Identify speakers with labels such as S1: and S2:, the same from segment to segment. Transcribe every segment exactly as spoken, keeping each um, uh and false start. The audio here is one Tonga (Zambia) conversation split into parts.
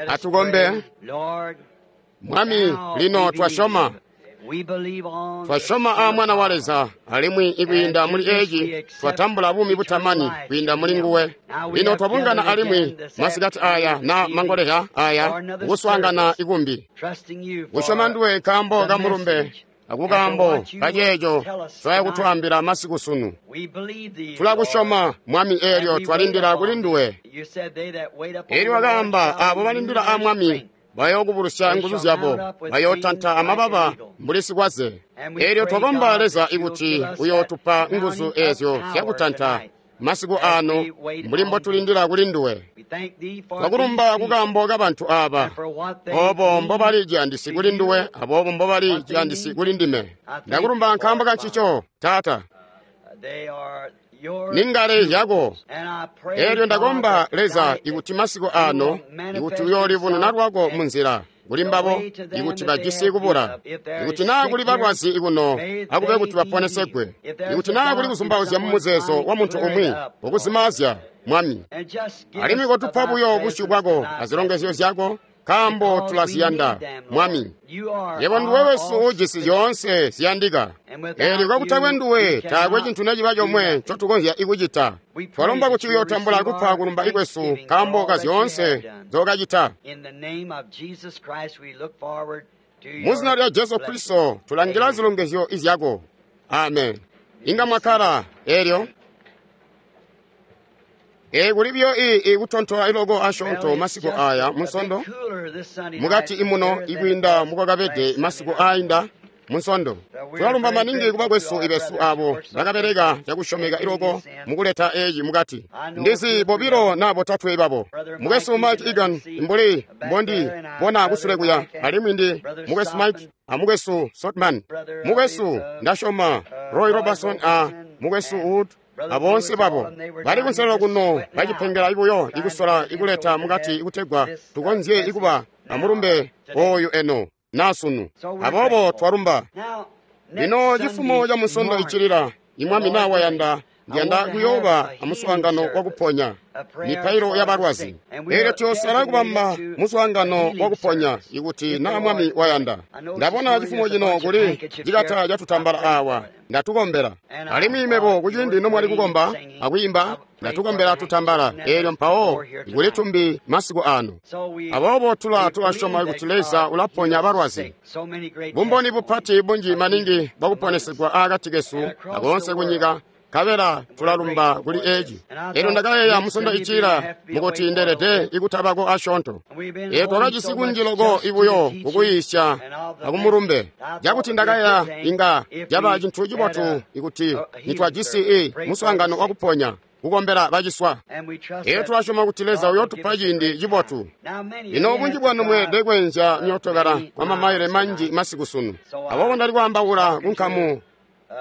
S1: Atukombe. Mwami, lino twasyoma. Twasyoma aa Mwana wa Leza, alimwi ikwiinda muli eeci twatambula buumi butamani kwiinda muli nguwe. Lino twabungana alimwi masikati aya na mangoleha aya kuswaangana ikumbi. Kusyoma nduwe nkaambo ka mulumbe akukaambo kaceeco twaya kutwaambila masiku sunu. Tulakusyoma, Mwami, eelyo twalindila kuli nduwe. Eelyo wakaamba aabo balindila aa Mwami bayookubulusya nguzu zyabo, bayootanta amababa mbuli sikwaze. Eelyo twakomba Leza ikuti uyootupa nguzu eezyo zyakutanta masiku aano mbuli mbotulindila kuli nduwe. Twakulumba kukaambo kabantu aaba, oobo mbobali ciyandisi kuli nduwe aboobo mbobali ciyandisi kuli ndime. Ndakulumba nkaambo kancico, Taata. Ningale yako. Eelyo ndakomba Leza ikuti masiku aano ikuti uyoolibununa lwako munzila kuli mbabo ikuti bajisi kubula, ikuti naa kuli balwazi kuno akube kuti baponesegwe, ikuti naa kuli kuzumbauzya mumuzeezo wa muntu umwi okuzimaazya, Mwami. Alimwi kotupa buyo busyu bwako azilongezyo zyako, nkaambo tulaziyanda, Mwami. Yebo nduwe wesu uujisi zyoonse ziyandika. Eelyo kakutakwe nduwe taakwe cintu neciba comwe ncotukonzya ikucita. Twalomba kuti uyootambula kupa kulumba ikwesu nkaambo ka zyoonse nzookacita. Muzina lya Jesu Kristo tulangila zilongezyo izyako. Amen. Inga mwakkala eelyo. Ee, kuli buyo ii kutontola iloko asyoonto masiku aya munsondo mukati imuno ikwiinda mukwakabede masiku aainda munsondo. Tulalumba maningi kubakwesu ibesu abo bakabeleka cakusyomeka iloko mukuleta eeci mukati. Ndizi bobilo na botatwe babo. Mukwesu Mike Egan mbuli mbondi bona kusule kuya, alimwi ndi mukwesu Mike a mukwesu Sotman. Mukwesu ndasyoma Roy Robertson a mukwesu Wood aboonse babo bali kunselelo kuno bacipengela ibuyo ikusola ikuleta mukati ikutegwa tukonzye ikuba amulumbe oyu eno nasunu. Aboobo twalumba. Lino cifumo ca munsondo icilila, imwami naa wayanda, ndiyanda kuyooba amuswaangano wakuponya mipailo yabalwazi. Eelyo tuyosala kubamba muswaangano wakuponya ikuti naa Mwami wayanda. Ndabona cifumo cino kuli cikata catutambala awa, ndatukombela. Alimwi mebo kuciindi nomwali kukomba akwiimba, ndatukombela tutambala. Eelyo mpawo kuli tumbi masiku ano. Aboobo tula tulasyoma kuti Leza ulaponya balwazi. Bumboni bupati bunji maningi bwakuponesegwa aakati kesu akoonse kunyika, kabela tulalumba kuli eeci. Eelyo ndakayeeya musondo icila mukuti ndelede ikutabako asyoonto. Eelyo twakajisi kunji loko ibuyo kukuyiisya akumulumbe, cakuti ndakayeeya inga caba cintu cibotu ikuti nitwajisi i muswaangano wakuponya kukombela baciswa. Eelyo tulasyoma kuti Leza uyootupa ciindi cibotu. Lino bunji bwanu mweelede kweenzya myootokala kwa mamaile manji masiku sunu. Aboobo ndali kwaambaula kunkamu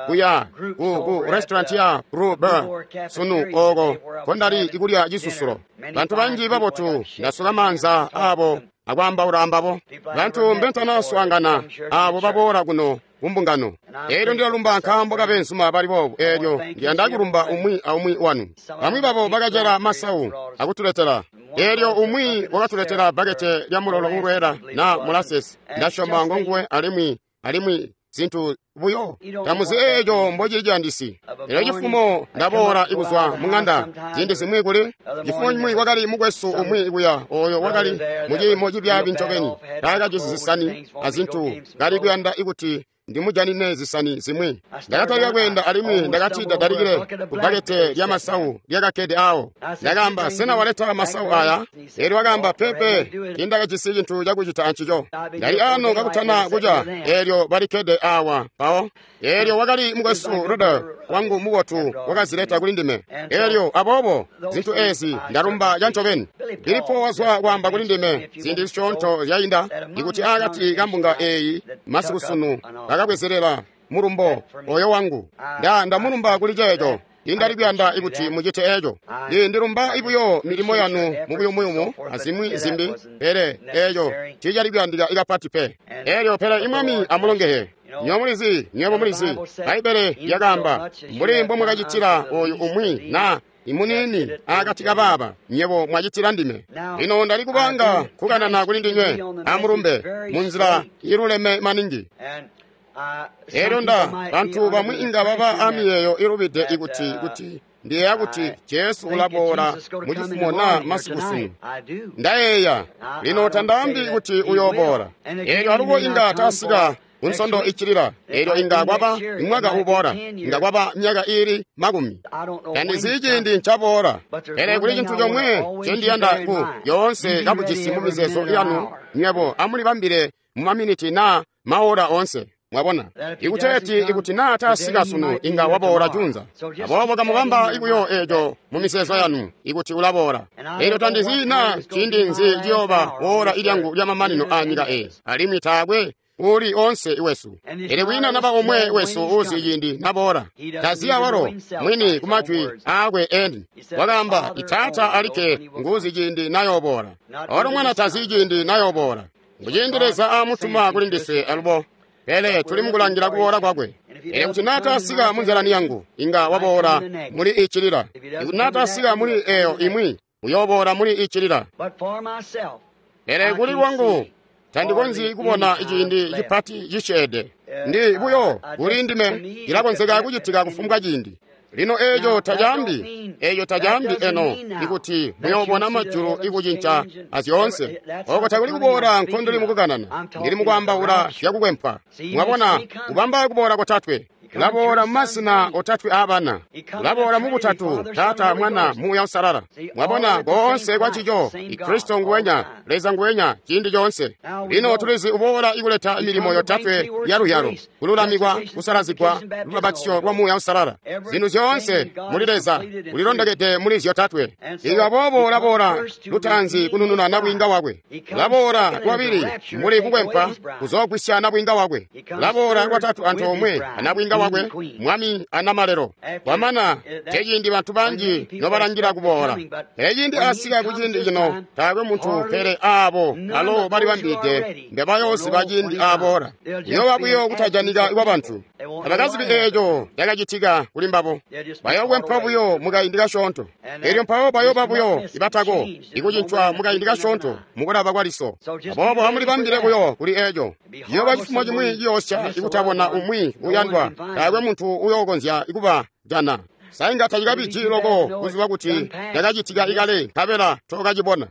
S1: kuya ku, ku restaurant ya Blue Bird sunu ooko kondali ikulya cisusulo. Bantu banji babotu ndasuka maanza aabo akwaambaula ambabo. Bantu mbentanaswaangana aabo baboola kuno kumbungano. Eelyo ndilalumba nkaambo kabeenzuma bali boobu. Eelyo ndiyanda kulumba umwi aumwi wanu. Bamwi babo bakacela masawu akutuletela. Eelyo umwi wakatuletela bbakete lya mulolo ulweela na molasses. Ndasyoma ngonguwe alimwi alimwi zintu buyo tamuzi eeco mbocili ciyandisi. Eelyo cifumo ndaboola ikuzwa mung'anda ziindi zimwi kuli cifumo cimwi kwakali mukwesu umwi kuya ooyo wakali muciimo cibyaabi ncobeni, taakajisi zisani azintu, kali kuyanda ikuti ndimujanine zisani zimwi. Ndakatalika kweenda alimwi ndakati ndadalikile kubbakete lyamasawu lyakakkede aawo. Ndakaamba, sena waleta masawu aya? Eelyo wakaamba, pepe, tiindakajisi cintu cakucita ancico. Ndali aano kakutana kuca, eelyo balikkede aawa mpawo. Eelyo wakali mukwesu Ruder wangu mubotu wakazileta kuli ndime. Eelyo aboobo zintu eezi ndalumba cancobeni. Filipo wazwa kwaamba kuli ndime ziindi zisyoonto zyainda ikuti aakati kambunga eeyi masiku sunu bakabwezelela mulumbo oyo wangu. Nda ndamulumba kuli ceeco. Indali kuyanda ikuti mucite eeco. Ndi ndilumba ibuyo milimo yanu mubuyumuyumu azimwi zimbi, pele eeco tiicali kuyandika ikapati pe. Eelyo pele imwami amulongehe. Nywebo mulizi, nywebo mulizi, Bbaibbele lyakaamba, mbuli mbomwakacitila oyu umwi na Imuniini akati kabaaba nyebo mwacitila ndime. Lino ndali kubanga kukanana kuli ndinywe amulumbe munzila iluleme maningi. Elyo nda bantu bamwi inga baba amiyeeyo ilubide ikuti kuti ndiyeeya kuti Jesu ulaboola mucifumo naa masiku sunu. Ndayeeya lino tandaambi kuti uyooboola. Elyo alubo inga tasika kunsondo iccilila. Elyo inga kwaba imwaka uboola, inga kwaba myaka iili makumi. Tandizi ciindi ncaboola. Pele kuli cintu comwe ncendiyanda ku yoonse kabujisi mu mizeezo yanu nywebo amulibambile mu maminiti naa maora oonse. Mwabona, ikuteeti ikuti naa tasika sunu inga waboola junza. Aboobo kamubamba ikuyo eeco mu mizeezo yanu ikuti ulaboola. Elyo tandizi naa ciindi nzi ciyooba woola ilyangu lyamamanino aa nyika eyi, alimwi taakwe uli onse iwesu. Pele kwiina naba omwe wesu uzi ciindi naboola. Taziya walo mwini kumajwi aakwe eni. Wakaamba, Itaata alikke nguzi ciindi nayooboola. Olo mwana tazi ciindi nayooboola. Nguciindi Leza aamutuma kuli ndiswe alubo. Pele tuli mukulangila kuboola kwakwe. Pele kuti naatasika munzalani yangu, inga waboola muli iccilila. Ikuti naatasika muli eyo imwi, uyooboola muli iccilila. Pele kuli lwangu, tandikonzyi kubona ciindi cipati cisyeede. Ndi buyo kuli ndime cilakonzeka kucitika kufumbwa ciindi. Lino eeco tacaambi, eeco tacaambi eno ikuti muyoobona majulu ikucinca azyoonse. Oko takuli kuboola nkondili mukukanana, ndili mukwaambaula zyakukwempwa. Mwabona, kubamba kuboola kotatwe. Ulaboola mumasina otatwe aabana. Ulaboola mubutatu, Taata, Mwana, Muuya Uusalala. Mwabona, koonse kwa cico, Kristo nguwenya, Leza nguwenya, ciindi coonse. Lino tulizi uboola ikuleta milimo yotatwe ya luyalo, kululamikwa, kusalazigwa, lubabatizyo lwa Muuya Uusalala. Zinthu zyoonse muli Leza ulilondokede muli zyotatwe. Inga boobo ulaboola lutaanzi kunununa nabwiinga wakwe. Ulaboola lwabili muli kukwempwa kuzoogwisya nabwiinga wakwe. Ulaboola lwatatu antoomwe anabwiinga wakwe, mwami anamalelo. Kwamana teciindi bantu banji nobalangila kuboola. Pele ciindi asika kuciindi cino taakwe muntu pele aabo alo balibambide mbebayooziba ciindi aboola. Kuyooba buyo kutajanika kwa bantu. Abakazibi eeco cakacitika kuli mbabo. Bayookwempwa buyo mukaindi kasyoonto. Elyo mpawo bayooba buyo ibatako ikucincwa mukaindi kasyoonto mukulaba kwa liso. Aboobo amulibambile buyo kuli eeco. Ciyooba cifumo cimwi ciyoosya ikutabona umwi uyandwa. Taakwe muntu uyookonzya ikuba jana. Sainga tacikabiji loko kuziba kuti cakacitika ikale nkabela tokacibona.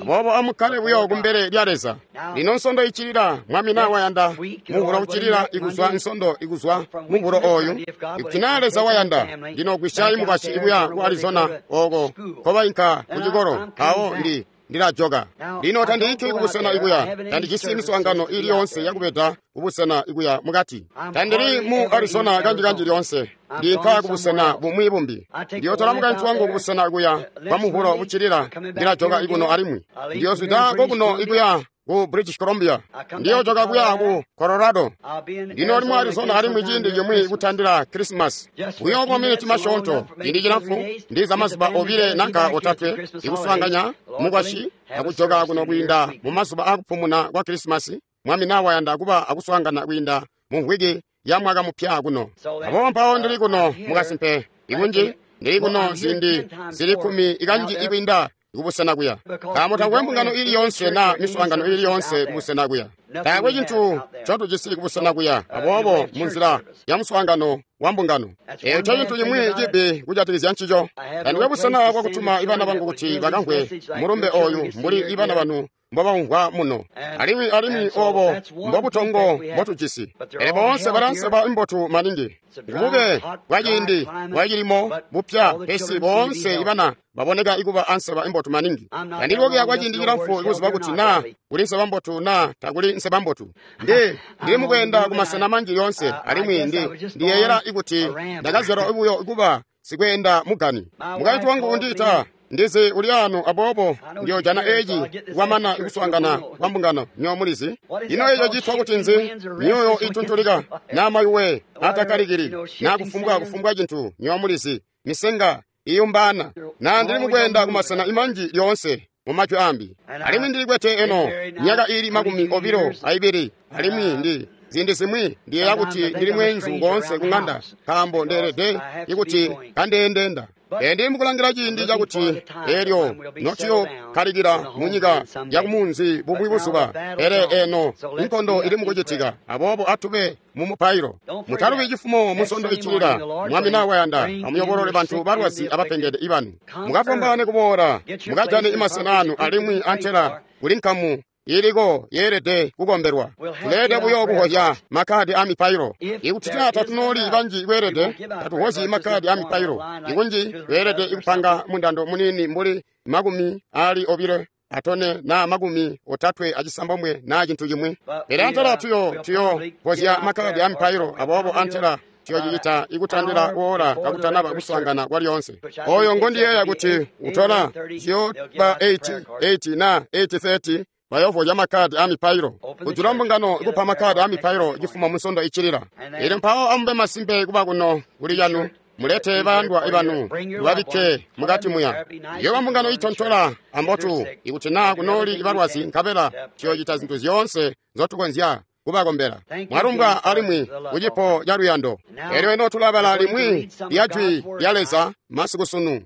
S1: Aboobo amukkale buyo kumbele lya Leza. Lino nsondo iccilila mwami naa wayanda mubulo uccilila ikuzwa nsondo ikuzwa mubulo ooyu. Ikuti naa Leza wayanda ndinogwisya imukwasyi ikuya ku Arizona ooko nkobainka kucikolo mpawo ndi ndilajoka. Lino tandiinki kubusena ikuya, tandijisi miswaangano ili yoonse yakubeda kubusena ikuya mukati. Tandili mu Arizona kanji-kanji lyoonse, ndiinka kubusena bumwi bumbi. Ndiyotola mukaintu wangu kubusena ikuya kwa mubulo buccilila, ndilajoka ikuno alimwi. Ndiyozwida kokuno ikuya ku British Columbia. Ndiyojoka kuya ku Colorado. Ndinoli mu Arizona alimwi ciindi cimwi kutandila Christmas. Buyo kwa miniti masyoonto, ciindi cilamfu, ndiza mazuba obile nanka otatwe, ikuswaanganya mukwasyi akujoka kuno kwiinda mu mazuba akupumuna kwa Christmas. Mwami naa wayanda kuba akuswaangana kwiinda mu mvwiki ya mwaka mupya kuno. Aboobo mpawo ndili kuno mukasimpe ikunji, ndili kuno ziindi zili kkumi ikanji ikwiinda kubusena kuya. Nkaambo taakwe mbungano ili yoonse naa miswaangano ili yoonse kubusena kuya. Taakwe cintu ncotujisi kubusena kuya. Aboobo munzila ya muswaangano wa mbungano. Eeco ncecintu cimwi cibi kujatikizya ncico. Tandikwe busena bwakutuma ibana bangu kuti bakamvwe mulumbe ooyu mbuli ibana banu mbobamvwa muno. Alimwi alimwi oobo mbobutongo mbotujisi. Pele boonse balanseba imbotu maningi. Bube bwaciindi bwacilimo bupya pesi boonse ibana baboneka ikuba anseba imbotu maningi. Tandili kwa ciindi cilamfu ikuziba kuti naa kuli nseba mbotu naa takuli nseba mbotu. Ndi ndili mukweenda kumasena manji yoonse alimwi ndi ndiyeeyela ikuti ndakazyalwa buyo kuba sikweenda mugani. Mukaintu wangu undiita ndizi uli ano aboobo ndiyojana eeci kwamana ikuswaangana kwa mbungano nyo mulizi. Ino eeco citwa kuti nzi? Myoyo ituntulika naa mayuwe atakkalikili naa kufumbwa kufumbwa cintu nyo mulizi. Misenga iyumbana naa ndili mukweenda kumasena imanji lyoonse mumajwi ambi. Alimwi ndilikwete eno myaka ili makumi obilo aibili alimwi ndi ziindi zimwi ndiyeeya kuti ndili mweenzu koonse kung'anda nkaambo ndeelede ikuti kandeendenda. Ndi mukulangila ciindi cakuti elyo notuyokkalikila munyika yakumunzi bumwi buzuba. Pele eno inkondo ili mukucitika, aboobo atube mumupailo. Mutalubi cifumo musondo icilila, Mwami na wayanda, amuyobolole bantu balwazi abapengede ibanu. Mukafwambaane kuboola, mukajane imasena anu alimwi antela kuli nkamu iliko yeelede kukombelwa. Tuleelede buyo kuhozya makkadi a mipailo. Ikuti naa tatunooli banji kweelede, tatuhozyi makkadi a mipailo. Ikunji kweelede ikupanga mundando muniini mbuli makumi ali obilo atone naa makumi otatwe acisambomwe naa cintu cimwi. Pele antela tuyo tuyo hozya makkadi a mipailo, aboobo antela tuyocicita ikutandila woola kakutanaba kuswaangana kwalyoonse. Oyo ngondiyeeya kuti utola ciyooba eight eight na eight thirty bayovozya makkadi a mipailo. Kujula mbungano ikupa makkadi a mipailo cifuma musondo icilila. Elyo mpawo amube masimpe kuba kuno kuli canu, mulete bayandwa ibanu mubabikke mukati muya. Yoba mbungano itontola ambotu ikuti naa kunooli ibalwazi, nkabela tuyocita zintu zyoonse nzotukonzya kubakombela. Mwalumbwa alimwi kucipo ca luyando. Elyo eno tulabala limwi lya Jwi lya Leza masiku sunu.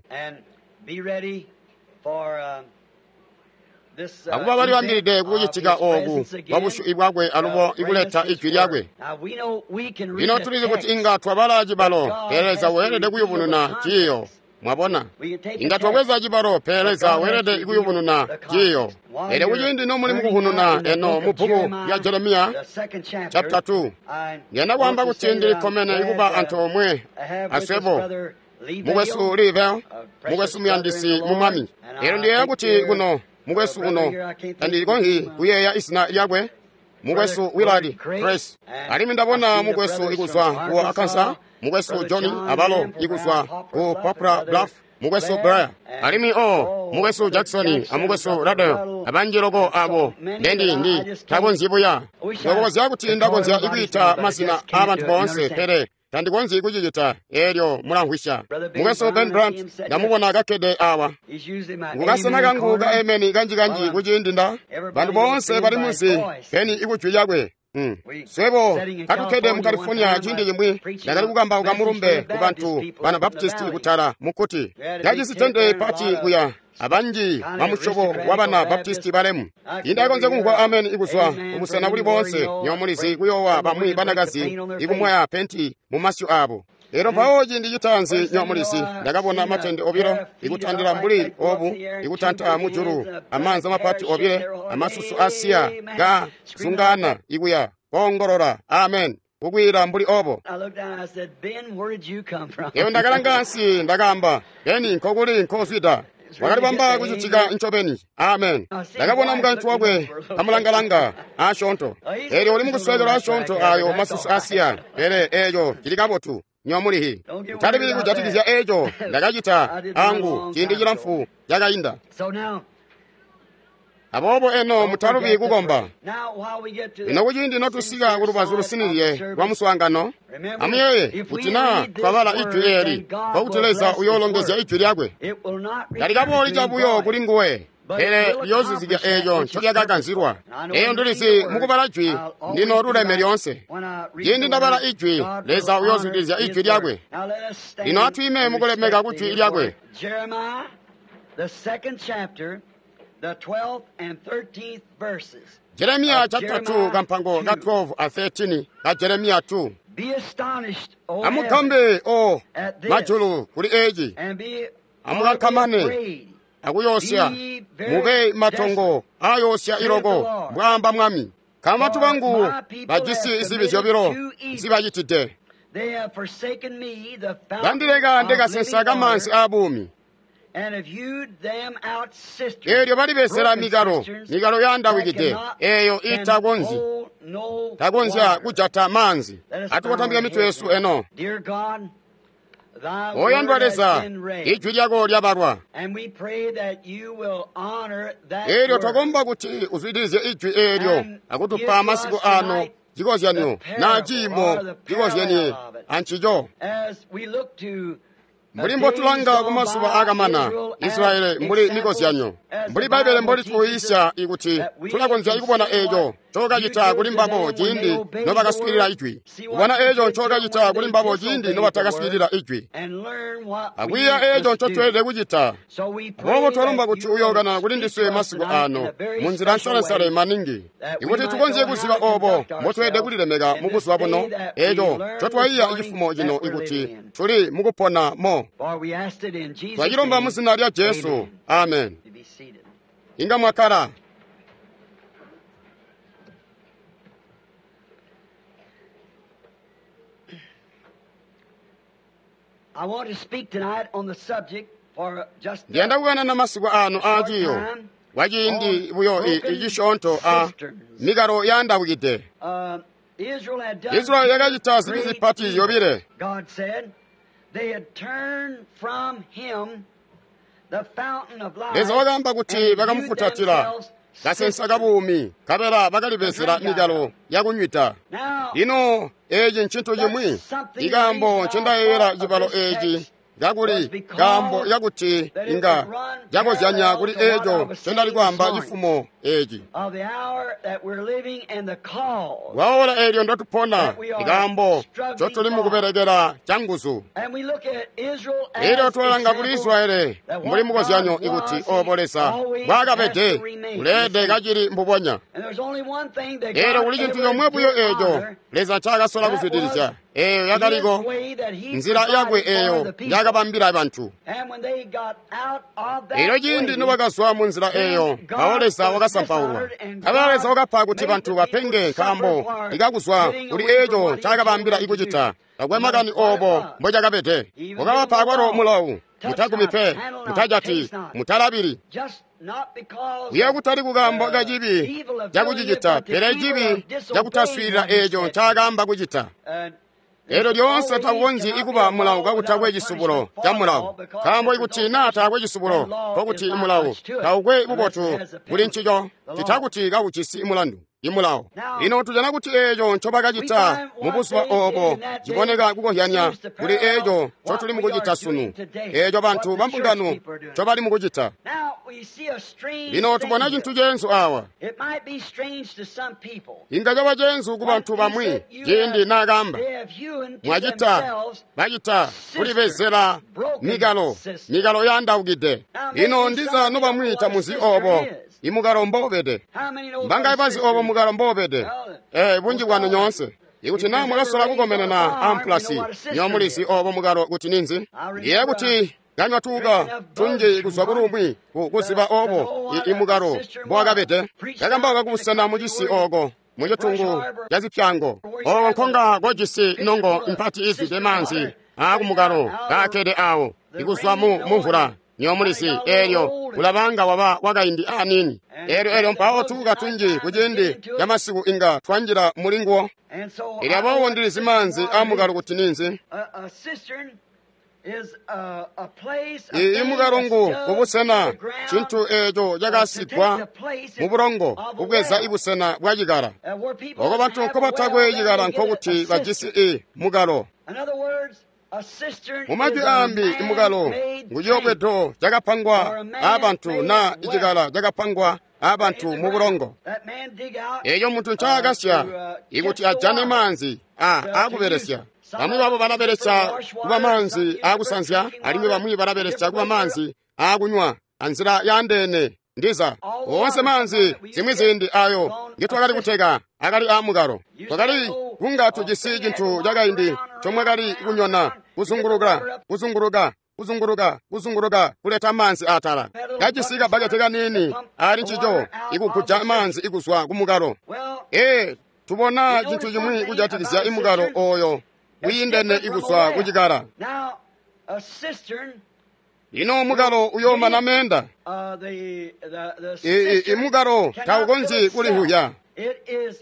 S1: Akuba balibambilide kukucitika ooku kwa busyu bwakwe alubo ikuleta ijwi lyakwe. Lino tulizi kuti inga twabala cibalo, pele Leza weelede kuyubununa ciiyo. Mwabona, inga twabweza cibalo, pele Leza weelede kuyubununa ciiyo. Elyo kuciindi nomuli mukuhununa eno mu bbuku lya Jeremiya chapter two, ngenda kwaamba kuti ndilikkomene ikuba antoomwe aswebo mukwesu Livel, mukwesu muyandisi mu Mwami. Elyo ndiyeeya kuti kuno mukwesu uno tandikonzyi kuyeeya izina lyakwe, mukwesu Willard Press. Alimwi ndabona mukwesu ikuzwa ku Arkansas, mukwesu Johnny abalo ikuzwa ku Poplar Bluff, mukwesu Blair. Alimwi o mukwesu Jackson amukwesu Radel, abanji loko abo ndendi ndi takonzyi buya. Ndokonzya kuti ndakonzya ikwiita mazina aabantu boonse, pele tandikonzyi kucicita elyo mulamvwisya. Mukwesu Ben Brandt ndamubona kakkede awa. Ngukasena kangu ka emeni kanji-kanji kuciindi nda bantu boonse bali munsi peni ikujwi lyakwe. Mm. Swebo katukkede mu California ciindi cimwi ndakali kukambauka mulumbe ku bantu bana Baptisti kutala mukkuti lyajisi tende pati kuya abanji bamusyobo wa bana Baptisti balemu. Indakonzya kumvwa ameni ikuzwa kubusena buli boonse nyomulizi kuyoowa bamwi banakazi ikumwaya penti mu masyu abo. Elyo mpawo ciindi citaanzi nyomulizi ndakabona matende obilo ikutandila mbuli obu ikutanta mujulu amaanza mapati obile amasusu asiya ga zungana ikuya koongolola amen kukwiila mbuli obo. Eyo ndakalanga ansi ndakaamba, Beni nkokuli nkozwida. Wakalibamba kucitika ncobeni. Amen. Ndakabona mukaintu wakwe kamulangalanga asyoonto. Elyo uli mukuswekelwa asyoonto ayo masusu asiya, pele eeco cili kabotu. Nyomulihi utalibili kujatikizya eeco ndakacita angu ciindi cilamfu cakainda. Aboobo eno mutalubi kukomba. Lino kuciindi notusika kulubazu lusinizye lwa muswaangano, amuyeeye kuti naa twabala ijwi eeli, nkokuti Leza uyoolongezya ijwi lyakwe. Talikabooli cabuyo kuli nguwe, pele liyoozuzikya eeco ncolyakakanzilwa. Eyo ndilizi mukubala jwi ndino luleme lyoonse. Ciindi ndabala ijwi, Leza uyoozuzikizya ijwi lyakwe. Lino atwiime mukulemeka kujwi lyakwe. Jeremiya chapter two kampango ka twelve a thirteen ka Jeremiya two. Amugambe o majulu kuli eeci, amukankamane akuyosya, mube matongo aayosya iloko, mbwaamba Mwami. Nkaambo bantu bangu bajisi zibi zyobilo nzibacitide. Bandileka ndikasensa kamaanzi aabuumi. Eelyo balibezela mikalo, mikalo yaandawikide, eeyo itakonzyi takonzya kujata maanzi. Atukotambika mitwe yesu eno. Oyandwa Leza, ijwi lyako lyabalwa. Eelyo twakomba kuti uzwidilizye ijwi eelyo akutupa masiku ano cikozyanyo naa ciimo cikozyenie ancico. Mbuli mbotulanga kumazuba akamana Israyeli mbuli mikozyanyo, mbuli Bbaibbele mbolituyiisya ikuti tulakonzya kubona eeco ncookacita kuli mbabo ciindi nobakaswiilila ijwi, kubona eeco ncookacita kuli mbabo ciindi nobatakaswiilila ijwi, akwiiya eeco ncotweelede kucita. Aboobo twalomba kuti uyookana kuli ndiswe masiku ano munzila nsalesale maningi, ikuti tukonzye kuziba obo mbotweelede kulilemeka mu buzuba buno, eeco ncotwaiya cifumo cino ikuti tuli mukupona mo. Twacilomba mu zina lya Jesu. Amen. Inga mwakkala. Ndiyanda kukanana masiku ano aaciyo kwaciindi buyo icisyoonto a mikalo yaandawikide. Israeli yakacita zibi zipati yobile. Leza wakaamba kuti bakamufutatila kasensa kabuumi, nkabela bakalibezela mikalo yakunywida. Lino eeci ncintu cimwi ikaambo ncendayeeyela cibalo eeci kakuli kaambo kakuti inga cakozyanya kuli eeco ncendali kwaamba cifumo eeci. Kwaola eelyo ndotupona ikaambo ncotuli mukubelekela canguzu. Elyo twalanga kuli Israeli mbuli mukozyanyo ikuti obo Leza mbwaakabede uleede kacili mbubonya. Elyo kuli cintu comwe buyo eeco Leza ncaakasola kuzwidilizya, eeyo yakaliko nzila yakwe eeyo njaakabambila bantu. Elyo ciindi nobakazwa mu nzila eeyo, mpawo Leza wakasampaulwa. Nkabela Leza wakapa kuti bantu bapenge nkaambo ikakuzwa kuli eeco ncaakabambila ikucita. Takwe makani obo mbocakabede. Wakabapa akwalo mulawu: mutagumi pe, mutajati, mutalabili. Kuya kutali kukaambo kacibi cakucicita, pele cibi cakutaswiilila eeco ncaakaamba kucita. Elyo lyoonse takukonzyi ikuba mulawu kakutakwe cisubulo ca mulawu, nkaambo ikuti naa taakwe cisubulo, nkokuti mulawu taukwe bubotu kuli ncico, cita kuti kakujisi mulandu imulawo. Lino tujana kuti eeco ncobakacita mu buzuba obo ciboneka kukozyanya kuli eeco ncotuli mukucita sunu, eeco bantu bambungano ncobali mukucita. Lino tubona cintu ceenzu awa. Inga caba ceenzu ku bantu bamwi ciindi naakaamba, mwacita bacita kulibezela mikalo, mikalo yaandaukide. Lino ndiza nobamwi tamuzi obo imukalo mboubede. Mbangaye bazi obo mukalo mboubede? Eh, bunji bwanu nyoonse. Ikuti naa mwakasola kukomenena ampulasi, nyomulizi obo mukalo kuti ninzi. Ndiye kuti kanywa tuuka tunji kuzwa kulumwi kuziba obo imukalo mbowakabede. Kakambauka kubusena mucisi ooko mucitungu ca zipyango ooko nkonga kojisi nongo mpati izwide maanzi aakumukalo kaakkede awo ikuzwa mu mumvula. Nyomulizi eelyo ulabanga waba wakaindi aniini. Eelyo eelyo mpawo tuuka tunji kuciindi camasiku inga twanjila mulinguwo. Elyo aboobo ndilizi maanzi aamukalo kuti ninzi. Imukalo ngu kubusena cintu eeco cakasigwa mu bulongo kubweza ibusena bwa cikala. Oko bantu nkobatakwe cikala nkokuti bajisi i mukalo. Mumajwi aambi, imukalo nguciyobwedo cakapangwa aabantu naa icikala cakapangwa aabantu mu bulongo. Eeco muntu ncaakasya ikuti ajane maanzi a aakubelesya. Bamwi babo balabelesya kuba maanzi aakusanzya, alimwi bamwi balabelesya kuba maanzi aakunywa anzila yaandeene. Ndiza oonse maanzi zimwi ziindi ayo ngitwakali kuteka akali aamukalo. Twakali kunga tujisi cintu cakaindi ncomwakali kunyona kuzunguluka kuzunguluka kuzunguluka kuzunguluka kuleta maanzi atala. Kajisi kabbakete kaniini ali ncico ikuguja maanzi ikuzwa kumukalo. Ee, tubona cintu cimwi kujatikizya imukalo oyo wiindene ikuzwa kucikala. Lino mukalo uyoomana meenda. Imukalo taukonzyi kulihuya.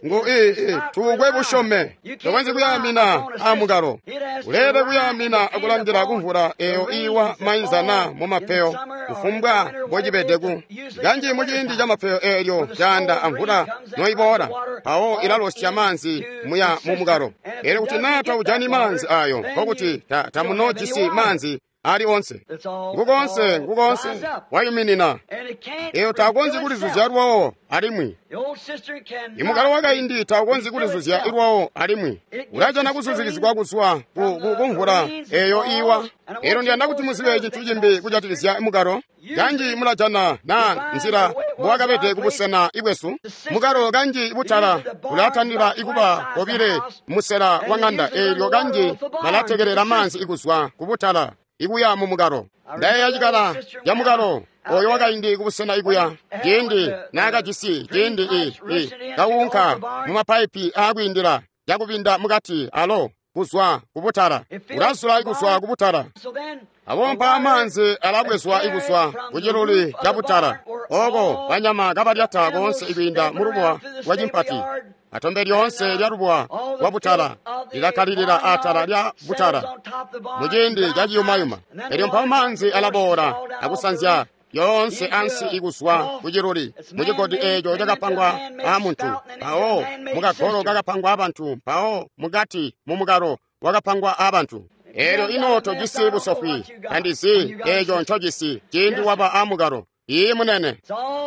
S1: Ngu ii tuukwe busyome, tokonzyi kuyaamina amukalo. Uleelede kuyaamina akulangila kumvula eeyo iiwa mainza naa mumapeyo kufumbwa mbocibedeku. Kanji muciindi camapeyo eelyo caanda amvula noiboola, mpawo ilalosya maanzi muya mumukalo. Eelyo kuti naa taujani maanzi ayo, nkokuti tamunoojisi maanzi ali onse. Ngukonse, ngukonse wayuminina. Eyo takonzyi kulizuzya lwawo alimwi. Imukalo wakaindi taukonzyi kulizuzya ilwawo alimwi. Ulajana kuzuzikizigwa kuzwa ku, ku kumvula eyo iwa. Elo ndiyanda kuti muzibe cintu cimbi kujatikizya mukalo. Kanji mulajana na nzila mbowakabede kubusena ibwesu. Mukalo kanji butala bulatandila ikuba kobile musela wa ng'anda eelyo kanji balatekelela maanzi ikuzwa kubutala ikuya mu mukalo. Ndayeeya cikala ca mukalo oyo wakaindi kubusena ikuya ciindi naakajisi ciindi i i kaunka mu mapaipi aakwiindila cakubinda mukati alo kuzwa kubutala ulazula ikuzwa kubutala. Abompa amaanzi alabwezwa ikuzwa kuciluli ca butala oko banyama kabalyata koonse ikwiinda mulubuwa lwa cimpati. Atombe lyoonse lya lubuwa lwa butala lilakkalilila atala lya butala muciindi ca ciyumayuma. Elyo mpawo maanzi alaboola akusanzya yoonse ansi ikuzwa kuciluli mucigodi eeco cakapangwa aamuntu, mpawo mukagolo kakapangwa aabantu, mpawo mukati mumukalo wakapangwa aabantu. Eelyo ino tojisi busofwi, tandizi eeco ncojisi ciindi waba aamukalo. Iiyi munene,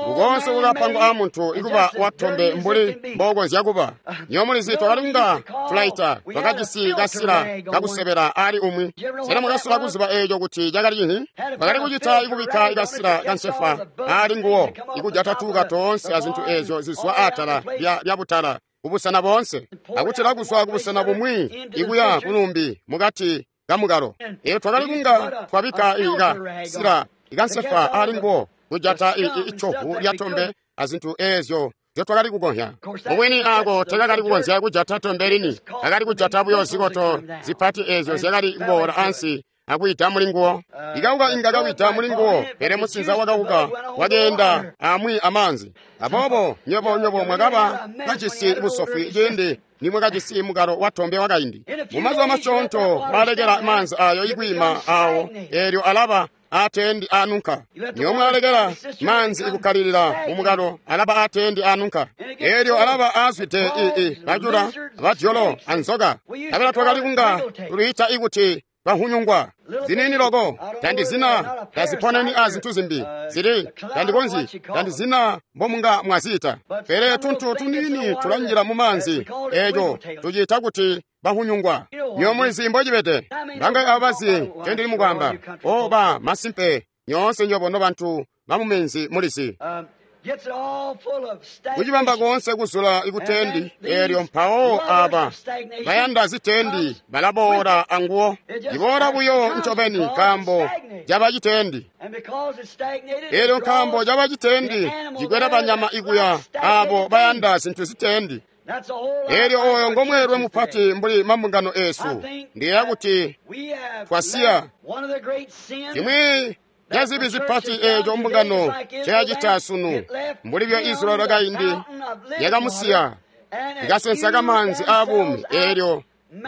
S1: ngukonse kukapangwa aamuntu ikuba watombe mbuli mbokonzya kuba. Nyo mulizi twakali kunga tulaita twakajisi kasila kakusebela ali umwi. Sena mwakasola kuziba eeco kuti cakali cinhi? Twakali kucita ikubikka ikasila kansefa ali nguwo ikujata tuuka toonse azintu eezyo zizwa atala lya, lya butala kubusena boonse akutila kuzwa kubusena bumwi ikuya kulumbi mukati kamukalo. Eyo twakali kunga twabikka ikasila ikansefa ali nguwo kujata icovu lya tombe azintu eezyo zyotwakali kukonzya. Mubwini ako tekakali kukonzya kujata tombe lini, akali kujata buyo zikoto zipati eezyo zyakali kuboola ansi akwiita muli nguwo. Ikauka inga kawita muli nguwo, pele musinza wakauka wakeenda amwi amaanzi. Aboobo nywebo nywebo mwakaba kajisi busofwi ciindi nimwakajisi mukalo wa tombe wakaindi. Mumazuba masyoonto mwalekela maanzi ayo ikwiima awo, eelyo alaba atendi anunka. Niyo mwalekela maanzi ikukkalilila mumukalo alaba atendi anunka. Eelyo alaba azwide ii bajula badyolo anzoka. Abela twakali kunga tuluyita ikuti bahunyungwa zinini loko tandizina taziponeni a zintu zimbi zili tandikonzyi tandizina mbomunga mwaziita. Pele tuntu tunini tulanjila mu maanzi eeco tuciita kuti bahunyungwa. Nyo mulizi mbocibede bangayi abo bazi ncendili mukwamba. O ba masimpe nyoonse nyobo nobantu bamuminzi mulizi. Kucibamba koonse kuzula ikutendi eelyo mpawo aba bayanda zitendi balaboola anguwo. Iboola buyo ncobeni nkaambo caba citendi. Eelyo nkaambo caba citendi cikwela banyama ikuya abo bayanda zintu zitendi. Eelyo oyo ngomweelwe mupati mbuli mambungano eesu. Ndiyeeya kuti twasiya cimwi cazibi zipati eeco mbungano cayacita sunu mbuli bya Israeli lwakaindi yakamusiya ikasensa kamaanzi aabuumi eelyo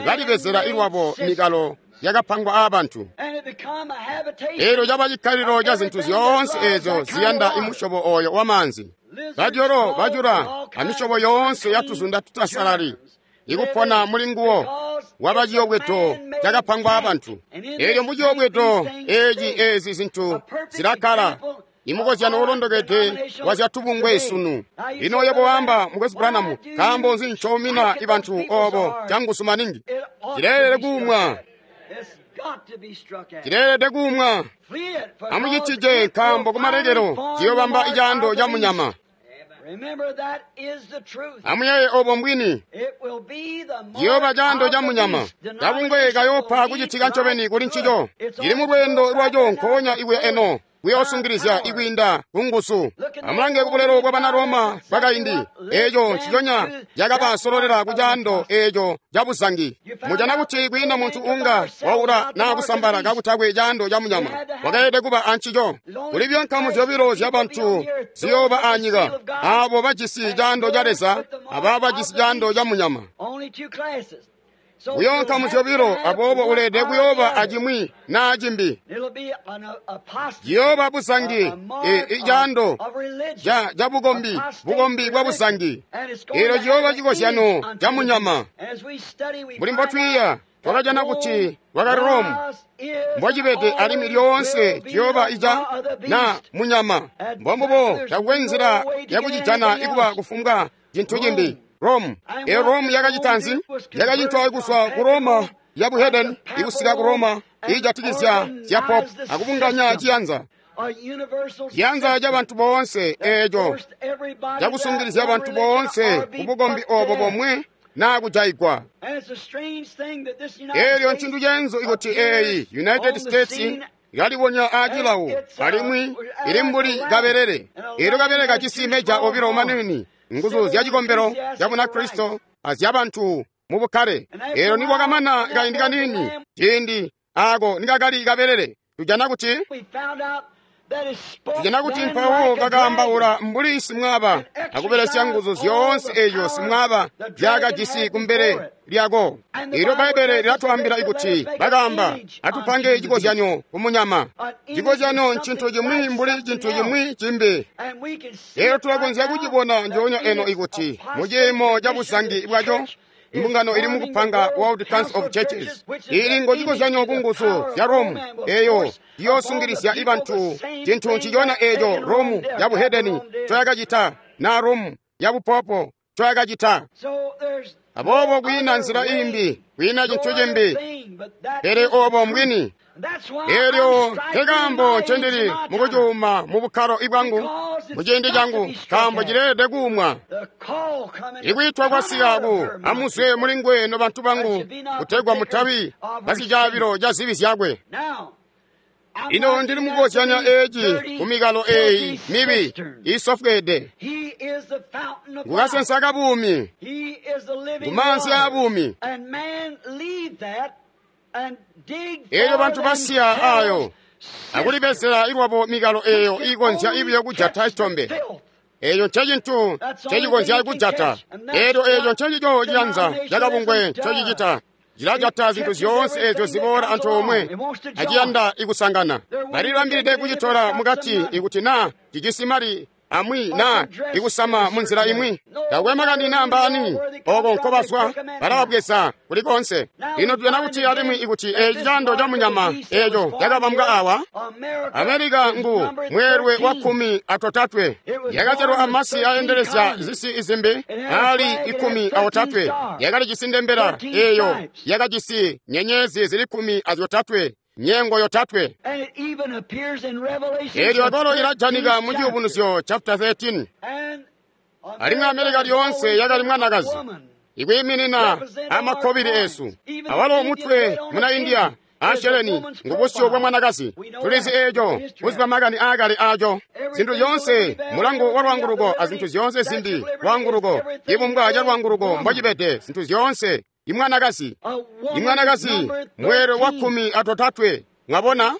S1: balibezela ilwabo mikalo yakapangwa aabantu. Eelyo caba cikkalilo ca zintu zyoonse eezyo ziyanda imusyobo oyo wamaanzi. Badyolo bajula amisyobo yoonse yatuzunda tutasalali ikupona muli nguwo waba ciyobwedo cakapangwa aabantu. Eelyo muciyobwedo eeci eezi zintu zilakkala imukozyano ulondokede wa zyatubungwe sunu. Lino yebo wamba mukwesu Branham, nkaambo nzi ncoumina ibantu obo canguzu maningi? Cileelede kuumwa, cileelede kuumwa. Amucitije nkaambo kumalekelo ciyobamba icaando ca munyama. Amuyeeye obo mbwini. Ciyooba caando ca munyama. Kabungwe kayoopa kucitika ncobeni kuli ncico. Cili mu lweendo lwaco nkoonya ikuya eno kuyoosungilizya ikwiinda kunguzu. Amulange kubulelo bwa bana Roma bwakaindi. Eeco nciconya cakabasololela ku caando eeco ca buzangi. Mujana kuti kwiinda muntu unga waula naa kusambala kakutakwe caando ca munyama wakaelede kuba ancico. Kuli buyo nkamu zyobilo zyabantu ziyooba anyika, aabo bajisi caando ca Leza abaabo bajisi caando ca munyama. Buyo nkamu zyobilo, aboobo uleelede kuyooba acimwi naa cimbi. Ciyooba buzangi, icaando ca bukombi, bukombi bwa buzangi. Eelyo ciyooba cikozyano ca munyama. Mbuli mbotwiiya, twakajana kuti wakali Rome mbocibede alimwi lyoonse ciyooba ica na munyama. Mbombubo takwe nzila yakucijana ikuba kufumbwa cintu cimbi. Rome. E Rome yakacita nzi? Yakacitwa kuzwa ku Roma ya buhedeni ikusika ku Roma iijatikizya zya pop akubunganya ciyanza. Ciyanza ca bantu boonse eeco cakusungilizya bantu boonse kubukombi obo bomwe naa kujayigwa. Eelyo ncintu cenzu ikuti eeyi United States yalibonya aacilawo alimwi ili mbuli kabelele. Eelyo kabelele kajisi meja obilo maniini, nguzu zya cikombelo ca Bunakristo azyabantu mu bukkale. Eelyo nikwakamana kaindi kaniini, ciindi aako nikakali kabelele, tujana kuti tujana kuti mpawo kakaambaula mbuli simwaaba akubelesya nguzu zyoonse eeyo simwaaba zyakajisi kumbele lyako. Eelyo Bbaibbele lilatwaambila kuti bakaamba, atupange cikozyanyo kumunyama. Cikozyanyo ncintu cimwi mbuli cintu cimwi cimbi. Eelyo tulakonzya kucibona njoonya eno ikuti muciimo ca buzangi bwaco imbungano ili mukupanga World Council of Churches ili ngo cikozyanyo ku nguzu zya Rome eyo iyoosungilizya ibantu cintu ncicona eeco Rome ya buhedeni ncoyakacita na Rome ya bupopo ncoyakacita. Aboobo kwiina nzila imbi, kwiina cintu cimbi, pele obo mbwini. Eelyo nkekaambo ncendili mukucuuma mu bukkalo ibwangu muciindi cangu, nkaambo cileelede kuumwa. Ikwiitwa kwasika ku amuzwe muli nguwe nobantu bangu, kutegwa mutabi basicaabilo ca zibi zyakwe. Ino ndili mukukozyanya eeci kumikalo eeyi mibi iisofweede. Ngukasensa kabuumi, ngumaanzi aabuumi. Eelyo bantu basiya ayo akulibezela ilwabo mikalo eeyo iikonzya ibiyo kujata citombe. Eeyo ncecintu ncecikonzya kujata. Eelyo eeco ncencico ciyanza cakabungwe ncocicita. Cilajata zintu zyoonse eezyo ziboola antoomwe aciyanda ikusangana. Balilibambilide kucitola mukati ikuti naa cijisi mali amwi naa ikusama munzila imwi. Takwe makani naa mbaani oko nkobazwa, balababweza kuli konse. Lino tujana kuti alimwi ikuti eeci caando ca munyama eeco cakabambwa awa, Amerika ngu mweelwe wa kkumi atotatwe. Yakazyalwa amasi aendelezya zisi izimbi aali ikkumi aotatwe. Yakalijisi ndembela eeyo yakajisi nyenyezi zili kkumi azyotatwe, nyengo yotatwe. Eelyo akwalo ilajanika mu Ciyubunuzyo chapter thirteen. Alimwi Amerika lyoonse yakali mwanakazi, ikwiiminina amakkobili eesu. Awalo mutwe muna India asheleni ngubusyu bwa mwanakazi. Tulizi eeco kuziba makani aakale aaco. Zintu zyoonse mulangu wa lwaanguluko azintu zyoonse zimbi lwaanguluko, cibumbwa ca lwaanguluko mbocibede, zintu zyoonse imwanakazi. Imwanakazi mweelwe wa kkumi atotatwe. Mwabona?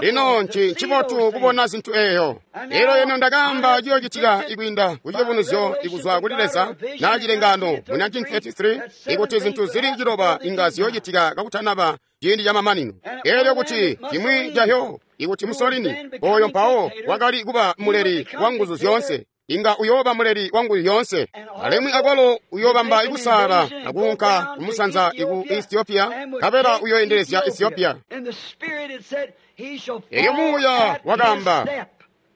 S1: Lino nci ncibotu kubona zintu eeyo. Eelyo eno ndakaamba ciyoocitika ikwiinda ku ciyubunuzyo ikuzwa kuli Leza naa cilengano mu nineteen thirty-three ikuti zintu zili ciloba inga ziyoocitika kakutanaba ciindi camamanino. Eelyo kuti cimwi cahyo ikuti Mussolini oyo mpawo wakali kuba muleli wa nguzu zyoonse, inga uyooba muleli wa nguzu zyoonse, alimwi akwalo uyoobamba ikusaala akuunka kumusanza iku Ethiopia, nkabela uyooendelezya Ethiopia. Elyo muuya wakaamba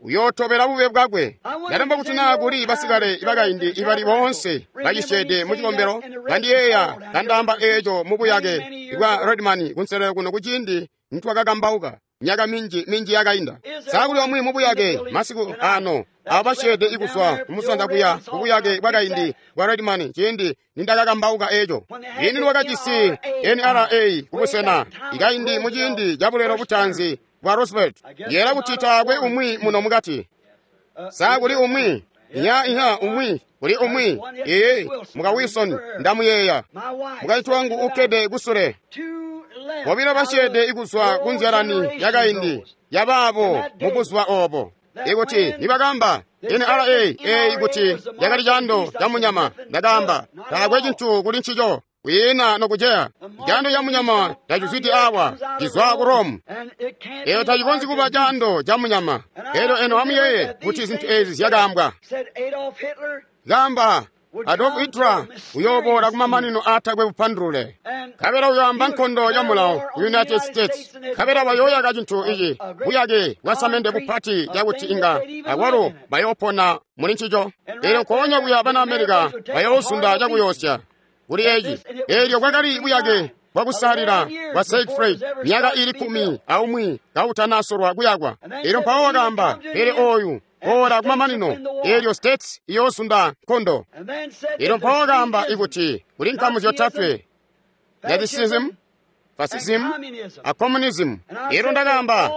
S1: uyootobela bube bwakwe. Ndalemba kuti naa kuli basikale bakaindi ibali boonse bacisyeede mu cikombelo bandiyeeya kandaamba eeco mubuyake bwa Redman kunselelo kuno kuciindi nitwakakambauka myaka minji minji yakainda. Sakuli omwe mubuyake masiku ano abo basyeede ikuzwa kumusanza kuya kubuyake bwakaindi bwa Redman ciindi nindakakambauka eeco. Lini lwakajisi N R A kubusena ikaindi muciindi cabulelo butaanzi bwa Roosevelt. Yeela kuti taakwe umwi muno mukati. Sakuli umwi inya inya umwi kuli umwi ee muka Wilson ndamuyeeya. Mukaintu wangu ukkede kusule. Bobilo basyeede ikuzwa kunzyalani yakaindi yabaabo mubuzuba obo. Ikuti nibakamba N R A ee ikuti yakali caando ca munyama, ndakaamba taakwe cintu kuli ncico kwiina nokuceya. Caando ca munyama tacizwidi awa, cizwa ku Rome. Eyo tacikonzyi kuba caando ca munyama. Elyo eno amuyeeye kuti zintu eezi zyakaambwa. Kaamba Adolf Hitler uyooboola kumamanino aatakwe bupandulule. Nkabela uyoamba nkondo ya mulawo ku United States. Nkabela bayooyaka cintu ici buyake bwasamende bupati cakuti inga akwalo bayoopona muli ncico. Eelyo nkoonya kuya bana America bayoozunda cakuyoosya kuli eci. Eelyo kwakali buyake bwakusalila bwa Siegfried myaka ili kkumi aumwi kautanasolwa kuyakwa. Eelyo mpawo wakaamba, pele ooyu boola kumamanino, eelyo States iyoozunda nkondo. Eelyo mpawo wakaamba ikuti kuli nkamu zyotatwe: Nazism, Fascism, a Communism. Eelyo ndakaamba,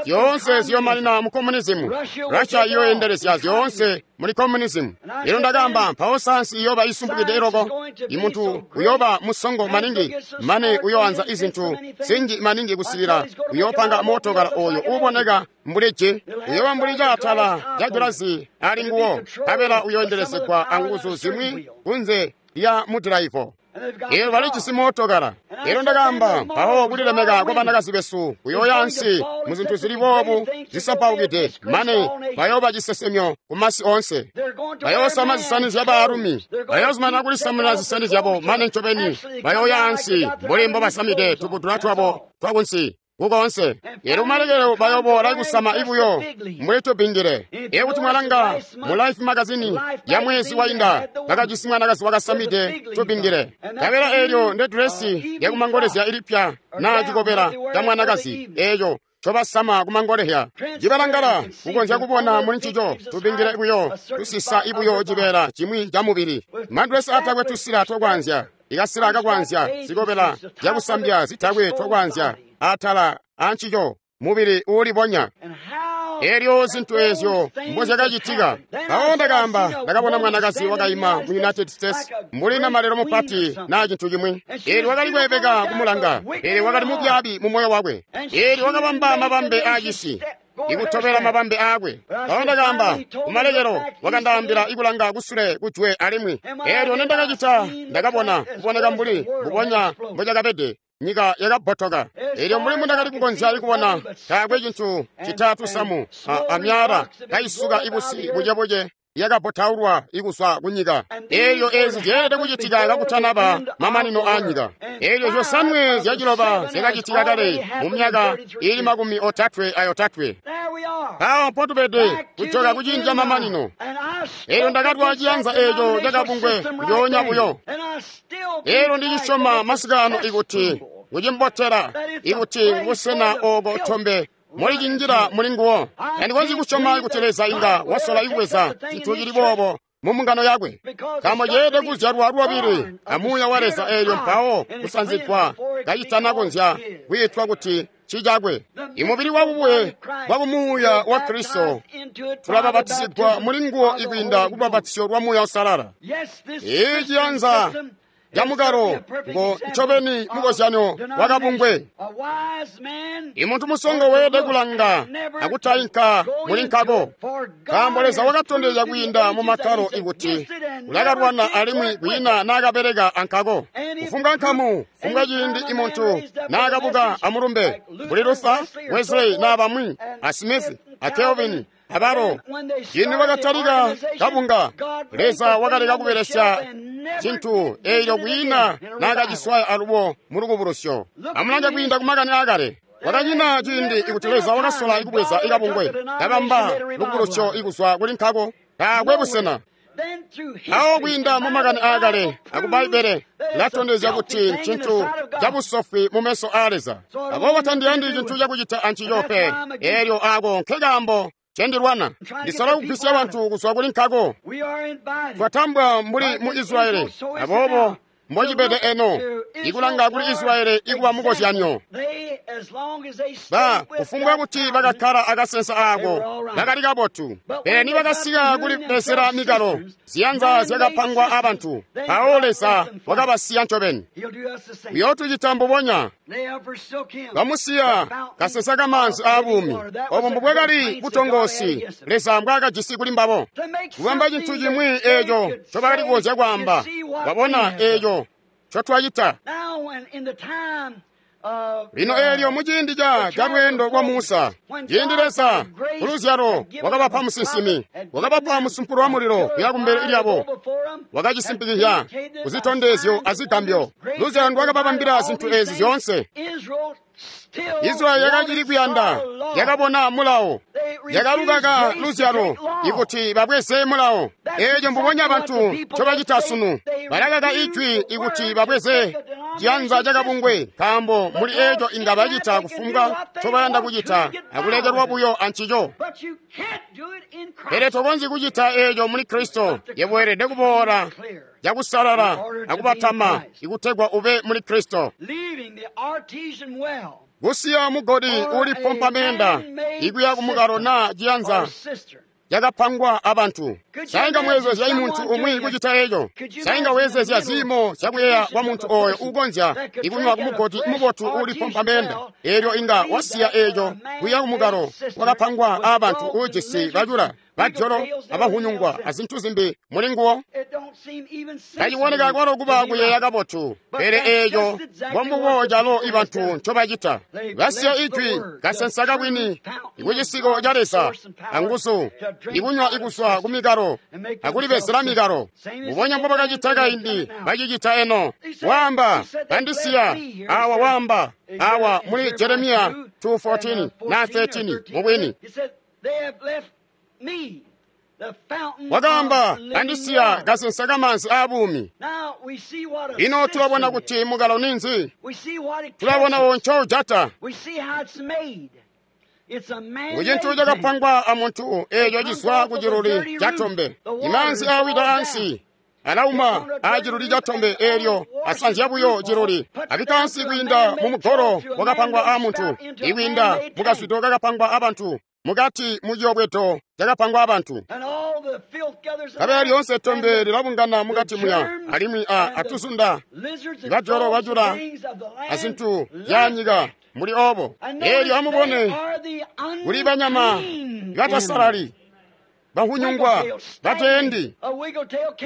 S1: zyoonse ziyomanina mu communism. Russia iyoyendelezya zyoonse muli communism. Eelyo ndakaamba, mpawo sayansi iyoba isumpukide iloko. Imuntu uyoba musongo maningi mane uyoanza izintu zinji maningi kusikila uyoopanga mootokala oyo uuboneka mbuli ji, uyoba mbuli caatala ca gilazi ali nguwo, nkabela uyoendelezegwa anguzu zimwi kunze lya mudilaivo. Eelyo balijisi mootokala. Eelyo ndakaamba, mpawo kulilemeka kwa banakazi besu kuyooya ansi mu zintu zili boobu zisampaukide, mane bayooba cisesemyo ku masi oonse. Bayoosama zisani zya baalumi, bayoozumana kulisamuna zisani zyabo mane ncobeni bayooya ansi mbuli mbobasamide tubudula twabo twakunsi kukoonse. Eelyo kumalekelo bayooboola kusama ibuyo mbuli tubingile. Eelyo kuti mwalanga mu Life magazini ya mwezi wainda, bakajisi mwanakazi wakasamide tubingile. Nkabela eelyo nde dresi yakumangolezya ilipya naa cikobela ca mwanakazi eeco cobasama kumangolezya. Cibalangala kukonzya kubona muli ncico tubingile buyo tusisa ibuyo cibeela cimwi ca mubili. Madresi atakwe tusila twakwanzya, ikasila kakwanzya, zikobela zyakusambya zitakwe twakwanzya atala ancico mubili uulibonya. Eelyo zintu eezyo mbozyakacitika. Mpawo ndakaamba, ndakabona mwanakazi wakaima mu United States mbuli namalelo mupati naa cintu cimwi. Eelyo wakali kweebeka kumulanga, eelyo wakali mubyaabi mu moyo wakwe. Eelyo wakabamba mabambe aacisi ikutobela mabambe aakwe. Mpawo ndakaamba, kumalekelo wakandaambila ikulanga kusule kujwe alimwi. Eelyo nendakacita, ndakabona kuboneka mbuli mbubonya mbocakabede. Nyika yakabbotoka. Eelyo mbuli mbundakali kukonzya ikubona, taakwe cintu citatusamu amyala kaisuka ibusi bucebuce yakabbotaulwa ikuzwa kunyika. Eelyo eezi zyeelede kucitika kakutanaba mamanino aanyika. Eelyo zyosanwe zyaciloba zyakacitika kale mu myaka ili makumi otatwe ayotatwe. Mpawo mpotubede kujoka kuciindi ca mamanino. Eelyo ndakatwa ciyanza eeco cakabungwe njoonya buyo. Eelyo ndicisyoma masikaano ikuti kucimbotela, ikuti ngubusena ooko tombe mulicinjila muli nguwo. Tandikonzyi kusyoma kuti Leza inga wasola ikubweza cintu cili boobo mu mbungano yakwe, nkaambo ceelede kuzyalwa lwabili amuuya wa Leza eelyo mpawo kusanzigwa kacitanakonzya kwiitwa kuti cicakwe. Imubili wabubwe bwakumuuya wa Kristo tulabapatizigwa muli nguwo ikwiinda kubapatizyo lwa Muuya Uusalala. Ii ciyanza camukalo ngo ncobeni mukozyanyo wakabungwe. Imuntu musongo weelede kulanga akutayinka muli nkako, nkaambo Leza wakatondezya kwiinda mu makkalo ikuti ulakalwana alimwi kwiina naakabeleka ankako. Kufumbwa nkamu, kufumbwa ciindi imuntu naakabuka amulumbe mbuli Luther, Wesley naa bamwi, a Smith, a Calvin, abalo, ciindi bakatalika kabunga, Leza wakaleka kubelesya cintu eelyo kwiina naakaciswaya alubo mu lukubulusyo. Amulange kwiinda kumakani aakale. Kwakanyina ciindi ikuti Leza wakasola ikubweza ikabungwe kabamba lukubulusyo ikuzwa kuli nkako, taakwe busena. Awo kwiinda mu makani aakale aku Bbaibbele latondezya kuti ncintu cabusofwi mu meso aa Leza. Aboobo tandiyandi cintu cakucita ancico pe. Eelyo aako nkekaambo cendilwana. Ndisola kugwisya bantu kuzwa kuli nkako. Twatambwa mbuli mu Israeli, aboobo mbocibede eno ikulanga kuli Israeli ikuba mukozyanyo. Ba kufumbwa kuti bakakkala akasensa aako bakali kabotu, pele nibakasika kuli besela mikalo ziyanza zyakapangwa abantu, mpawo Leza wakabasiya ncobeni. Uyootucita mbubonya. Bamusiya kasensa kamaanzi aabuumi. Obo mbubwakali butongoosi Leza mbwaakajisi kuli mbabo, kubamba cintu cimwi eeco ncobakali kukonzya kwaamba, wabona eeco ncotwacita. Lino eelyo muciindi ca calweendo lwa Musa, ciindi Leza kuluzyalo wakabapa musinsimi, wakabapa musumpulo wa mulilo kuya kumbele lyabo, wakacisimpikizya kuzitondezyo azigambyo. Luzyalo ndwakababambila zintu ezi zyoonse. Israyeli yakacili kuyanda, yakabona mulawo, yakalukaka luzyalo ikuti babweze mulawo. Eeco mbubonya bantu ncobacita sunu, balakaka ijwi ikuti babweze ciyanza cakabungwe, nkaambo muli eeco inga bacita kufumbwa ncobayanda kucita akulekelwa buyo ancico. Pele tokonzyi kucita eeco muli Kristo. Yebo weelede kuboola cakusalala akubatama ikutegwa ube muli Kristo. Kusiya mugodi uulipompa meenda ikuya kumukalo naa ciyanza cakapangwa abantu. Sainga mwezezya imuntu umwi kucita eeco. Sainga wezezya ziimo zyakuyeeya kwa muntu ooyo uukonzya ikunywa kumugodi mubotu uulipompa meenda, eelyo inga wasiya eeco kuya kumukalo wakapangwa aabantu uujisi bacula, bajolo, abahunyungwa azintu zimbi muli nguwo. Taciboneka kwalo kuba kuyeeya kabotu, pele eeco mbombubo calo ibantu ncobacita. Basiya ijwi kasensa kabwini ikucisiko ca Leza anguzu, ikunywa ikuswa kumikalo akulibezela mikalo. Mbubonya mbobakacita kaindi, bacicita eno. Waamba bandisiya awa, waamba awa muli Jeremiya two fourteen na thirteen mubwini. Wakaamba bandisiya kasensa kamanzi aabuumi. Ino tulabona kuti mukalo ninzi? Tulabona wo ncoujata. Kucintu cakapangwa amuntu eeco cizwa kuciluli catombe. Imaanzi aawida ansi alauma aaciluli catombe eelyo asanzya buyo ciluli. Abika ansi kwiinda mumugolo wakapangwa aamuntu, ikwiinda mukazwido kakapangwa abantu, mukati muciyobwedo cakapangwa abantu. Kabela lyoonse tombe lilabungana mukati muya, alimwi a atuzunda, bajolo bajula azintu zyaanyika muli obo. Eelyo amubone kuli banyama batasalali, bahunyungwa bateendi.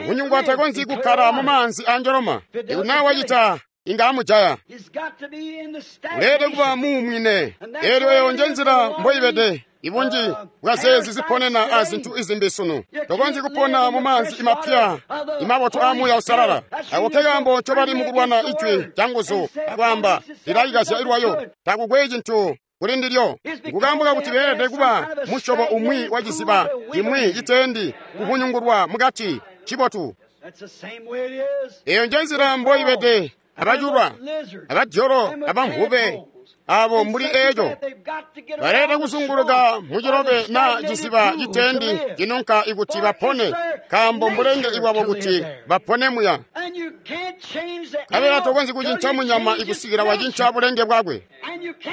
S1: Hunyungwa takonzyi kukkala mumaanzi anjoloma. Ikuti naa wacita inga amujaya. Uleelede kuba muumwine. Eelyo eyo njenzila mboibede ibunji bwazeezi ziponena azintu izimbi sunu. Tokonzyi kupona mumaanzi imapya imabotu aamuuya usalala. Ako kekaambo ncobali mukulwana ijwi canguzu akwaamba lilaikazya ilwayo. Takukwe cintu kuli ndilyo. Nkukaambo kakuti beelede kuba musyobo umwi wa ciziba cimwi citeendi kuhunyungulwa mukati cibotu. Eyo njenzila mboibede abaculwa, abajolo, abamvube abo mbuli eeco baleelede kuzunguluka mucilobe na ciziba citeendi cinunka ikuti bapone, nkaambo mbulenge ibwabo kuti bapone muya. Kabela tokonzyi kucinca munyama ikusikila wacinca bulenge bwakwe.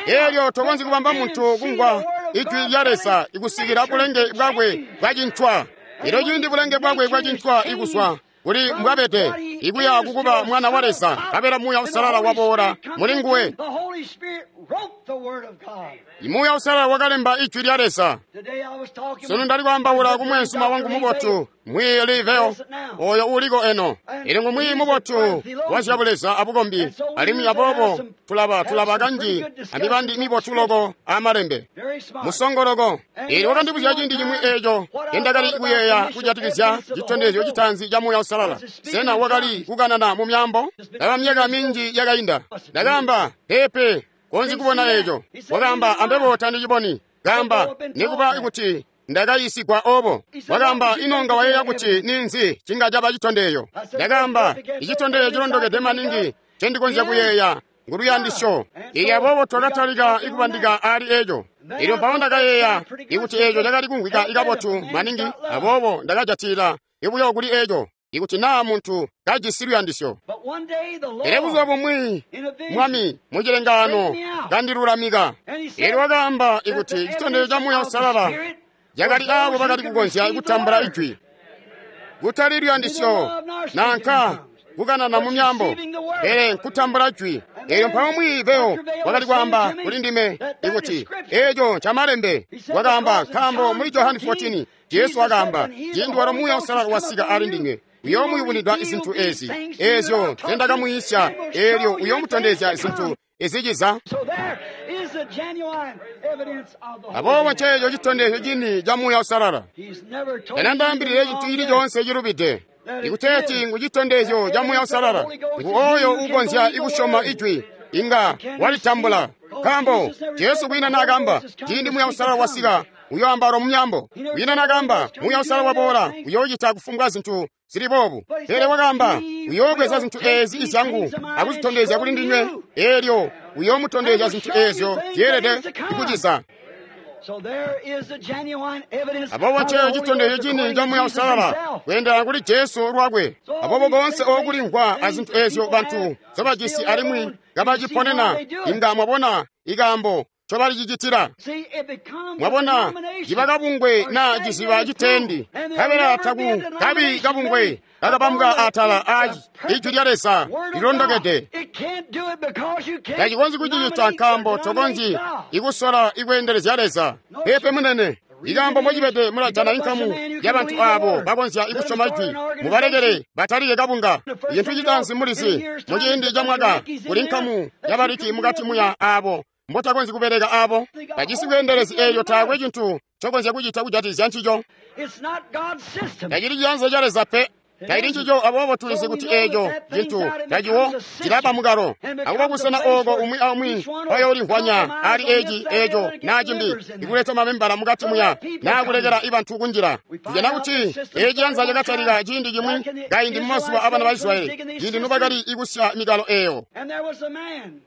S1: Eelyo tokonzyi kubamba muntu kumvwa ijwi lya Leza ikusikila bulenge bwakwe bwacincwa. Elyo ciindi bulenge bwakwe bwacincwa ikuswa kuli mbwabede ikuya kukuba mwana wa Leza, kabela Muuya Usalala waboola muli nguwe. Imuuya Usalala wakalemba ijwi lya Leza. Sunu ndali kwaambaula kumweenzuma wangu mubotu Mwiiyi Liveo oyo uliko eno. Ili ngu mwiiyi mubotu wa zyabuleza abukombi, alimwi aboobo tulaba tulaba kanji amibandi mibotu loko amalembe musongoloko. Ili wakandibuzya ciindi cimwi eeco endakali kuyeeya kujatikizya citondezyo citaanzi ca Muuya Usalala. Sena wakali kukanana mu myaambo? Ndaba myaka minji yakainda. Ndakaamba peepe, konzyi kubona eeco. Wakaamba ambebo tandiciboni. Kaamba nikuba kuti ndakayiisigwa obo. Wakaamba ino nga wayeeya kuti ninzi cinga caba citondeyo. Ndakaamba icitondeyo cilondokede maningi ncendikonzya kuyeeya nguluyandisyo. Ili aboobo twakatalika ikubandika ali eeco. Elyo mpawo ndakayeeya ikuti eeco cakali kumvwika ikabotu maningi, aboobo ndakajatila ibuyo kuli eeco ikuti naa muntu kajisi luyandisyo. Pele buzuba bumwi Mwami mucilengaano kandilulamika. Elyo wakaamba ikuti citondezyo ca Muuya Usalala cakali aabo bakali kukonzya kutambula ijwi, kutali luyandisyo nanka kukanana mu myaambo, pele nkutambula jwi. Elyo mpawo Mwiiyi Liveo wakali kwaamba kuli ndime ikuti eeco ncamalembe. Wakaamba nkaambo muli Johani fourteen Jesu wakaamba ciindi walo Muuya Usalala wasika ali ndinywe uyoomuyubunwida zintu ezi eezyo nzendakamwiisya, eelyo uyoomutondezya zintu iziciza. Aboobo nceeco citondezyo cini ca Muuya Uusalala. Tanandaambilile cintu cili coonse cilubide. Ikuteeti ngu citondezyo ca Muuya Uusalala, ngu oyo uukonzya ikusyoma Ijwi, inga walitambula. Nkaambo Jesu kwiina naakamba, ciindi Muuya Uusalala wasika, uyoambaula mu myaambo. Kwiina naakamba, Muuya Uusalala waboola, uyoocita kufumbwa zintu zili boobu. Pele wakaamba, uyoobweza zintu eezi izyangu akuzitondezya kuli ndinywe, eelyo uyoomutondezya zintu eezyo zyeelede kuciza. Aboobo nceeco citondezyo cini ca Muuya Uusalala kweendelana kuli Jesu lwakwe. Aboobo koonse ookulimvwa azintu eezyo bantu nzobajisi alimwi kabaciponena, inga mwabona ikaambo ncobalicicitila. Mwabona, ciba kabungwe naa ciziba citendi, nkabela taku kabi kabungwe kakabambwa atala a Ijwi lya Leza lilondokede. Tacikonzyi kucicita nkaambo tokonzyi ikusola ikweendelezya Leza. Peepe munene. Ikaambo mbocibede mulajana inkamu yabantu aabo bakonzya ikusyoma Ijwi, mubalekele batalike kabunga. Icintu citaanzi mulizi, muciindi ca mwaka kuli nkamu yabaliki mukati muya aabo mbotakonzyi kubeleka aabo bajisi bweendelezi eelyo taakwe cintu ncokonzya kucita kujatikizya ncico. Tacili ciyanza ca Leza pe. Tacili ncico. Aboobo tulizi kuti eeco cintu taciwo cilaba mukalo akuba kusena ooko umwi aumwi bayoolimvwanya ali eci eeco naa cimbi, ikuleta mamembala mukati muya naa kulekela ibantu kunjila. Tujana kuti eeci ciyanza cakatalika ciindi cimwi kaindi mumazuba abana ba Israyeli, ciindi nobakali ikusya mikalo eeyo.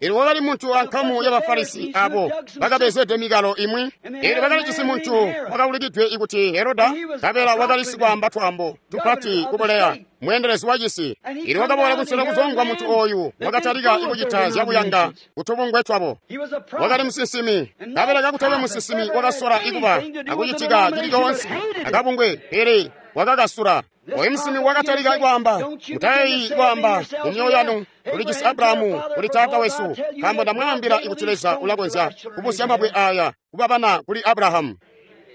S1: Eelyo kwakali muntu ankamu ya Bafarisi abo bakabezede mikalo imwi. Eelyo bakalijisi muntu wakaulikidwe ikuti Heroda, nkabela wakali sikwaamba twaambo tupati kubuleya, mweendelezi wacisi. Eelyo wakaboola kusela kuzongwa muntu ooyu wakatalika ikucita zyabuyanga kutubungwe twabo. Wakali musinsimi, nkabela kakutakwe musinsimi wakasola ikuba akucitika cili coonse akabungwe, pele wakakasula. Oyu musinsimi wakatalika kwaamba, mutayeeyi kwaamba mu myoyo yanu, tulijisi Abrahamu kuli taata wesu, nkaambo ndamwaambila ikuti Leza ulakonzya kubusya mabwe aya kuba bana kuli Abrahamu.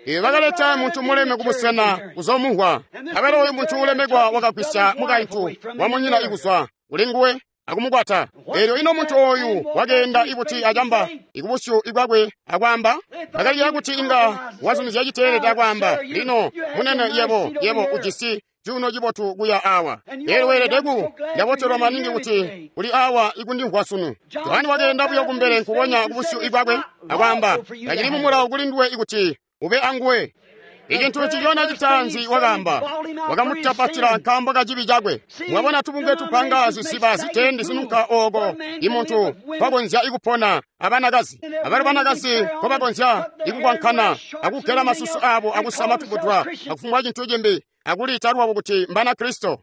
S1: Iwe bakaleta muntu muleme kubusena kuzomuhwa. Nkabela oyu muntu ulemekwa wakagwisya mukaintu wamunyina ikuzwa kuli nguwe akumukwata. Eelyo ino muntu ooyu wakeenda ibuti acamba ikubusyu ikwakwe akwaamba? Bakaliya kuti inga wazumizya citeelede akwaamba, lino munene yebo yebo ujisi cuuno cibotu kuya awa. Eelyo weelede ku ndabotelwa maningi kuti uli awa ikundimvwa sunu. Johani wakeenda buyo kumbele nkukonya kubusyu ikwakwe akwaamba, tacili mumulawo kuli nduwe ikuti ube anguwe. Icintu ncicona citaanzi wakaamba, wakamutapatila nkaambo ka cibi cakwe. Mwabona tubungwe tupanga zisiba zitendi zinunka ooko imuntu kwakonzya ikupona abanakazi abali banakazi nkobakonzya ikukwankana akugela masusu abo akusama tubudwa akufumbwa cintu cimbi akuliita lwabo kuti mbana Kristo.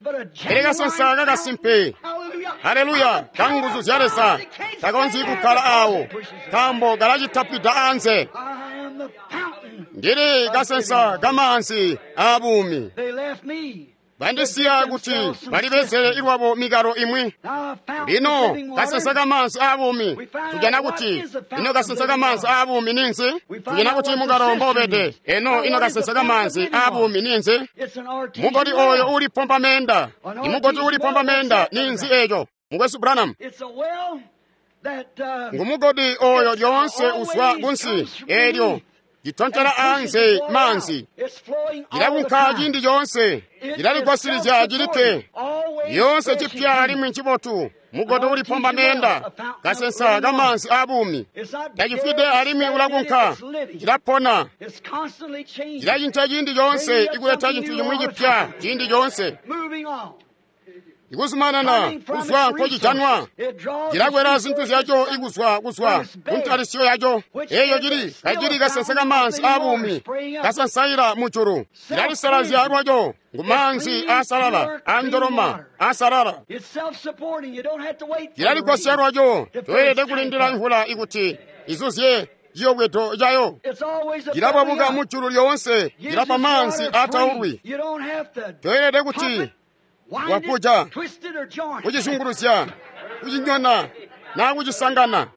S1: Pele kasensa kakasimpe, haleluya, kanguzu zya Leza takonzyi kukkala awo nkaambo kalacitapwida anze. Ndili kasensa kamaanzi aabuumi. Bandisiya kuti balibezele ilwabo mikalo imwi. Lino kasensa kamaanzi aabuumi, tujana kuti ino kasensa kamaanzi aabuumi ninzi? Tujana kuti mukalo mbobede. Eno ino kasensa kamaanzi aabuumi ninzi? Mugoti oyo ulipompa menda. Imugoti ulipompa menda ninzi eeco? Mukwesu Branham. Ngumugodi oyo lyoonse uzwa kunsi eelyo citontela anze maanzi, cilakunka ciindi coonse, cilaligwasilizya cilikke lyoonse cipya alimwi ncibotu. Mugodi ulipomba meenda, kasensa kamaanzi aabuumi, tacifwide alimwi ulakunka, cilapona, cilacinca ciindi coonse, ikuleta cintu cimwi cipya ciindi coonse. Ikuzumanana kuzwa nkocijanwa, cilakwela zintu zyaco ikuzwa kuzwa kuntalisyo yaco. Eeyo cili kacili kasensa kamaanzi aabuumi kasansaila mujulu, cilalisalazya lwaco ngu maanzi aasalala andoloma aasalala. Cilaligwasya lwaco, toelede kulindila mvula ikuti izuzye ciyobwedo cayo. Cilababuka mujulu lyoonse, cilapa maanzi aataulwi. Toelede kuti wakuja kucizunguruzya, kucinyona naa kucisangana.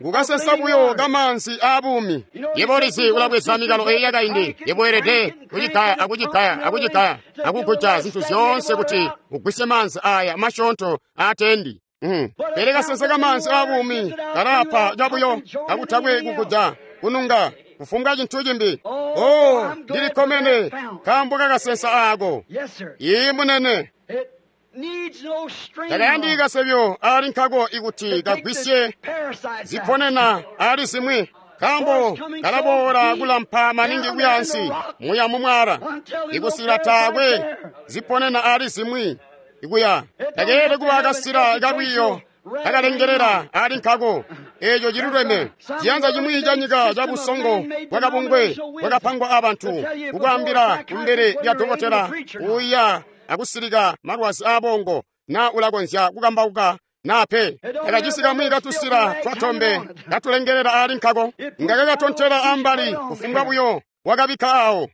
S1: Ngukasensa buyo kamaanzi aabuumi. Yebo ulizi ulabweza mikalo eyi yakaindi, yebo weelede kucigaya akucigaya akucigaya akuguja zintu zyoonse kuti ugwisye maanzi aya masyoonto aatendi. Mm. Pele kasensa kamanzi abuumi kalapa cabuyo kakutakwe kukuja kununga kufumbwa cintu cimbi. Oh, ndilikkomene nkaambo kakasensa aako. Ii munene. Takayandiki kasebyo ali nkako ikuti kagwisye ziponena ali zimwi nkaambo kalaboola kulampa maningi kuyansi muya mumwala ikusila taakwe ziponena ali zimwi ikuya. Takeelede kuba kasila kalwiyo kakalengelela ali nkako. Eeco ciluleme. Ciyanza cimwi ca nyika ca busongo bwakabungwe bwakapangwa abantu kukwaambila kumbele lya dokotela uya akusilika malwazi aabongo na ulakonzya kukambauka na pe. Takajisi kamwi katusila twatombe katulengelela ali nkako. Nga kakatontela ambali kufumbwa buyo wakabikka awo.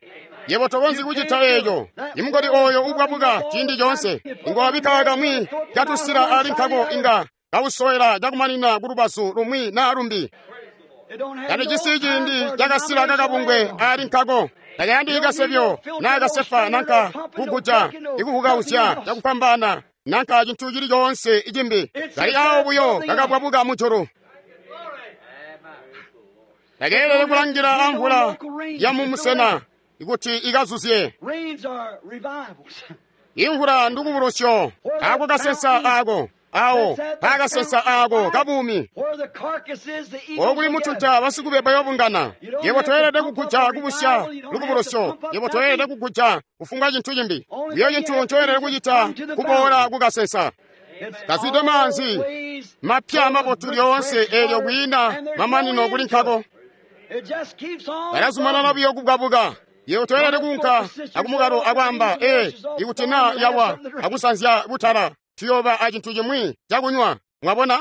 S1: Yebo tokonzyi kucita eeco. Imugodi oyo ubwabuka ciindi coonse. Inga wabikka kamwi katusila ali nkako inga kawusowela cakumanina kulubazu lumwi na lumbi. Talijisi ciindi cakasila kakabungwe ali nkako. Takayandiki kasebyo na kasefa nanka kuguja ikuhukausya cakupambana nanka cintu cili coonse icimbi. Kali awo buyo kakabwabuka mujulu. Takeelele kulangila amvula ya mumusena ikuti ikazuzye. Imvula ndikubulusyo ako kasensa ako awo pakasensa ako kabuumi okuli mutunta basikube bayobungana. Yebo toyelede kuguja kubusya lukubulusyo. Yebo toyelede kuguja kufumbwa cintu cimbi. Buyo cintu ncoyelede kucita kuboola kukasensa kazwide maanzi mapya mabotu lyoonse eelyo kwiina mamanino kuli nkako. Kalazumanana buyo kubwabuka. Yebo toyelede kuunka akumukalo akwaamba ee ikuti na yawa akusanzya butala tuyoba acintu cimwi cakunywa. Mwabona?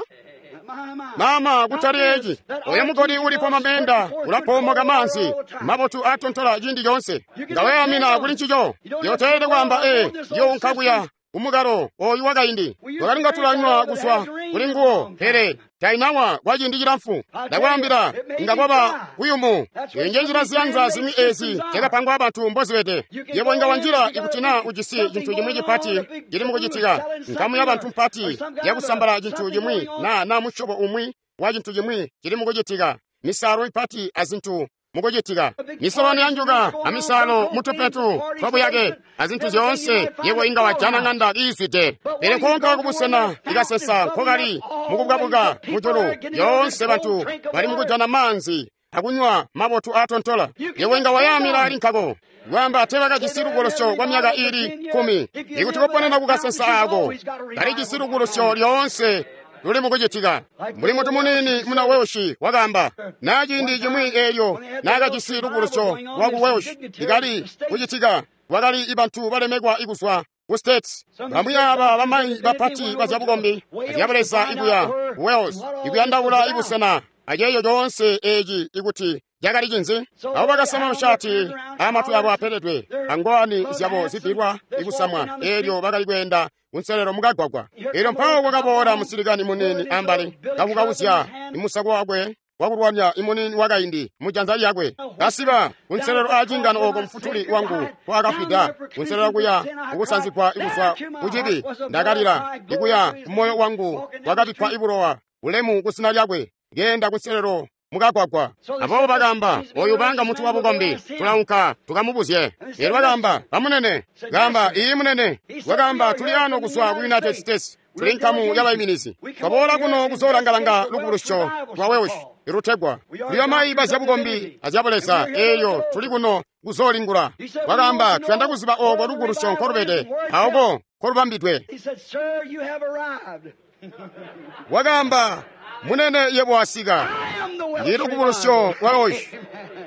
S1: Mama kutali eci. Oyo mugodi ulipo mamenda ulapoomoka manzi mabotu atontola ciindi coonse. Nga wayamina kuli ncico. Yebo toyelede kwaamba ee ndiyounka kuya kumukalo oyu wakaindi. Twakalinga tulanywa kuzwa kuli nguwo pele tainawa kwa ciindi cilamfu. Ndakwaambila inga kwaba kuyumu. Inje njira ziyanza zimwi ezi zyakapangwa abantu mbozibede. Yebo inga wanjila ikuti na ujisi cintu cimwi cipati cili mukucitika, nkamu ya bantu mpati yakusambala cintu cimwi na na musyobo umwi wa cintu cimwi cili mukucitika, misalo ipati azintu mukucitika, misolano ya njuka amisalo mutupetu twabuyake azintu zyoonse. Yebo inga wajana ng'anda iizwide. Pele nkoonka kubusena ikasesa nkokali mukubwabuka mujulu yoonse bantu bali mukujana maanzi akunywa mabotu atontola. Yebo inga wayamila ali nkako. Kwaamba tebakajisi lubulusyo kwa myaka ili kumi. Ikuti koponena kukasensa ako kalijisi lubulusyo lyoonse luli mukucitika. Mbuli mutu munini muna Welsh wakaamba na ciindi cimwi eelyo naakajisi lubulusyo lwaku Welsh ikali kucitika, wakali ibantu balemekwa ikuzwa ku States. Bamwi aba bamayi bapati bazyabukombi azyabuleza ikuya ku Wales ikuyandaula ibusena aceeyo coonse eci ikuti cakali cinzi. Abo bakasama mashati amatwi abo apeledwe angowani zyabo zibbilwa ikusamwa eelyo bakali kweenda kunselelo mukagwagwa. Eelyo mpawo kwakaboola musilikani munini ambali kakukawuzya imusako wakwe wakulwanya imunini wakaindi mujanza lyakwe kasiba kunselelo aacingano oko mfutuli wangu kwaakafwida kunselelo kuya kukusanzigwa ikuzwa kucibi. Ndakalila ikuya kumoyo wangu kwakabikkwa ibulowa ulemu kusina lyakwe genda kunselelo mukagwagwa. Aboobo bakamba oyu banga mutu wa bukombi tulaunka tukamubuzye. Eelyo bakamba bamunene kamba iyi munene. Wakamba tuli ano kuzwa ku United States, tuli nkamu y'abayiminizi, twaboola kuno kuzolangalanga lubulusyo lwa Welsh ilutegwa tuli amayi bazyabukombi azyabuleza eeyo tuli kuno kuzoolingula. Wakamba tuyanda kuziba oko lubulusyo nkolubede aoko nkolubambidwe. Wakamba munene yebo wasika. Ndi lubulusyo lwa Welsh.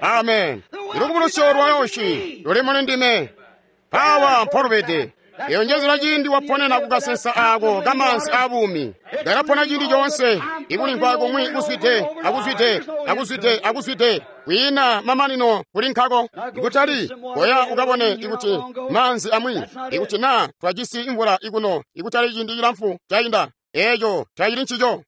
S1: Amen. Lubulusyo lwa Welsh luli muli ndime. Pawa mpolubede. Eyo njezera ciindi waponena kukasensa ako kamanzi abuumi. Ndakapona ciindi coonse ikulimvwa kumwi kuzwide akuzwide akuzwide akuzwide kwiina mamanino kuli nkako. Ikutali koya ukabone ikuti manzi amwi ikuti na twajisi imvula ikuno ikutali ciindi cilamfu cainda. Eeco tacili ncico.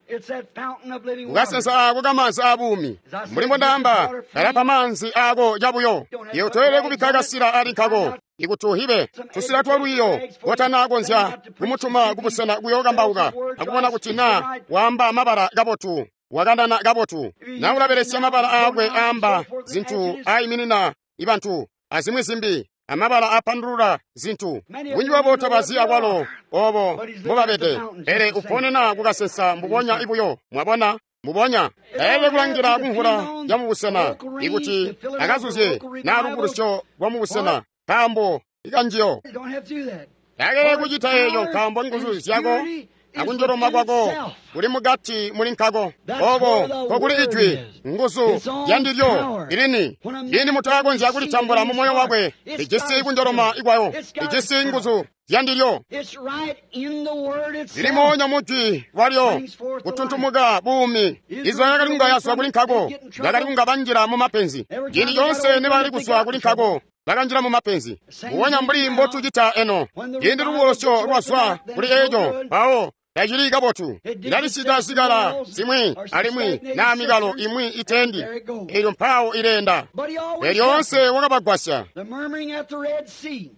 S1: Kukasensa ako kamanzi abuumi. Mbuli mbondaamba kalapa manzi ako cabuyo. Iwe toyelede kubikka kasila ali nkako. Ikuti uhibe tusila twa lwiiyo kotana konzya kumutuma kubusena kuyookambauka akubona kuti na waamba mabala kabotu wakanana kabotu na ulabelesya mabala aakwe aamba zintu aiminina ibantu azimwi zimbi amabala apandulula zintu bunji bwabo tabazi akwalo obo mbobabede pele uponena kukasensa mbubonya ibuyo mwabona mbubonya taelele kulangila kumvula ya mubusena ikuti akazuzye na lubukulusyo lwa mubusena nkaambo ikanjiyo takelele kucita eeyo nkaambo nguzu zyako akunjoloma kwako kuli mukati muli nkako oko kokuli ijwi nguzu yandilyo ilini lini mutu akonzya kulitambula mu moyo wakwe lijisi kunjoloma ikwayo lijisi nguzu yandilyo lilimonya mujwi lwalyo kutuntumuka buumi izo yakali kunga yazwa kuli nkako bakali kunga banjila mu mapenzi ciindi conse nibali kuzwa kuli nkako bakanjila mu mapenzi mbubonya mbuli mbotucita eno ciindi lubukulusyo lwazwa kuli eco mpawo tacili kabotu ilalisida zikala zimwi alimwi naa mikalo imwi itendi elyo mpawo ilenda elyoonse wakabagwasya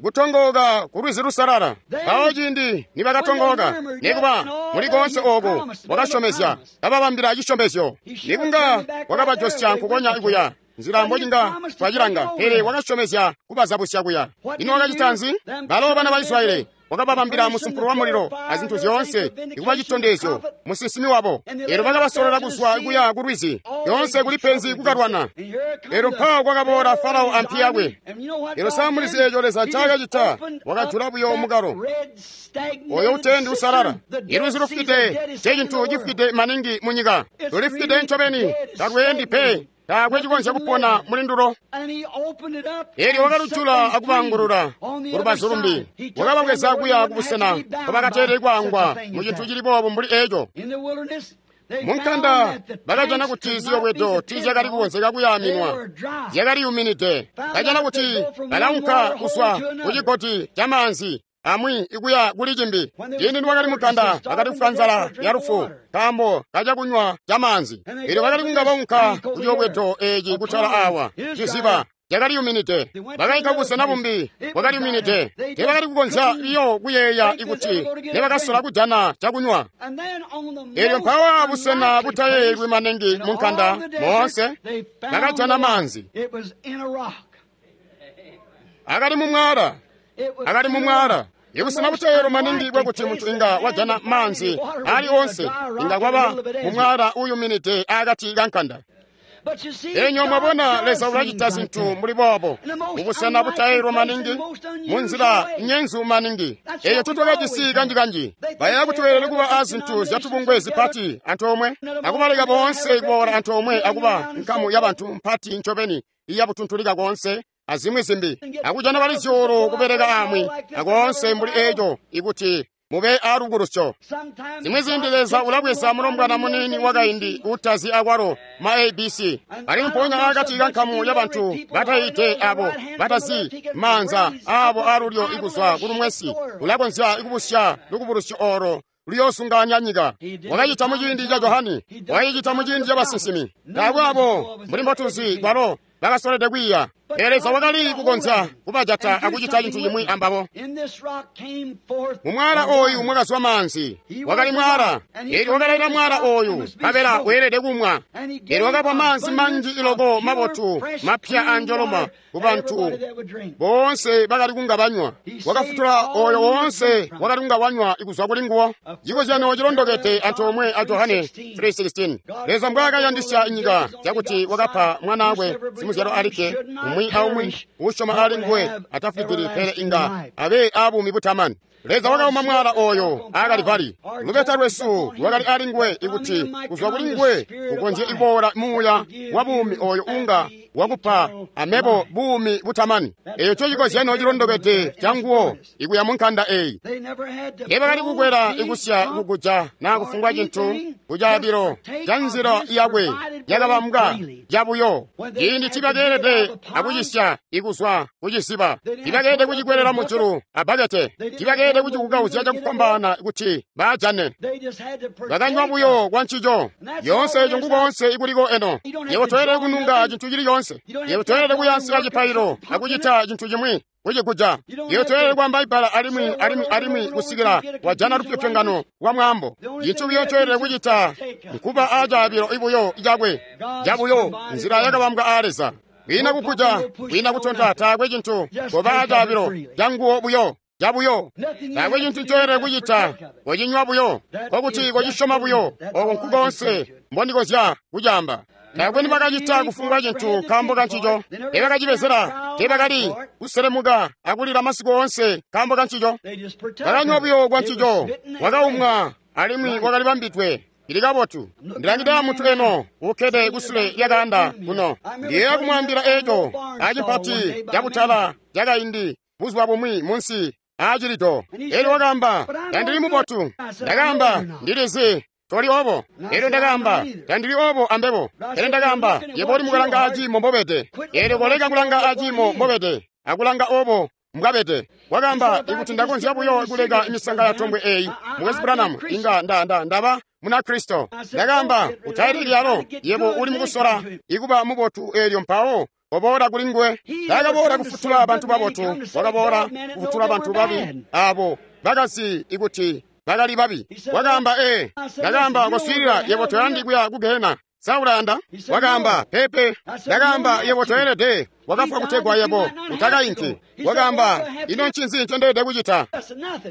S1: kutongooka ku lwizi lusalala mpawo ciindi nibakatongooka nikuba muli koonse oku wakasyomezya kababambila cisyomezyo nikunga wakabajosya nkukonya ikuya nzila mbocinga twacilanga pele wakasyomezya kubazabusya kuya ino wakacita nzi balo bana ba Israyeli wakababambila musumpulo wa mulilo azintu zyoonse ikuba citondezyo musinsimi wabo elyo bakabasolola kuzwa kuya ku lwizi yoonse kuli penzi kukalwana elyo mpawo kwakaboola farao ampi yakwe elyo samulizi eeco Leza ncaakacita wakajula buyo mukalo oyo utendi usalala ilwizi lufwide ncecintu cifwide maningi munyika lulifwide ncobeni talweendi pe taakwe cikonzya kupona muli ndulo elyo wakalujula akubangulula kulubazu lumbi wakababweza kuya kubusena nkobakateeleli kwaangwa mu cintu cili boobu mbuli eco munkanda bakajana kuti ziyobwedo tiizyakali kukonzeka kuyaaminwa zyakaliyuminide bajana kuti balaunka kuzwa kucigodi camaanzi amwi ikuya kuli cimbi ciindi niwakali mukanda bakali kufwa nzala ya lufu nkaambo kacakunywa camaanzi elyo bakali kunga baunka kuciyobwedo eeci kutala awa ciziba cakaliyuminide bakainka kubusena bumbi bwakaliyuminide teebakali kukonzya biyo kuyeeya ikuti nebakasola kujana cakunywa elyo mpawa busena butayeeyelwi maningi munkanda moonse bakajana maanzi akali mumwala akali mumwala ibusena buteyelo maningi bwakuti muntu inga wajana maanzi ali onse inga kwaba mumwala uyuminide akati kankanda enyo mwabona Leza ulacita zintu muli boobo mubusena butayelwa maningi munzila nyenzu maningi eyo tutwakajisi kanjikanji bayeeya kuti weelele kuba a zintu zyatubungwe zipati antoomwe akubaleka boonse kuboola antoomwe akuba nkamu ya bantu mpati ncobeni iyabutuntulika konse azimwi zimbi akujana bali zyuulu kubeleka amwi akoonse mbuli eco ikuti mube alubukulusyo zimwi ziindi Leza ulabweza mulombwana muniini wakaindi utazi akwalo ma A B C alimwi mpoonya akati kankamu ya bantu batayiide abo batazi maanza abo alulyo ikuzwa kulumwesi ulakonzya ikubusya lukubulusyo olo luyoosunganya nyika wakacita muciindi ca Johani wakacita muciindi ca basinsimi taakwe abo mbuli mbotuzi balo bakasolede kwiiya pele Leza wakali kukonzya kubajata akucita cintu cimwi ambabo mumwala oyu mwakazwa maanzi wakali mwala elyo wakalaila mwala oyu nkabela weelede kumwa elyo wakapa maanzi manji iloko mabotu mapya anjoloma ku bantu boonse bakali kunga banywa wakafutula oyo woonse wakali kunga wanywa ikuzwa kuli nguwo cikozyano cilondokede antoomwe a Johane three sixteen Leza mbwaakayandisya nyika cakuti wakapa mwanaakwe simuzyalo alikke umwi aumwi usyoma ali nguwe atafwidili pele inga abe abuumi butamani Leza wakauma mwala oyo akalivali lubeta lwesu lwakali ali nguwe ikuti kuzwa kuli nguwe kukonzye iboola muuya wa buumi oyo unga wakupa amebo buumi butamani eyo cocikozyano cilondokede ca nguwo ikuya munkanda eyi teebakali kukwela ikusya kukuja naa kufumbwa cintu kucaabilo ca nzila yakwe yakabambwa cabuyo ciindi tibakeelede akucisya ikuzwa kuciziba tibakeelede kucikwelela mujulu abbakete tibakeelede kucikukauzya cakufwambaana kuti baajane bakanywa buyo kwa ncico yoonse eco nkukoonse ikuliko eno yebo toyelede kununga cintu cili coonse yebo toyelede kuyansika cipailo akucita cintu cimwi kucikuja. Iyo toyelede kwaamba ibbala alimwi alimwi alimwi kusikila wajana lupyopyongano lwa mwaambo. Cintu buyo ncoyelede kucita nkuba acaabilo ibuyo cakwe cabuyo, nzila yakabambwa aa Leza. Kwiina kukuja, kwiina kutonta, taakwe cintu, koba acaabilo canguwo buyo cabuyo. Taakwe cintu ncoyelede kucita, kocinywa buyo, kokuti kocisyoma buyo. Oko nkukonse mbondikozya kucaamba. Taakwe nibakacita kufumbwa cintu nkaambo kancico. Teebakacibezela, teebakali kuselemuka akulila masiku oonse nkaambo kancico. Bakanywa buyo kwa ncico, wakaumwa alimwi wakali bambidwe. Ili kabotu. Ndilangide muntu eno ukkede kusule lyakaanda kuno. Ndiyeeya kumwaambila eco acimpati cabutala cakaindi buzuba bumwi munsi aacilido. Elyo wakaamba, tandili mubotu. Ndakaamba, ndilizi toli obo. Elyo ndakaamba, tandili obo ambebo. Elyo ndakaamba, yebo uli mukulanga aciimo mbobede. Elyo koleka kulanga aciimo mbobede, akulanga obo mbwabede. Wakaamba, ikuti ndakonzya buyo kuleka imisanga ya tombwe eyi, Mukwesu Branham, inga nda nda ndaba muna Kristo. Ndakaamba, utayili lyalo, yebo uli mukusola ikuba mubotu elyo mpawo waboola kuli nguwe. Taakaboola kufutula bantu babotu, wakaboola kufutula bantu babi abo bakazi ikuti bakali babi. Wakaamba, ee. Ndakaamba, koswiilila, yebo toyandi kuya ku gehena. Sa ulayanda? Wakaamba, pepe. Ndakaamba, yebo toyelede. Wakafwa kutegwa yebo utakainki. Wakaamba, ino ncinzi ncendeelede kucita?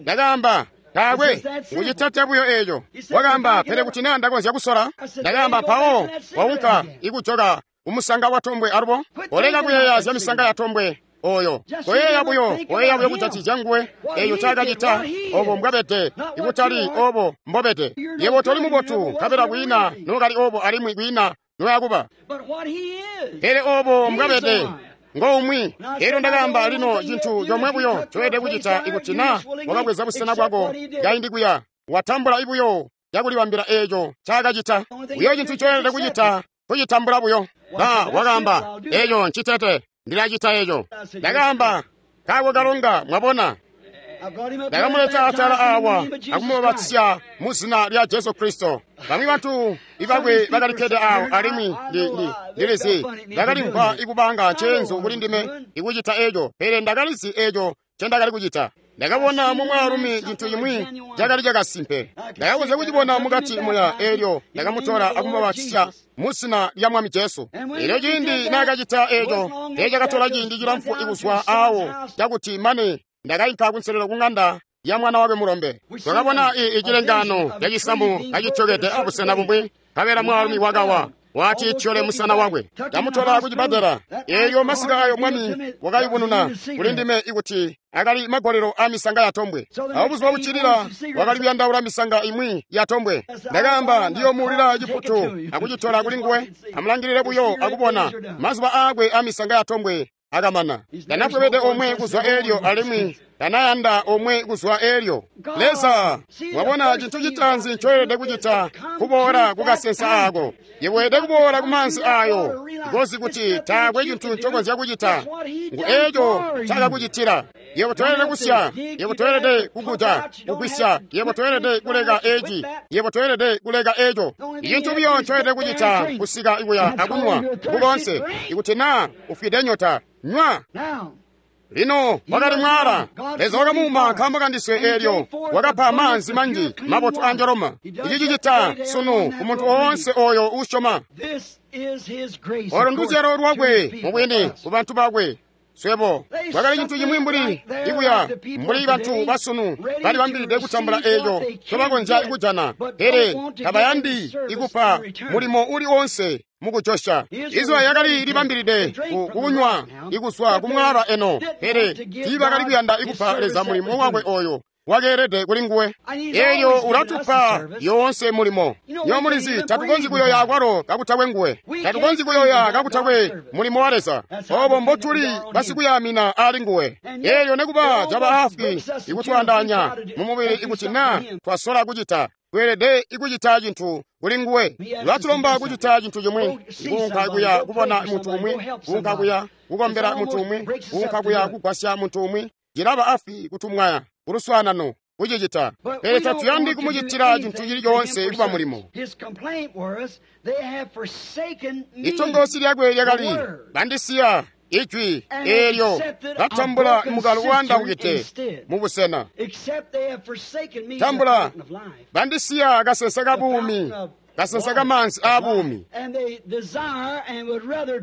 S1: Ndakaamba, taakwe, ngucitate buyo eeco. Wakaamba, pele kuti naa ndakonzya kusola. Ndakaamba, mpawo waunka ikujoka umusanga wa tombwe alubo. Koleka kuyeeya zya misanga ya tombwe oyo. Koyeeya buyo, koyeeya buyo kujatizya nguwe eeyo ncaakacita, obo mbwabede, ikutali obo mbobede. Yebo toli mubotu, nkabela kwiina nookali obo alimwi kwiina noyakuba. Pele obo mbwabede ngoumwi. Elyo ndakaamba, lino cintu comwe buyo ncoyelede kucita ikuti naa wakabweza busena bwako kaindi kuya, watambula ibuyo cakulibambila eeco ncaakacita. Buyo cintu ncoyelede kucita kucitambula buyo. Ba wakaamba, eeco ncitete, ndilacita eeco. Ndakaamba, kaako kalonga, mwabona. Ndakamuleta atala awa akumubatisya mu zina lya Jesu Kristo. Bamwi bantu ibakwe bakalikkede awo alimwi ndilizi ndakalimvwa ikubanga nceenzu kuli ndime ikucita eeco, pele ndakalizi eeco ncendakali kucita. Ndakabona mu mwaalumi cintu cimwi cakali cakasimpe. Ndakakonzya kucibona mukati muya eelyo ndakamutola akumubatisya mu zina lya Mwami Jesu. Elyo ciindi naakacita eeco, teecakatola ciindi cilamfu ikuzwa aawo cakuti mane ndakainka kunselelo ku ŋanda ya mwana wakwe mulombe. Twakabona icilengano cacisamu kacityokede abusena bumwi, nkabela mwaalumi wakawa wati tyole musana wakwe. Ndamutola kucibbadela. Eelyo masika ayo Mwami wakayubununa kuli ndime ikuti akali magolelo a misanga ya tombwe. Awo buzuba buccilila wakali kuyandaula misanga imwi ya tombwe. Ndakaamba, ndiyomuulila ciputu akucitola kuli nguwe, amulangilile buyo akubona mazuba aakwe a misanga ya tombwe akamana. Ndanafwebede omwe kuzwa elyo alimwi ndanayanda omwe kuzwa elyo. Leza, mwabona cintu citaanzi ncoyelede kucita kuboola kukasensa aako. Yebo kuboola kumaanzi ayo, ngozi kuti taakwe cintu ncokonzya kucita. Ngu eeco ncaakakucitila. Yebo toyelede kusya, yebo toyelede kukuja, kugwisya, yebo toyelede kuleka eci, yebo toyelede kuleka eco. Icintu buyo ncoyelede kucita kusika ikuya akunywa kukonse, ikuti naa ufwide nyota, nywa. Lino wakali mwaala. Leza wakamuuma nkaambo kandiswe eelyo wakapa maanzi manji mabotu a njoloma. Ici cicita sunu ku muntu woonse oyo uusyoma. Olo nduzyalo lwakwe mubwini ku bantu bakwe. Swebo kwakali cintu cimwi mbuli ikuya mbuli bantu basunu balibambilide kutambula eeco ncobakonzya kujana, pele tabayandi ikupa mulimo uli wonse mukujosya. Israyeli yakali libambilide kukunywa ikuzwa kumwaala eno, pele tiibakali kuyanda ikupa Leza mulimo wakwe oyo wakeelede kuli nguwe. Eelyo ulatupa yoonse mulimo. Nyo mulizi tatukonzyi kuyoya akwalo kakutakwe nguwe, tatukonzyi kuyoya kakutakwe mulimo wa Leza. Obo mbotuli basikuyamina ali nguwe. Eelyo nekuba caba afwi ikutwandaanya mumubili ikuti naa twasola kucita, tweelede ikucita cintu kuli nguwe. Ulatulomba kucita cintu cimwi, ikuunka kuya kubona muntu umwi, kuunka kuya kukombela muntu umwi, kuunka kuya kugwasya muntu umwi. Cilaba afwi kutumwaya kuluswaanano kucicita, pele tatuyandi kumucitila cintu cili coonse kuba mulimo. Itongosi lyakwe lyakali, bandisiya Ijwi eelyo latambula mukalo uandawukide mubusena. Tambula bandisiya kasensa kabuumi, kasensa kamanzi aabuumi.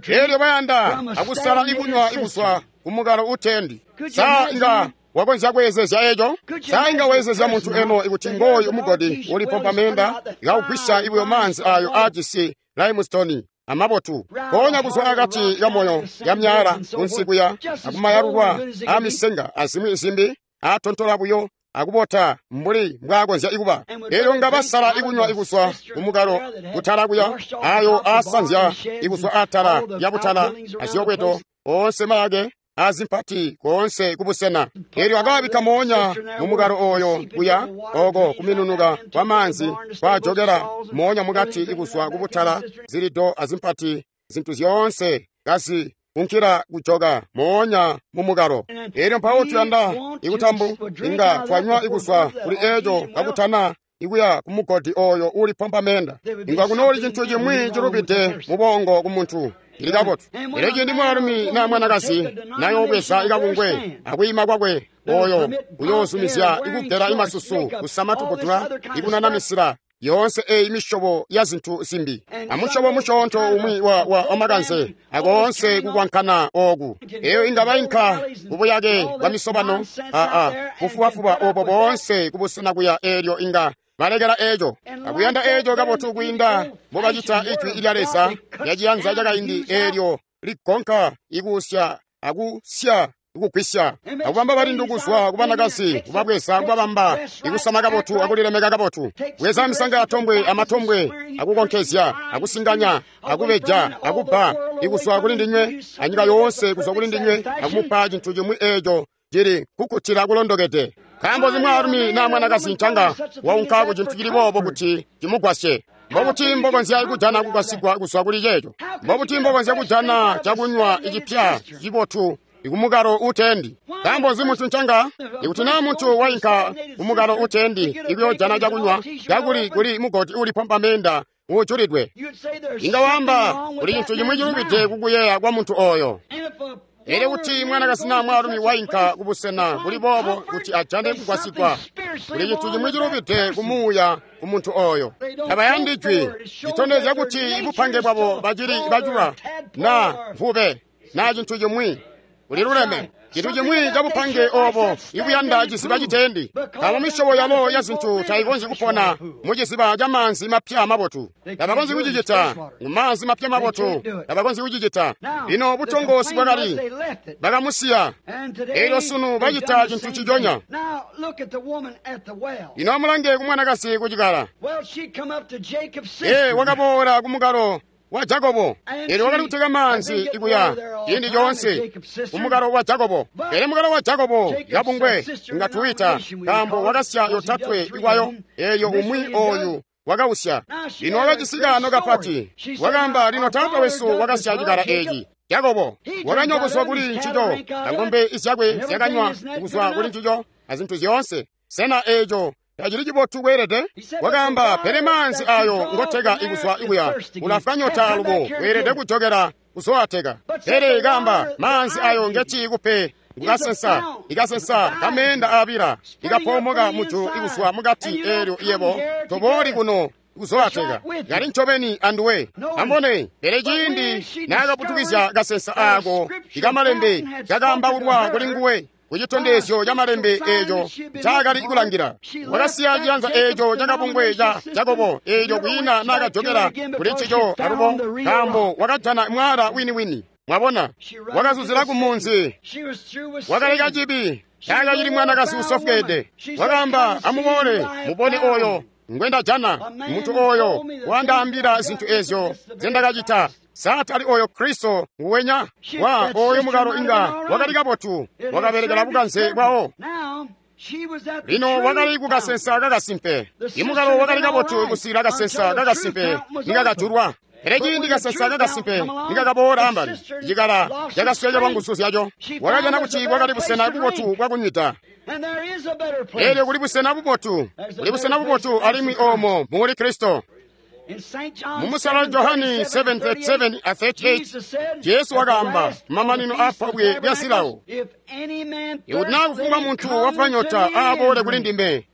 S1: Eelyo bayanda akusala ikunywa ikuzwa kumukalo utendi. Sa inga wakonzya kweezezya eco? Sa inga weezezya muntu eno ikuti ngooyu mugodi ulipompa meenda ikawugwisya ibuyo maanzi ayo aajisi limestone amabotu ponya kuzwa akati kamoyo ya myala kunsi kuya akumayalulwa aamisenga azimwi zimbi aatontola buyo akubota mbuli mbwaakonzya ikuba. Eelyo nga basala ikunywa ikuzwa kumukalo kutala kuya ayo aasanzya ikuzwa atala lya butala azyokweto oonse mayake azimpati koonse kubusena. Eelyo akawabikka moonya mumukalo oyo kuya oko kuminunuka kwa maanzi kwajokela moonya mukati ikuzwa kubutala zilido azimpati zintu zyoonse kazi kunkila kujoka moonya mumukalo. Eelyo mpawo tuyanda ikutambu inga twanywa ikuzwa kuli eco kakutana ikuya kumugodi oyo ulipompa meenda. Inga kunooli cintu cimwi cilubide mubongo kumuntu. Cili kabotu. Elyo ciindi mwaalumi naa mwanakazi nayoobweza ikabungwe akwiima kwakwe oyo uyoozumizya ikugela imasusu kusama tuputula ikunanamisila yoonse eyi misyobo ya zintu zimbi amusyobo musyoonto umwi wa, wa, wa makanze akoonse kukwankana oku. Eyo inga bainka kubuyake bwa misobano aa bufubafuba obo boonse kubusena kuya. Eelyo inga balekela eco akuyanda eco kabotu kwiinda mbobacita ijwi lya Leza lyaciyanza cakaindi eelyo ligonka ikusya akusya ikugwisya akubamba balindu kuzwa kubanakazi kubabweza kubabamba ikusama kabotu akulilemeka kabotu, bweza misanga yatombwe amatombwe akukonkezya akusinganya akubeja akubba ikuzwa kuli ndinywe anyika yoonse kuzwa kuli ndinywe akumupa cintu cimwi eco cili kukkutila kulondokede. Nkaambo zimwaalumi naa mwanakazi ncanga waunka ku cintu cili boobo kuti cimugwasye. Mbobuti mbokonzya kujana kugwasigwa kuzwa kuli ceeco? Mbobuti mbokonzya kujana cakunywa icipya cibotu ikumukalo utendi? Nkaambo nzi muntu ncanga ikuti naa muntu wainka kumukalo utendi ikuyojana cakunywa kakuli kuli mugodi ulipompa meenda uujulidwe? Inga waamba kuli cintu cimwi cilubide kukuyeeya kwa muntu oyo. Elyo kuti mwanakazi naa mwaalumi wainka kubusena buli boobo kuti ajane kugwasigwa, kuli cintu cimwi cilubide kumuuya ku muntu oyo. Tabayandi jwi litondezya kuti bupange bwabo bacili bacula naa mvube naa cintu cimwi kuliluleme. Cintu cimwi cabupange obo ikuyanda ciziba citendi. Nkaambo misyobo yalo ya zintu tayikonzyi kupona mu ciziba ca maanzi mapya mabotu. Tabakonzyi kucicita mu maanzi mapya mabotu. Tabakonzyi kucicita. Lino butongosi bwakali bakamusiya. Eelyo sunu bacita cintu ciconya. Lino amulange kumwanakazi kucikala. Ee, wakaboola kumukalo wa Jakobo. Eelyo wakali kuteka maanzi ikuya ciindi coonse kumukalo wa Jakobo. Pele mukalo wa Jakobo yabungwe nga tuwita nkaambo wakasya yotatwe ikwayo. Eelyo umwi oyu wakausya. Lino wakacisika ano kapati. Wakaamba, lino taata wesu wakasya cikala eeci. Jakobo wakanywa kuzwa kuli ncico, ang'ombe zyakwe zyakanywa kuzwa kuli ncico azintu zyoonse. Sena eeco tacili cibotu kweelede? Wakaamba, pele maanzi ayo ngoteka ikuzwa ikuya ulafwa nyota alubo weelede kujokela kuzoateka. Pele kaamba, maanzi ayo ngeti ikupe ngukasensa ikasensa kameenda aabila ikapoomoka mujulu ikuzwa mukati. Eelyo iyebo tobooli kuno kuzoateka yali ncobeni anduwe. Ambone, pele ciindi naakaputukizya kasensa aako ikamalembe kakaambaulwa kuli nguwe kucitondezyo ca malembe eeco ncaakali kulangila. Wakasiya ciyanza eeco cakabungwe ca Jakobo eeco kwiina naakajokela kuli ncico alubo, nkaambo wakajana mwaala wini-wini. Mwabona, wakazuzila kumunzi, wakaleka cibi. Taakacili mwanakazi usofweede. Wakaamba, amuboole mubone oyo ngwendajana, muntu oyo wandaambila zintu ezyo zendakacita. Satali oyo Kristo nguwenya wa oyo mukalo inga wakali kabotu, wakabelekela bukanze bwawo. Lino wakali kukasensa kakasimpe. Imukalo wakali kabotu kusikila kasensa kakasimpe nikakajulwa. Pele ciindi kasensa kakasimpe nikakaboola ambali, cikala cakasweka lwanguzu zyaco. Wakajana kuti bwakali busena bubotu bwakunywida. Eelyo kuli busena bubotu, kuli busena bubotu alimwi oomo muli Kristo. Mumusala Johani seven thirty-seven a thirty-eight, Jesu wakaamba mamanino a pobwe lya silawo. Ikuti naa kufumbwa muntu wafwa nyota aaboole kuli ndime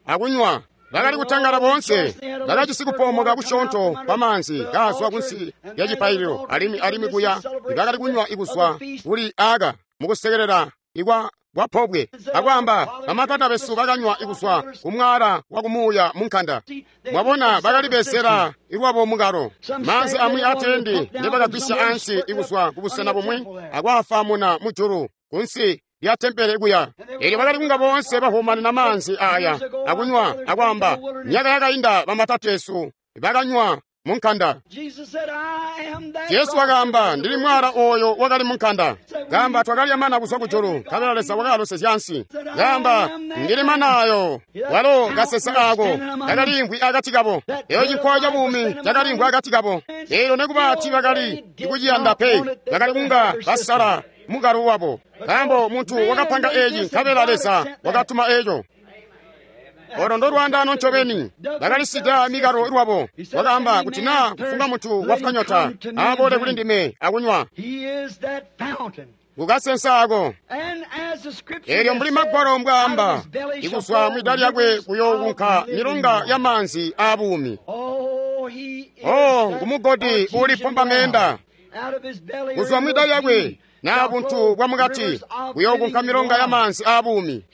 S1: akunywa. Bakali kutangala boonse, bakajisi kupoomoka kusyoonto kwa maanzi kaazwa kunsi lya cipaililo, alimwi alimwi kuya bakali kunywa ikuzwa kuli aka mukusekelela ikwa kwa pobwe. Akwaamba bamatata besu bakanywa ikuzwa kumwala wa kumuuya munkanda. Mwabona bakalibezela ilwabo mukalo. Maanzi amwi atendi ndebakagwisya ansi ikuzwa kubusena bumwi akwaafamuna mujulu kunsi lya tempele kuya. Elyo bakali kunga boonse bahumanina maanzi aya akunywa akwaamba myaka yakainda bamatateesu bakanywa munkanda. Jesu wakaamba ndili mwala oyo wakali munkanda. Gamba twakalya mana kuzwa kujulu nkabela Leza wakalosezya ansi. Gamba ndili mana ayo walo kasesa ako kakaliimvwi akati kabo. Eyo cinkwa ca buumi cakaliimvwi akati kabo. Elyo nekuba tiibakali kuciyanda pe, bakali kunga basala mukalo wabo. Nkaambo muntu wakapanga eci nkabela Leza wakatuma eco. Olo ndolwandano ncobeni bakalisida mikalo lwabo. Wakaamba kuti naa kufumbwa muntu wafwa nyota aaboole kuli ndime akunywa. Kukasensa ako. Elyo mbuli magwalo mbwaamba, ikuzwa mwida lyakwe kuyookunka milonga ya maanzi aabuumi. Oh, ngumugodi uulipomba meenda. Kuzwa mwida lyakwe naa buntu bwa mukati kuyookunka milonga ya maanzi aabuumi.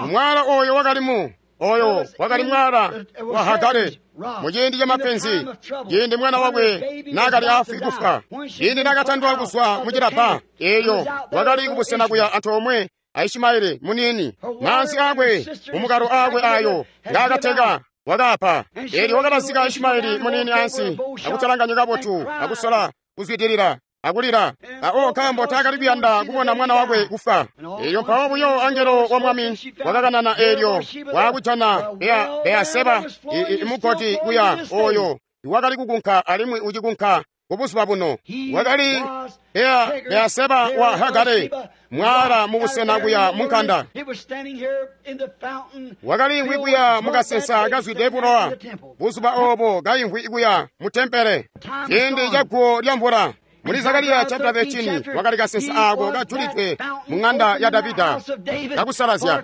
S1: Mwala oyo wakalimu oyo wakali mwala wa Hagare muciindi ca mapenzi, ciindi mwana wakwe naakali afwi kufwa, ciindi naakatandwa kuzwa mucilabba, elyo wakali kubusena kuya antoomwe a Ishimaeli muniini. Maanzi akwe mumukalo akwe ayo ngaakateka wakapa. Elyo wakalazika Ishimaeli muniini ansi akutalanganya kabotu akusola kuzwidilila akulira. Ao nkaambo taakali kuyanda kubona mwana wakwe kufa. Elyo mpawo buyo angelo wa mwami wakakanana elyo waakujana Beaseba imugodi kuya oyo wakali kukunka alimwi ucikunka kubuzuba buno. Wakali Beaseba wa Hagare mwala mubusena kuya munkanda. Wakaliimvwi kuya mukasensa kazwide bulowa buzuba obo kaimvwi kuya mu tempele ciindi ca guwo lya mvula. Muli Zakariya chapter thirteen wakali kasensa ako kajulidwe mu ng'anda ya Davida kakusalazya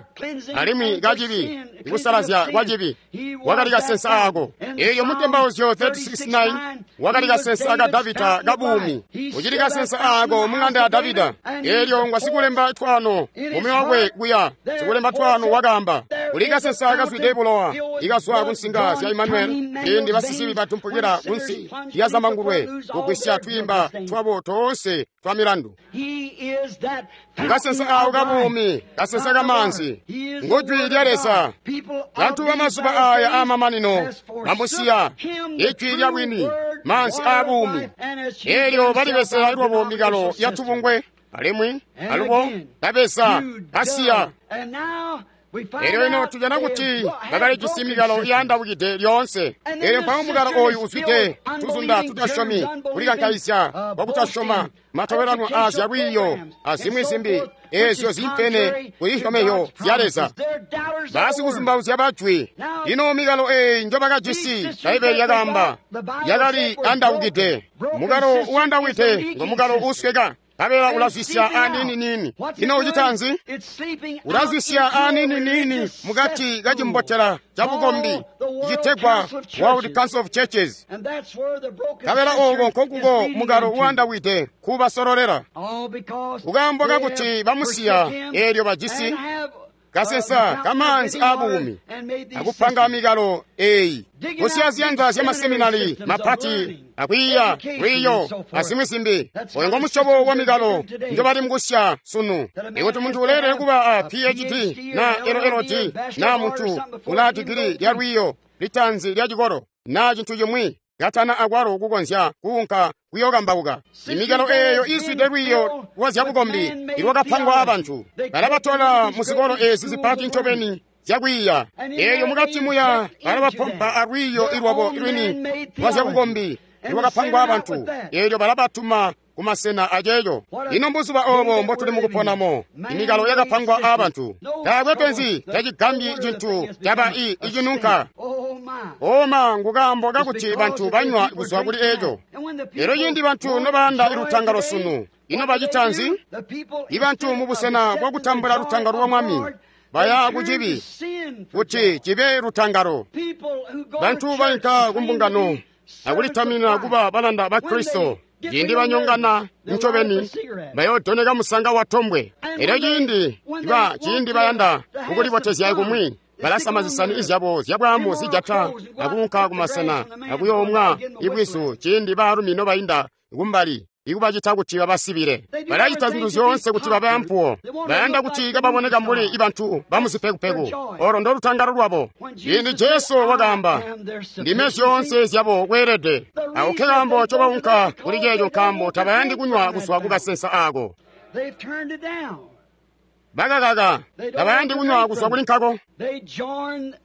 S1: alimwi kacibi ikusalazya kwa cibi. Wakali kasensa ako. Eyo mutembauzyo thirty-six nine wakali kasensa ka Davida kabuumi. Uchili kasensa ako mu ng'anda ya Davida. Elyo ngwa sikulemba twano mume wakwe kuya sikulemba twano wakamba kuli kasensa kazwide bulowa ikazwa kunsinga zya Emmanuel indi basisibi batumpukira kunsi ya zamangulwe kugwisya twimba twabo toonse twa milandu. Kasensa awo kabuumi, kasensa kamanzi ngujwi lya Leza. Bantu bamazuba aya amamanino bamusiya ijwi lya bwini, manzi abuumi. Elyo balibesela lwabo mikalo ya tubungwe alimwi alubo babesa basiya. Elyo ino tujana kuti bakalijisi mikalo iyandabukide lyoonse. Elyo mpawo mukalo oyu uzwide tuzunda tutasyomi, kulikankaizya kwakutasyoma, matobelano azya lwiiyo azimwi zimbi ezyo zimpene kuzisyomezyo zya Leza. Basikuzumbauzya bajwi. Ino mikalo eyi njobakajisi, Bbaibeli lyakaamba, yakali andabukide. Mukalo uandawide ngo mukalo usweka. Kabela ulazwisya anini-nini. Ino ucita nzi? Ulazwisya anini-nini mukati kacimbotela ca bukombi citegwa World Council of Churches. Kabela oko nkonkuko mukalo uandawide kubasololera. Kukaambo kakuti bamusiya elyo bajisi kasensa kamanzi abuumi akupanga mikalo eyi kusiya ziyanza zya maseminari mapati akwiiya lwiiyo azimwi zimbi. Oyo ngomusyobo wa mikalo njobali mukusya sunu. Ikuti muntu uleelele kuba a P H D na L L D na muntu ulaa digili lya lwiiyo litanzi lya cikolo na cintu cimwi katana akwalo kukonzya kuunka kuyokambauka. Imikalo eyo izwide lwiiyo lwa zyabukombi ilwakapangwa abantu. Balabatola muzikolo ezi zipati ncobeni zyakwiiya. Eyo mukati muya balabapompa alwiiyo ilwabo lwini lwa zyabukombi ilwakapangwa abantu. Elyo balabatuma kumasena aceeco. Ino mbuzuba obo mbotuli mukuponamo, imikalo yakapangwa aabantu. Taakwe penzi, tacigambyi cintu caba i icinunka. Oma ngukaambo kakuti bantu banywa kuzwa kuli eco. Elyo ciindi bantu nobayanda lutangalo sunu, ino bacita nzi? Ibantu mubusena bwakutambula lutangalo lwa Mwami baya kucibi kuti cibe lutangalo. Bantu bainka kumbungano akulitamina kuba balanda ba Kristo. Ciindi banyongana ncobeni bayoodoneka musanga wa tombwe. Elyo ciindi ba ciindi bayanda kukulibotezya kumwi, balasama zisani izyabo zyabwaamu zijata akuunka kumasena akuyoomwa ibwizu ciindi baalumi nobainda kumbali ikubacita kuti babasibile. Balacita zintu zyoonse kuti babe ampuwo. Bayanda kuti kababoneka mbuli ibantu bamuzipekupeku. Olo ndolutangalo lwabo. Ciindi Jesu wakaamba, ndime zyoonse zyabo kweelede. Ako ke kaambo ncobaunka kuli ceeco, nkaambo tabayandi kunywa kuzwa kukasensa aako. Bakakaka, tabayandi kunywa kuzwa kuli nkako.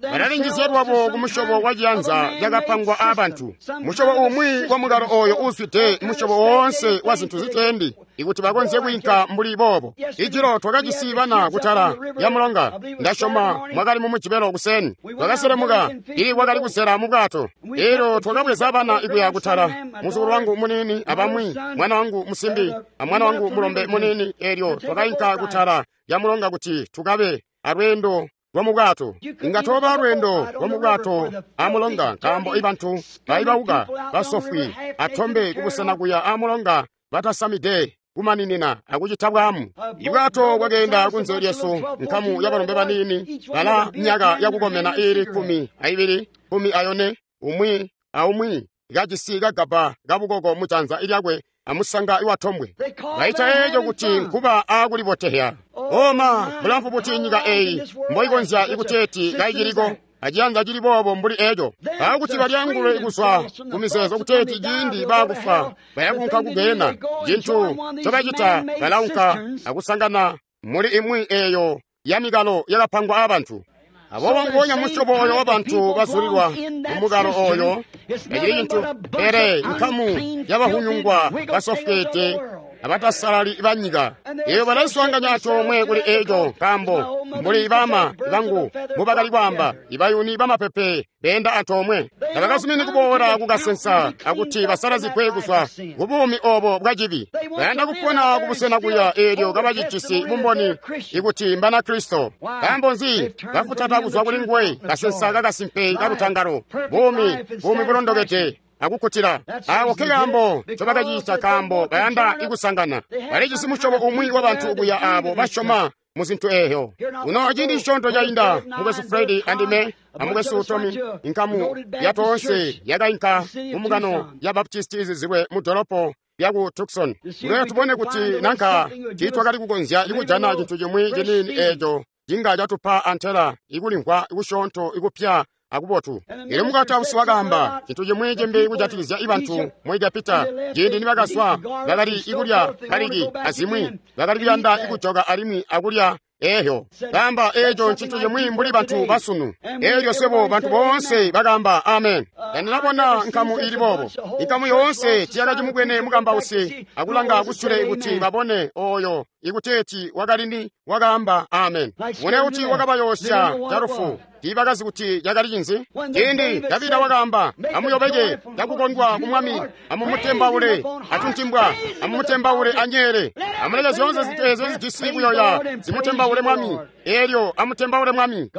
S1: Balalinjizya lwabo kumusyobo wa ciyanza cakapangwa aabantu, musyobo umwi wa mukalo oyo uuzwide musyobo woonse wa zintu ziteendi, ikuti bakonzye kwiinka mbuli boobo. Ijilo twakajisi bana kutala lya mulonga, ndasyoma mwakali mu Mujibelo kuseni. Twakaselemuka, ili kwakali kusela mu bwato. Elyo twakabweza bana ikuya kutala, muzukulu wangu muniini abamwi, mwana wangu musimbi amwana wangu mulombe muniini. Elyo twakainka kutala lya mulonga kuti tukabe alweendo lwa mu bwato. Inga toba lweendo lwa mu bwato amulonga, nkaambo ibantu baibauka basofwi atombe kubusena kuya amulonga batasamide kumaninina akucita bwamu. Ibwato bwakeenda kunze lyesu, nkamu yabalombe baniini bala myaka yakukomena iili kumi aibili kumi ayone, umwi aumwi kajisi kagaba kabukoko mujanza lyakwe amusanga iwatombwe. Baita eeco kuti nkuba aakulibotehya. Oma bulamfu buti nyika eyi mboikonzya ikuteeti kaiciliko aciyanza cili boobo mbuli eco, aakuti balyangulwe kuzwa kumizeezo kuteeti ciindi baakufa bayakunka kugena. Cintu ncobacita, balaunka akusangana muli imwi eeyo ya mikalo yakapangwa aabantu. Aboobo nguwonya musyobo oyo wabantu bazulilwa mumukalo oyo tacili cintu pele nkamu yabahunyungwa basofweede abatasalali banyika. Eyo balaiswaanganya antoomwe kuli eco, nkaambo mbuli bama bangu mbubakali kwaamba, ibayuni bamapepe beenda antoomwe. Tabakazumini kuboola kukasensa akuti basalazigwe kuzwa kubuumi obo bwacibi. Bayanda kupona kubusena kuya eelyo kabacijisi bumboni ikuti mbana Kristo. Nkaambo nzi? Bafutata kuzwa kuli nguwe kasensa kakasimpe kalutangalo, buumi, buumi bulondokede akukkutila. Ako ke kaambo ncobakacita, nkaambo bayanda ikusangana. Balijisi musyobo umwi wabantu kuya aabo basyoma muzintu eeyo. Uno ciindi cisyoonto cainda, mukwesu Fredi andime amukwesu Tomi, inkamu yatoonse yakainka mumbungano ya Baptisti izizilwe mu dolopo lyaku Tucson. Kuleyo tubone kuti nanka tiitwakali kukonzya ikujana cintu cimwi ciniini eeco cinga catupa antela ikulimvwa kusyoonto ikupya akubotu. Elyo mukatausi wakaamba cintu cimwi cimbi kujatikizya ibantu mu Egepita. Ciindi nibakazwa, bakali ikulya kaliki azimwi, bakali kuyanda ikujoka alimwi akulya eeyo. Kaamba eeco ncintu cimwi mbuli bantu basunu. Elyo swebo bantu boonse bakaamba amen. Tandinabona nkamu ili boobo. Inkamu yoonse tiyakacimubwene mukambausi akulanga kusule kuti babone oyo ikuteeti wakalini wakaamba amen. Mune kuti wakabayoosya calufu. Tiibakazi kuti cakali cinzi. Ciindi Davida wakaamba, amuyobeke cakukondwa ku Mwami, amumutembaule atuntimbwa, amumutembaule anyeele, amuleke zyoonse zintu eezyo zijisi kuyoya zimutembaule Mwami. Elyo amutembaule Mwami.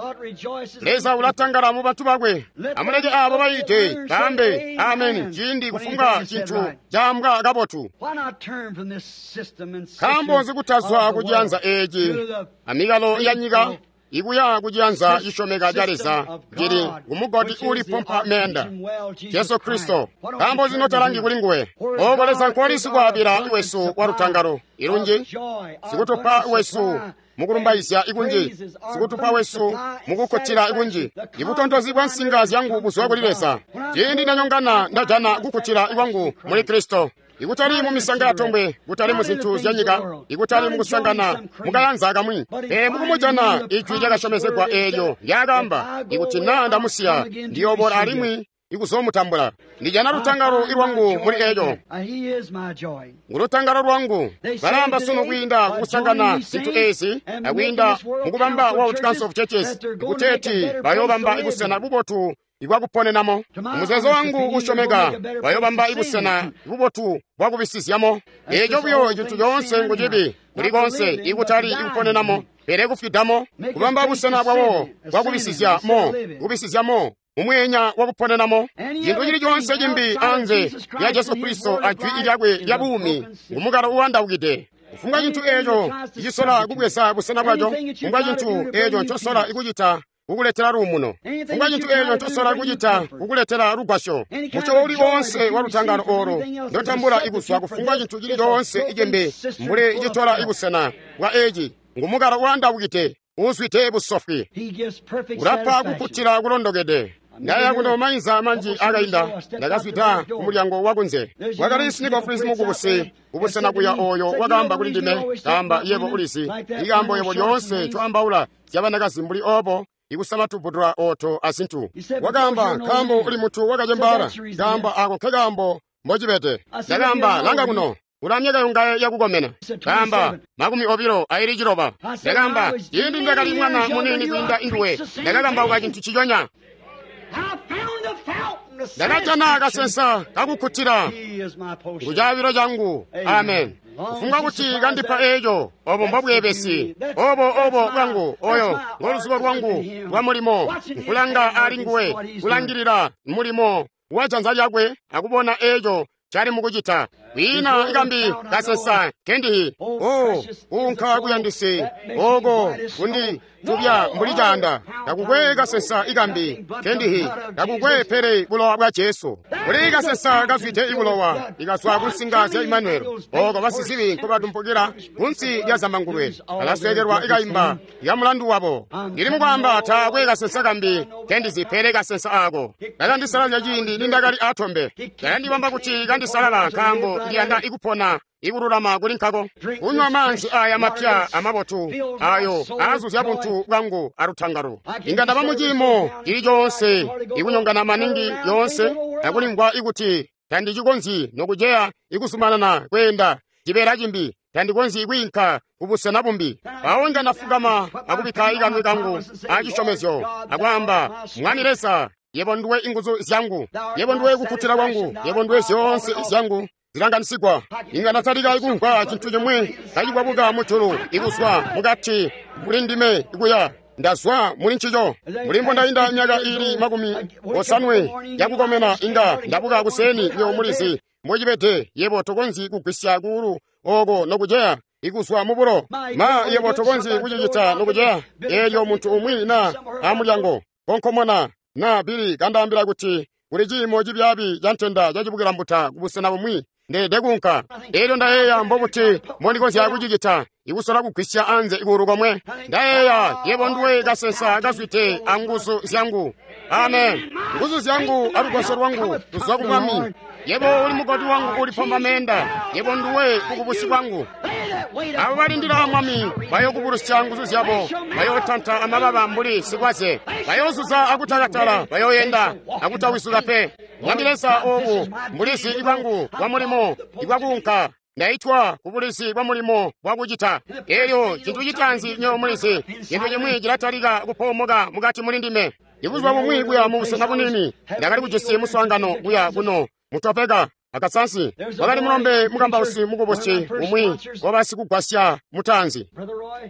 S1: Leza ulatangala mu bantu bakwe. Amuleke aabo bayite baambe ameni ciindi kufunga cintu caambwa kabotu. Nkaambo nzi kutazwa kuciyanza eeci amikalo ya nyika ikuya kuciyanza cisyomeka ca Leza cili kumugoti ulipompa meenda, Jesu Kristo. Nkaambo nzi notalangi kuli nguwe? Ooko Leza nkwali sikwaabila wesu wa lutangalo ilunji, sikutupa wesu mukulumbaizya ikunji, sikutupa wesu mukukkutila ikunji. Ibutontozi bwa nsinga zyangu buzwa kuli Leza. Ciindi ndanyongana ndajana kukkutila ikwangu muli Kristo. Ikutali mu misanga yatombwe, kutali mu zintu zya nyika, ikutali mu kusangana mukayanza kamwi, pele mukumujana ijwi lyakasyomezegwa eelyo lyakaamba, ikuti naa ndamusiya ndiyoobola alimwi ikuzomutambula. Ndijana lutangalo lwangu muli eco. Ngulutangalo lwangu. Balamba sunu kwiinda kukusangana zintu ezi akwiinda mukubamba World Council of Churches kuteeti bayobamba ibusena bubotu ibwakuponenamo. Muzeezo wangu usyomeka bayobamba ibusena bubotu bwakubisizyamo. Eco buyo cintu coonse ngucibi kuli konse ikutali ikuponenamo pele kufwidamo, kubamba busena bwabo bwakubisizyamo, kubisizyamo mumwenya wakuponenamo. Cintu cili coonse cimbi anze lya Jesu Kristo ajwi lyakwe lya buumi ngumukalo uwandaukide. Kufumbwa cintu eco cisola kubweza busena bwaco, kufumbwa cintu eco ncosola kucita kukuletela luumuno, kufumbwa cintu eco ncosola kucita kukuletela lugwasyo, mucyobo uli wonse wa lutangalo olo ndotambula ikuzwa kufumbwa cintu cili coonse icimbi mbuli citola ibusena bwa eci ngumukalo uwandaukide uzwide busofwi. Ulapa kukkutila kulondokede. Ndaya kuno mainza manji akainda ndakazwida kumulyango wakunze. Wakali Snikofris mukubusi kubusena kuya oyo wakaamba kuli ndime, kaamba yebo ulisi ikambo yebo lyoonse coambaula zyabanakazi mbuli obo ikusama tubudula oto azintu. Wakaamba nkaambo uli mutu wakacembaala. Kaamba ako nkekaambo mbocibede. Ndakaamba langa kuno ula myaka yongaye yakukomena. Kaamba makumi obilo aili ciloba. Ndakaamba ciindi ndakali mwana muniini kwiinda induwe ndakakambauka cintu ciconya. Ndakajana kasensa kakukkutila ngucaabilo cangu. Amen. Kufumbwa kuti kandipa eco, obo mbobweebesi, obo obo bwangu, oyo ngoluzubo lwangu lwa mulimo, nkulanga ali nguwe, kulangilila mulimo wa janza lyakwe akubona eco cali mukucita. Kwiina ikambi kasensa kendihi o unka kuyandisi oko kundi tubya mbuli canda. Takukwe kasensa ikambi kendihi, takukwe pele bulowa bwa Jesu. Kuli kasensa kazwide ibulowa ikazwa kunsinga zya Imanueli, oko basizibi nkobatumpukila kunsi lya zambangulwe, alaswekelwa ikaimba ya mulandu wabo. Ndili mukwamba taakwe kasensa kambi kendizi pele kasensa ako. Kakandisalazya ciindi nindakali atombe, kakandibamba kuti kandisalala nkaambo ndiyanda ikupona ikululama kuli nkako. Kunywa maanzi aya mapya amabotu ayo aazuzya buntu bwangu alutangalo. Inga ndaba muciimo cili coonse ikunyongana maningi yoonse akulimvwa ikuti tandicikonzyi nokuceya ikuzumanana kweenda cibeela cimbi, tandikonzyi kwiinka kubusena bumbi. Mpawo inga ndafukama akubikka ikanwe kangu acisyomezyo akwaamba, Mwami Leza, yebo nduwe inguzu zyangu, yebo nduwe kukkutila kwangu, yebo nduwe zyoonse zyangu zilanganisigwa. Inga ndatalika ikumvwa cintu cimwe kacikwabuka mujulu ikuzwa mukati muli ndime ikuya ndazwa muli ncico. Muli mbondainda myaka iili makumi osanwe yakukomena inga ndabuka kuseni nyo mulizi mbocibede. Yebo tokonzyi kugwisya kuulu oko nokuceya ikuzwa mubulo. Ma yebo tokonzyi kucicita nokuceya. Eelyo muntu umwi na amulyango konkomona na bili kandaambila kuti kuli ciimo cibyaabi ca ntenda cacibukilambuta kubusena bumwi, ndeede kuunka. Eelyo ndayeeya mbobuti mbondikonzya kucicita ikusola kugwisya anze ikuulu komwe. Ndayeeya yebo nduwe kasensa kazwide anguzu zyangu. Amen. Nguzu zyangu alugwasyo lwangu luzwa ku Mwami. Yebo uli mugodi wangu ulipomba meenda, yebo nduwe kukubusi bwangu. Abo balindila Mwami bayokubulusya nguzu zyabo, bayotanta amababa mbuli sikwaze, bayozuza akutakatala, bayoyenda akutawisuka pe. Mwami Leza, obu mbulizi bwangu bwa mulimo ibwakuunka. Ndaitwa kubulizi bwa mulimo bwakucita. Eelyo cintu citaanzi nyo mulizi, cintu cimwi cilatalika kupoomoka mukati muli ndime. Ibuzuba bumwi kuya mubusena bunini ndakali kujisi muswaangano kuya kuno mutopeka akasansi. Wakali mulombe mukambausi mukubusi umwi wabasikugwasya mutaanzi.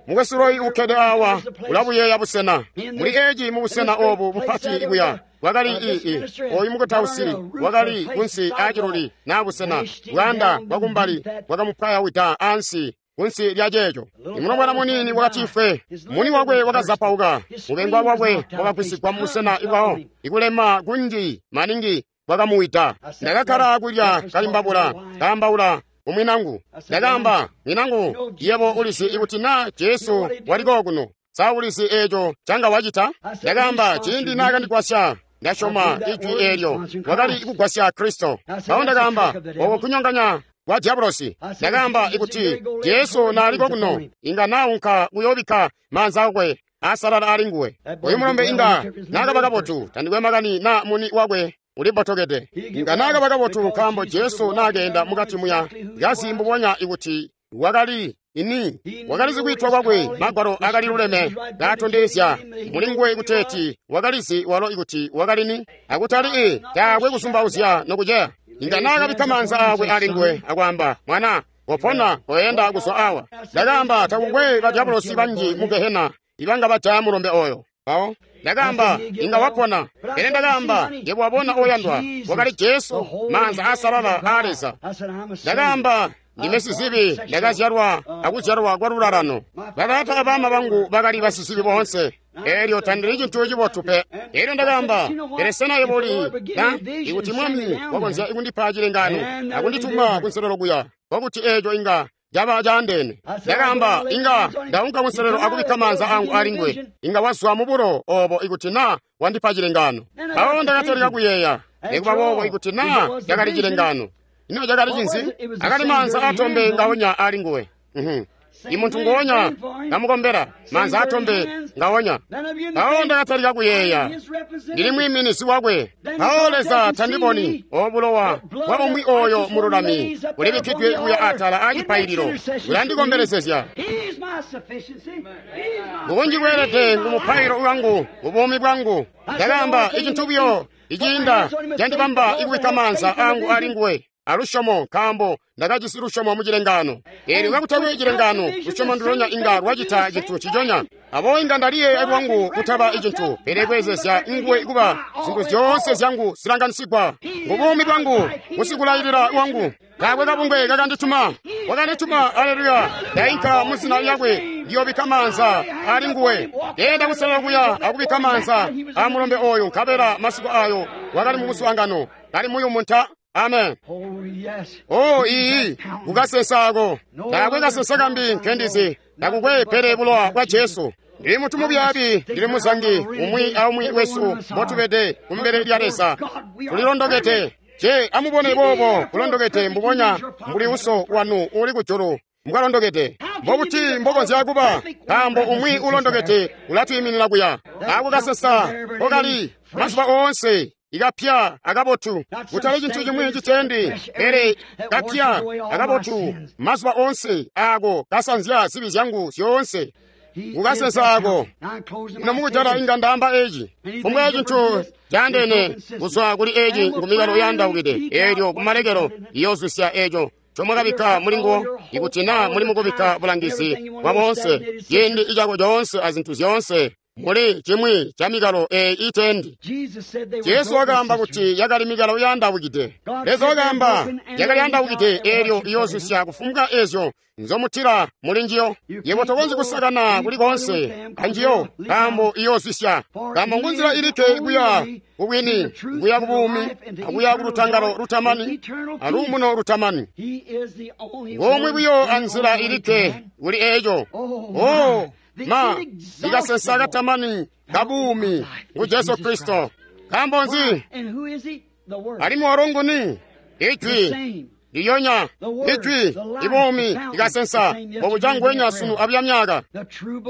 S1: Mukwesu Roy ukkede awa ulabuyeeya busena. Muli eci mubusena obu bupati ikuya wakali ii oyu mukutausi wakali kunsi aaciluli naa busena bwaanda bwakumbali bwakamupwayawida ansi kunsi lya ceeco. Imulombwana muniini wakatifwe, muni wakwe wakazapauka, mubengwa wakwe wakagwisigwa mubusena ibwawo, ikulema kunji maningi bwakamuwida. Ndakakkala kulya kalimbabula kaambaula kumwinangu. Ndakaamba, mwinangu, yebo ulizi ikuti na Jesu waliko kuno, sa ulizi eeco canga wacita? Ndakaamba, ciindi naakandigwasya ndasyoma ijwi eelyo wakali kugwasya Kristo. Mpawo ndakaamba, oko kunyonganya kwa diabolosi. Ndakaamba ikuti Jesu naaliko kuno, inga naunka kuyoobikka maanza akwe asalala ali nguwe. Oyu mulombe inga naakaba kabotu, tandikwe makani na muni wakwe Uli botokede. Inga naakaba kabotu nkaambo Jesu naakeenda mukati muya kazi mbubonya ikuti wakali ini wakalizi kwiitwa kwakwe. Magwalo akali luleme kaatondezya muli nguwe kuteeti wakalizi walo ikuti wakalini akutali i taakwe kusumbauzya nokuceya. Inga naakabikka maanza aakwe ali nguwe akwaamba, mwana, kopona, koyenda kuzwa awa. Ndakaamba, takukwe badyabulosi banji mu gehena ibanga bajaya mulombe oyo. Mpawo ndakaamba, inga wapona. Pele ndakaamba, yebo wabona oyandwa, wakali Jesu, maanza aasalala aa Leza. Ndakaamba, ndime sizibi, ndakazyalwa akuzyalwa kwa lulalano. Bataata abama bangu bakali basizibi boonse. Elyo tandili cintu cibotu pe. Elyo ndakaamba, pele sena yebo uli na ikuti Mwami wakonzya ikundipa cilengano akundituma kunselelo kuya, kwakuti eeco inga caba caandeene. Ndakaamba, inga ndaunka kunselelo akubikka maanza angu ali nguwe. Inga wazwa mubulo obo ikuti na wandipa cilengano. Mpawo ndakatalika kuyeeya, nikuba boobo ikuti na cakali cilengano. Ino cakali cinzi? Akali maanza atombe ngaonya ali nguwe. Imuntu ngonya ngamukombela, maanza atombe ngaonya. Mpawo ndakatalika kuyeeya, ndili mwiiminizi wakwe. Mpawo Leza tandiboni obulowa bwa umwi oyo mululami bulibikkidwe kuya atala acipaililo bulandikombelezezya. Bukunji bweelede ngumupailo wangu mubuumi bwangu. Ndakaamba, icintu buyo iciinda candibamba ikubikka maanza angu ali nguwe alusyomo, nkaambo ndakajisi lusyomo mu cilengano. Eelyo kakutakwe cilengano, lusyomo ndulonya inga lwacita cintu nciconya. Aboobo inga ndaliyeeya lwangu kutaba icintu, pele kweezezya nguwe kuba zintu zyoonse zyangu zilanganisigwa. Mubuumi bwangu, musikulailila wangu, taakwe kabungwe kakandituma. Wakandituma, aleluya, ndainka mu zina lyakwe, ndiyoobikka maanza ali nguwe. Ndeenda kuselelo kuya akubikka maanza amulombe oyo, nkabela masiku ayo wakali mu muswaangano, kali muyumu nta. Amen. Oh, iyi kukasensa ako. Taakwe kasensa kambi nkendizi, takukwe pele bulowa bwa Jesu. Ndili mutu mubyaabi, ndili muzangi, umwi aumwi wesu mbotubede kumbele lya Leza. Tulilondokete. Je, amubone boobo kulondokete mbubonya mbuli uso wanu uli kujulu mbwalondokete. Mbobuti mbokonzya kuba, nkaambo umwi ulondokete ulatwiiminina kuya. Ako kasensa kokali mazuba oonse ikapya akabotu, kutali cintu cimwi citendi, pele kapya akabotu mazuba oonse ako kasanzya zibi zyangu zyoonse. Kukasensa ako. Ino mukujala inga ndaamba eci, fumbwa cintu caandeene kuzwa kuli eci ngumikalo yaandaukide, eelyo kumalekelo iyoozwisya eco comwakabikka muli nguwo. Ikuti na muli mukubikka bulangizi bwa boonse, ciindi icako coonse azintu zyoonse muli cimwi ca mikalo eyi itendi. Jesu wakaamba kuti yakali mikalo yaandaukide. Leza wakaamba yakali yaandaukide, eelyo iyoozwisya kufumbwa ezyo nzomutila muli njiyo. Yebo tokonzyi kusakana kuli koonse anjiyo, nkaambo iyoozwisya. Nkaambo ngunzila ilikke kuya kubwini, kuya kubuumi, akuya kulutangalo lutamani aluumuno lutamani. Ngomwe buyo anzila ilikke kuli eeco. Oh, ma ikasensa katamani kabuumi ngu Jesu Kristo. Nkaambo nzi? Alimwi walo nguni? Ijwi liyonya, ijwi ibuumi ikasensa bobuca ngwenya sunu abya myaka.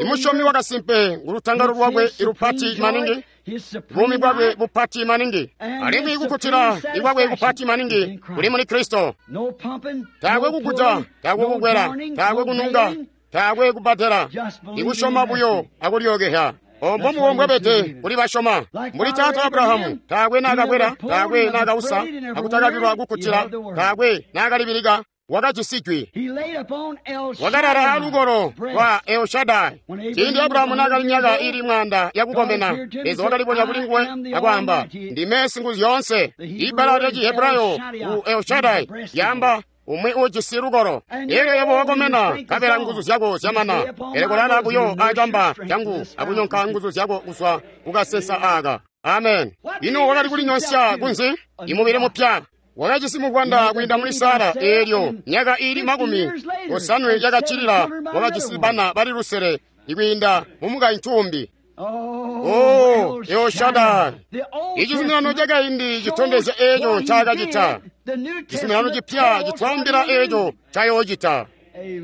S1: Imusyomi wakasimpe ngulutangalo lwakwe ilupati maningi, buumi bwakwe bupati maningi, alimwi kukkutila ikwakwe kupati maningi kuli muli Kristo. Taakwe kukuta, taakwe kukwela, taakwe kununga, taakwe kubatela, ikusyoma buyo akulyookeha. Ombo muwo mbwabede kuli basyoma. Mbuli taata Abrahamu, taakwe naakakwela, taakwe naakausa, akutakakilwa kukkutila, taakwe naakalibilika, wakajisi jwi. Wakalala alukolo lwa El Shaddai. Ciindi Abrahamu naakali myaka ili mwaanda yakukomena, Leza wakalibonya kuli nguwe akwaamba, ndime Singuzyoonse. Ibbala lya Cihebrayo ku El Shaddai lyaamba umwi ujisi lukolo. Elyo yebo wakomena, nkabela nguzu zyako zyamana. Pele kolala buyo acamba cangu akunyonka nguzu zyako kuzwa kukasensa aka. Amen. Ino wakali kulinyonsya kunzi? Imubili mupya. Wakajisi muvwanda kwiinda muli Sara, eelyo myaka ili makumi osanwe yakacilila wakajisi bana bali lusele ikwiinda mumukaintu umbi. Oh, El Shaddai. Ichizuminano chakaindi chitondezya echo chakachita. Chizuminano chipya chitwambira echo chayochita.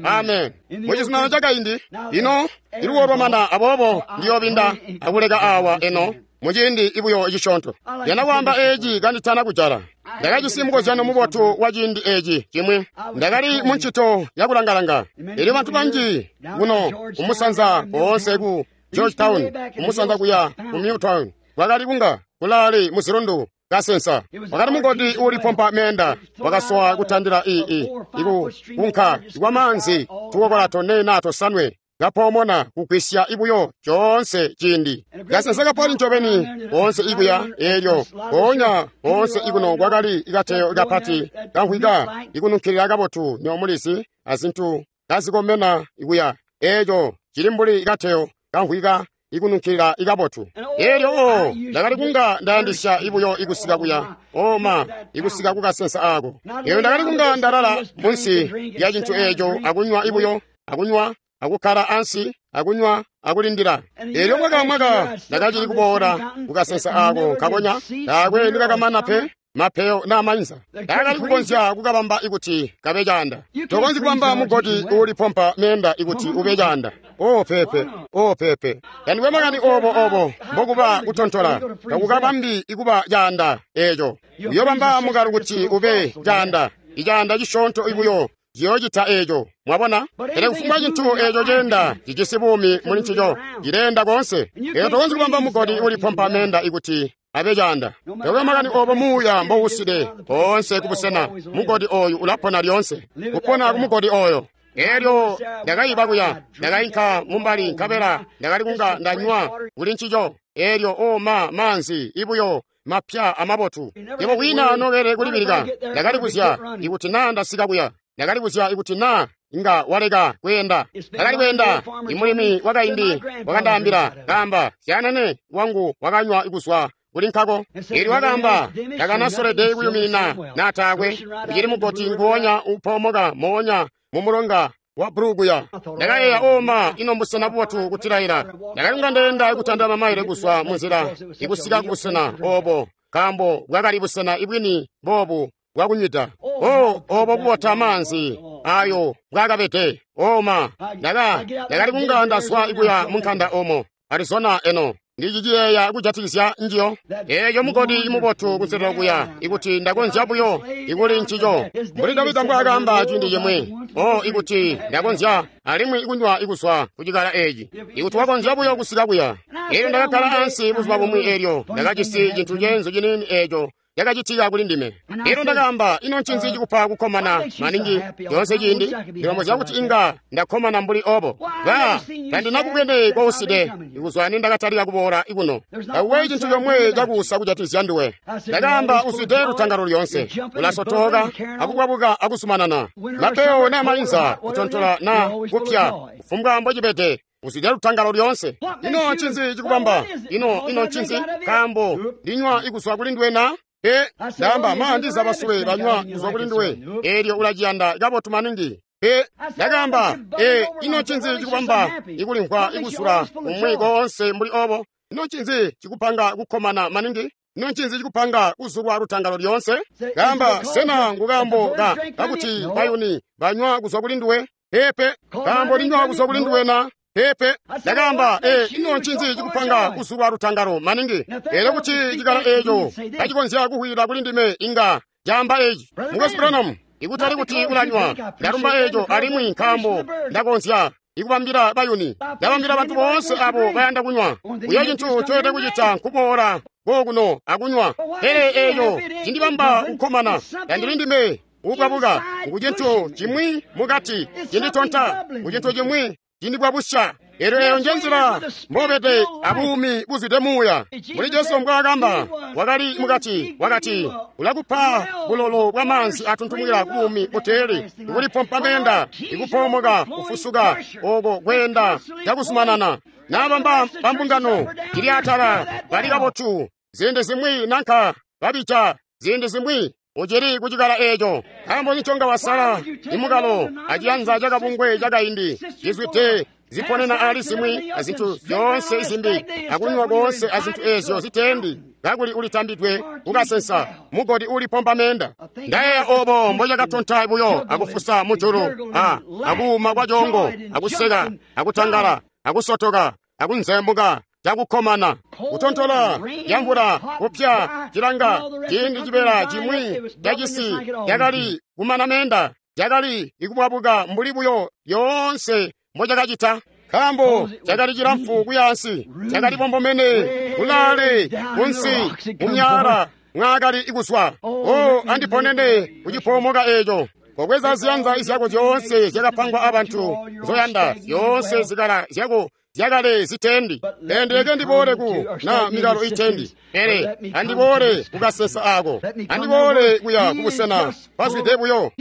S1: Amen. Muchizuminano chakaindi ino iluwo lwamana, aboobo ndiyobinda akuleka awa eno Muciindi ibuyo cisyoonto. Ndiyanda kwaamba eeci kanditana kujala. Ndakajisi mukozyano mubotu wa ciindi eeci cimwi. Ndakali mu ncito yakulangalanga. Elyo bantu banji kuno kumusanza koonse ku Georgetown, kumusanza kuya ku Newtown, kwakali kunga kulaale muzilundu kasensa. Wakali mugodi uulipompa meenda, wakasowa kutandila ii iku kunka kwa maanzi tukokola tone naa tosanwe kapoomona kugwisya ibuyo coonse ciindi. Kasensa kapali ncobeni koonse ikuya eelyo mpoonya koonse ikuno kwakali ikateyo kapati kamvwika ikununkilila kabotu nyomulizi azintu kazikomena ikuya. Eeco cili mbuli ikateyo kamvwika ikununkilila ikabotu. Eelyo o ndakali kunga ndayandisya ibuyo ikusika kuya oma ikusika kukasensa aako. Eelyo ndakali kunga ndalala munsi lya cintu eeco akunywa ibuyo akunywa akukkala ansi akunywa akulindila. Eelyo mwaka mwaka ndakacili kuboola kukasensa aako nkakonya taakwe ndikakamana pe mapeyo naa mainza. Ndakali kukonzya kukabamba ikuti kabe caanda. Tokonzyi kubamba mugodi uulipompa meenda ikuti ube caanda. O pepe, o pepe. Tandikwe makani obo obo mbokuba kutontola, takukabambi ikuba caanda eeco. Uyobamba mukalo kuti ube caanda, icaanda cisyoonto ibuyo ciyoocita eeco. Mwabona? Pele kufumbwa cintu eeco ceenda cijisi buumi muli ncico, cileenda koonse. Eelyo tokonzyi kubamba mugodi uulipompa meenda ikuti abe caanda. Takwe makani obo muuya mbowuside koonse kubusena, mugodi ooyu ulapona lyoonse. Kupona kumugodi ooyo. Eelyo ndakayiba kuya, ndakayinka mumbali nkabela ndakali kunga ndanywa kuli ncico. Eelyo o ma maanzi ibuyo mapya amabotu. Yebo wina nokele kulibilika. Ndakali kuzya ikuti naa ndasika kuya. Ndakali kuzya ikuti naa inga waleka kweenda. Ndakali kweenda. Imulimi wakaindi wakandaambila kaamba, syanene wangu wakanywa kuzwa kuli nkako. Eelyo wakaamba, ndakanasolede kuyuminina naatakwe. Ucili mugoti nguwonya upoomoka moonya mumulonga wa Bruguya. Ndakayeeya oma ino mbusena bubotu kutilaila. Ndakali kunga ndeenda kutanda mamaile kuzwa munzila ikusika kubusena obo, nkaambo bwakali busena ibwini boobu bwakunywida. O obo bubota maanzi ayo bwakabede. Oma ndaka ndakali kunga ndazwa ikuya munkanda omo Arizona eno. Ndiciciyeeya kujatikizya njiyo. Eeyo mugodi imubotu kunselelo kuya ikuti ndakonzya buyo ikuli ncico. Mbuli Davida mbwaakaamba ciindi cimwi, o ikuti ndakonzya alimwi ikunywa ikuzwa kucikala eeci. Ikuti wakonzya buyo kusika kuya. Eelyo ndakakkala ansi buzuba bumwi eelyo ndakajisi cintu ceenzu ciniini eeco cakacitika kuli ndime. Eelyo ndakaamba, ino ncinzi cikupa kukkomana maningi lyoonse ciindi? Ndilombozya kuti inga ndakkomana mbuli obo. Ba, tandinakubwene kouside ikuzwa nindakatalika kuboola ikuno. Takuwe cintu comwe cakuusa kujatikizya nduwe. Ndakaamba, uzwide lutangalo lyoonse. Ulasotoka, akukwabuka akusumanana. Mapeyo naa mainza, kutontola naa kupya, kufumbwa mbocibede. Uzwide lutangalo lyoonse. Ino ncinzi cikubamba? Ino, ino ncinzi? Nkaambo ndinywa ikuzwa kuli nduwe na? Pe, ndaamba maandiza basule banywa kuzwa kuli nduwe. Eelyo ulaciyanda kabotu maningi. Pe, ndakaamba, e, ino ncinzi cikubamba ikulimvwa ikuzula umwi koonse mbuli obo? Ino ncinzi cikupanga kukkomana maningi? Ino ncinzi cikupanga kuzulwa lutangalo lyoonse? Kaamba, sena ngukambo ka kakuti bayuni banywa kuzwa kuli nduwe? Pepe, kaambo linywa kuzwa kuli nduwe na? Pepe, ndakaamba, e, ino ncinzi cikupanga kuzulwa lutangalo maningi? Eelyo kuti cikala eeco kacikonzya kuhwila kuli ndime inga caamba eeci. Mukwesu Branham, ikutali kuti ulanywa, ndalumba eeco alimwi nkaambo ndakonzya ikubambila bayuni, ndabambila bantu boonse abo bayanda kunywa. Uyo cintu coyede kucita nkuboola kokuno akunywa. Pele eeco cindibamba kukkomana, tandili ndime ukwabuka kucintu cimwi mukati cinditonta, kucintu cimwi cindibwabusya. Eelyo eeyo njenzila mbobede abuumi buzwide muuya. Mbuli Jesu mbwaakamba, wakali mukati, wakati, ulakupa bulolo bwamaanzi atuntumukila kubuumi buteeli, ikulipompa meenda, ikupoomoka, kufusuka, oko kweenda cakuzumanana. Naabamba bambungano cili atala bali kabotu, ziindi zimwi nanka babija, ziindi zimwi ucili kucikala eeco. Nkaambo niconga wasala imukalo aciyanza cakabungwe cakaindi cizwide ziponena ali zimwi azintu zyoonse izimbi akunywa koonse azintu eezyo ziteendi kakuli ulitambidwe kukasensa mugodi ulipompa meenda. Ndayeeya obo mbocakatonta buyo akufusa mujulu a akuuma kwa coongo akuseka akutangala akusotoka akunzembuka cakukkomana kutontola yamvula kupya cilanga ciindi cibeela cimwi cacisi cakali kumana meenda cakali ikubwabuka mbuli buyo yoonse mbocakacita nkaambo cakali cilamfu kuyaansi cakali bombomene kulaale kunsi mumyala mwaakali ikuswa o andiponene kucipoomoka eeco kobweza ziyanza zyako zyoonse zyakapangwa abantu nzoyanda zyoonse zikala zyako zyakale zitendi endileke ndiboole ku na mikalo itendi pele andiboole kukasesa ako andiboole kuya kubusena pazwide buyo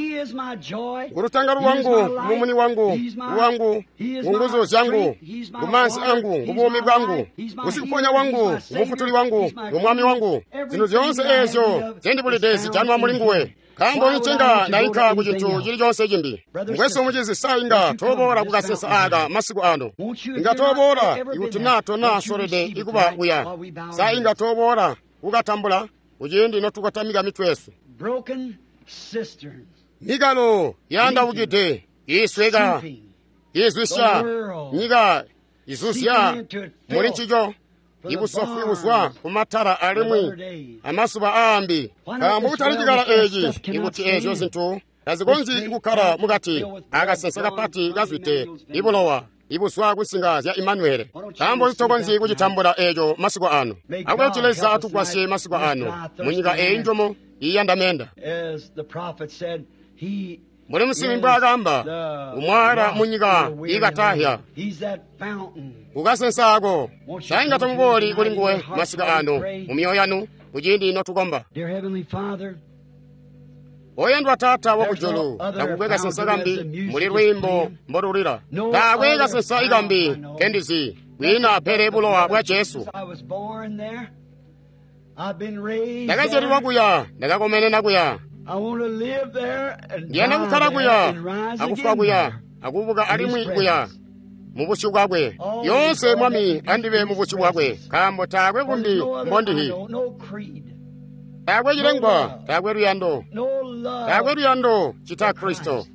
S1: ngulutangalo lwangu ngumumuni wangu wangu ngunguzu zyangu ngumansi angu ngubuumi bwangu ngusikuponya wangu ngumufutuli wangu ngumwami wangu zinthu zyoonse eezyo zendibulide zijanwa muli nguwe nkaambo ncenga ndayikha ku chinthu chilichonse chimbi mukwesu muchizi sainga toboola kukasesa aka masiku ano inga toboola ikuti na tonasolede ikuba kuya sainga toboola kukatambula kuciindi notukatamika mitwe yesu mikalo yandawukide isweka izwisya nyika izuzya muli ncico ibusofu ibuzwa kumatala alimwi amasuba aambi nkaambo kutali cikala eeci ikuti eezyo zinthu tazikonzyi kukkala mukati akasensa kapati kazwide ibulowa ibuzwa kusinga zya Imanuele nkaambo zitokonzyi kucitambula eeco masiku ano akuti Leza atugwasye masiku ano munyika eyi njomo iyanda menda mbuli musibi mbwaakamba umwala munyika ikatahya kukasensaako sainga tomubooli kuli nguwe masiku ano mu myoyo yanu kuciindi notukomba oyendwa taata wakujulu takukwe kasensa kambi muli lwiimbo mbolulira taakwe kasensa ikambi kendizi kwina pele bulowa bwa Jesu ndakazyalilwa kuya ndakakomenena kuya ndiyanda kukhala kuya akufwa kuya akubuka alimwi kuya mubusyu bwakwe yonse mwami andibe mubusyu bwakwe nkaambo taakwe kumbi mbondihi taakwe cilengwa taakwe luyando taakwe luyando cita Kristo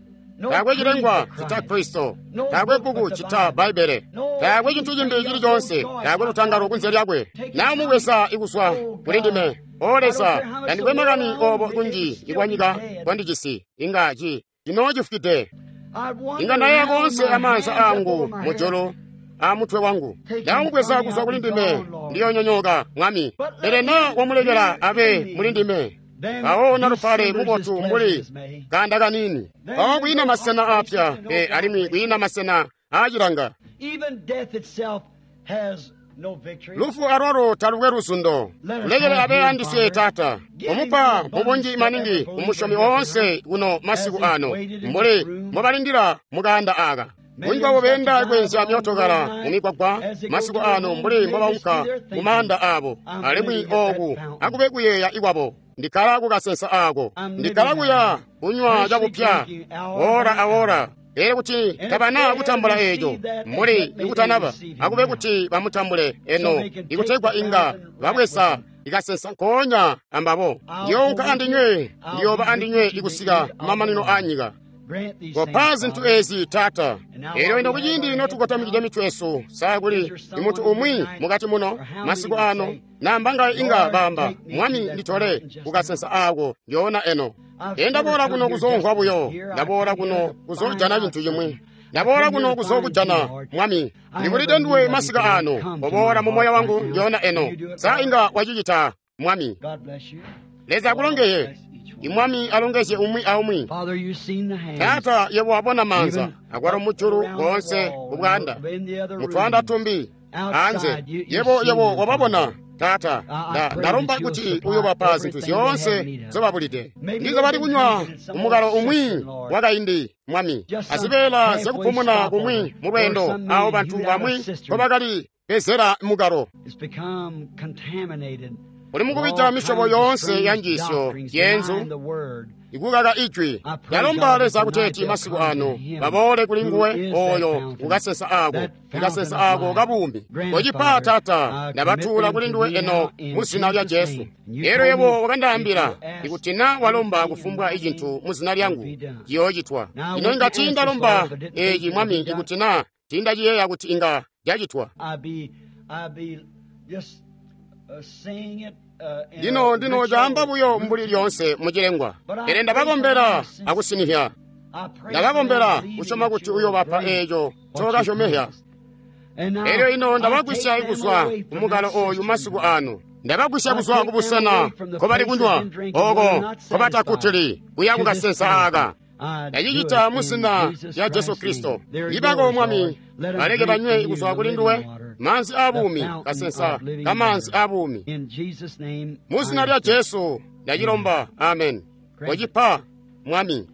S1: taakwe cilengwa cita Kristo taakwe bbuku cita Bbaibbele taakwe cintu cimbi cili conse taakwe lutangalo kunze lyakwe naamubweza ikuswa kuli ndime O Leza tandikwe makani obo kunji ikwanyika kwandicisi inga ci cinoocifwide inga ndayeya konse amaanza angu mujulu amutwe wangu ndamubweza kuzwa kuli ndime ndiyonyonyoka mwami pele na wamulekela abe muli ndime awo nalupale mubotu mbuli kanda kanini awo kwiina masena apya pe alimwi kwiina masena aacilanga lufu alwalo talukwe luzundo kulekele abe andiswe taata omupa mubunji maningi umusyomi woonse kuno masiku ano mbuli mbobalindila mukanda aka bunji bwabo benda kwenzya myotokala mumigwagwa masiku ano mbuli mbobaunka kumanda abo alimwi oku akube kuyeeya ikwabo ndikhala kukasensa ako ndikhala kuya kunywa cakupya ora aora pele kuti tabana kutambula eeco mbuli ikutanaba akube kuti bamutambule eno ikutegwa inga babwesa ikasensa nkoonya ambabo ndiyounka andinywe ndiyooba andinywe ikusika kumamanino a nyika kopa zinthu ezi taata elyo ino kuciindi notukotamikide mitwe yesu sakuli imunthu umwi mukati muno masiku ano namba inga bamba mwami nditole kukasensa ako ndiyoona eno ndaboola kuno kuzomvwa buyo ndaboola kuno kuzojana chinthu chimwe ndaboola kuno kuzokujana mwami ndikulide nduwe masiku ano oboola mu moyo wangu ndiyoona eno sa inga wachichita mwami Leza akulongeye imwami alongezye umwi aumwi taata yebo wabona manza akwalo mujulu konse kubwanda mutwanda tumbi anze yebo yebo wababona taata ndalomba kuti uyobapa zinthu zyonse zobabulide ndizo bali kunywa umukalo umwi wakaindi mwami azibeela zyakupumuna kumwi mu lwendo awo banthu bamwi mbobakali bezera mukalo uli mukubija misyobo yonse ya njiisyo yenzu ikukaka ijwi yalomba Leza kuteeti masiku ano baboole kuli nguwe oyo kukasensa ako kukasensa ako kabuumi kocipa taata ndabatuula kuli nduwe eno mu zina lya Jesu elo yebo wakandaambila ikuti na walomba kufumbwa icinthu mu zina lyangu ciyoocitwa ino inga tiindalomba eci mwami ikuti na tiindaciyeeya kuti inga cacitwa Lino ndino caamba buyo mbuli lyoonse mucilengwa, pele ndabakombela akusinihya. Ndabakombela kusyoma kuti uyobapa eeco ncokasyomehya. Elyo ino ndabagwisya kuzwa kumukalo ooyu masiku aano. Ndabagwisya kuzwa kubusena nkobali kunywa, ooko nkobatakkutili kuya kukasensa aaka. Ndacicita muzina lya Jesu Kristo. Ibako Mwami, baleke banywe kuzwa kuli nduwe maanzi aabuumi, kasensa kamaanzi aabuumi. Muzina lya Jesu ndacilomba, amen. Kocipa Mwami.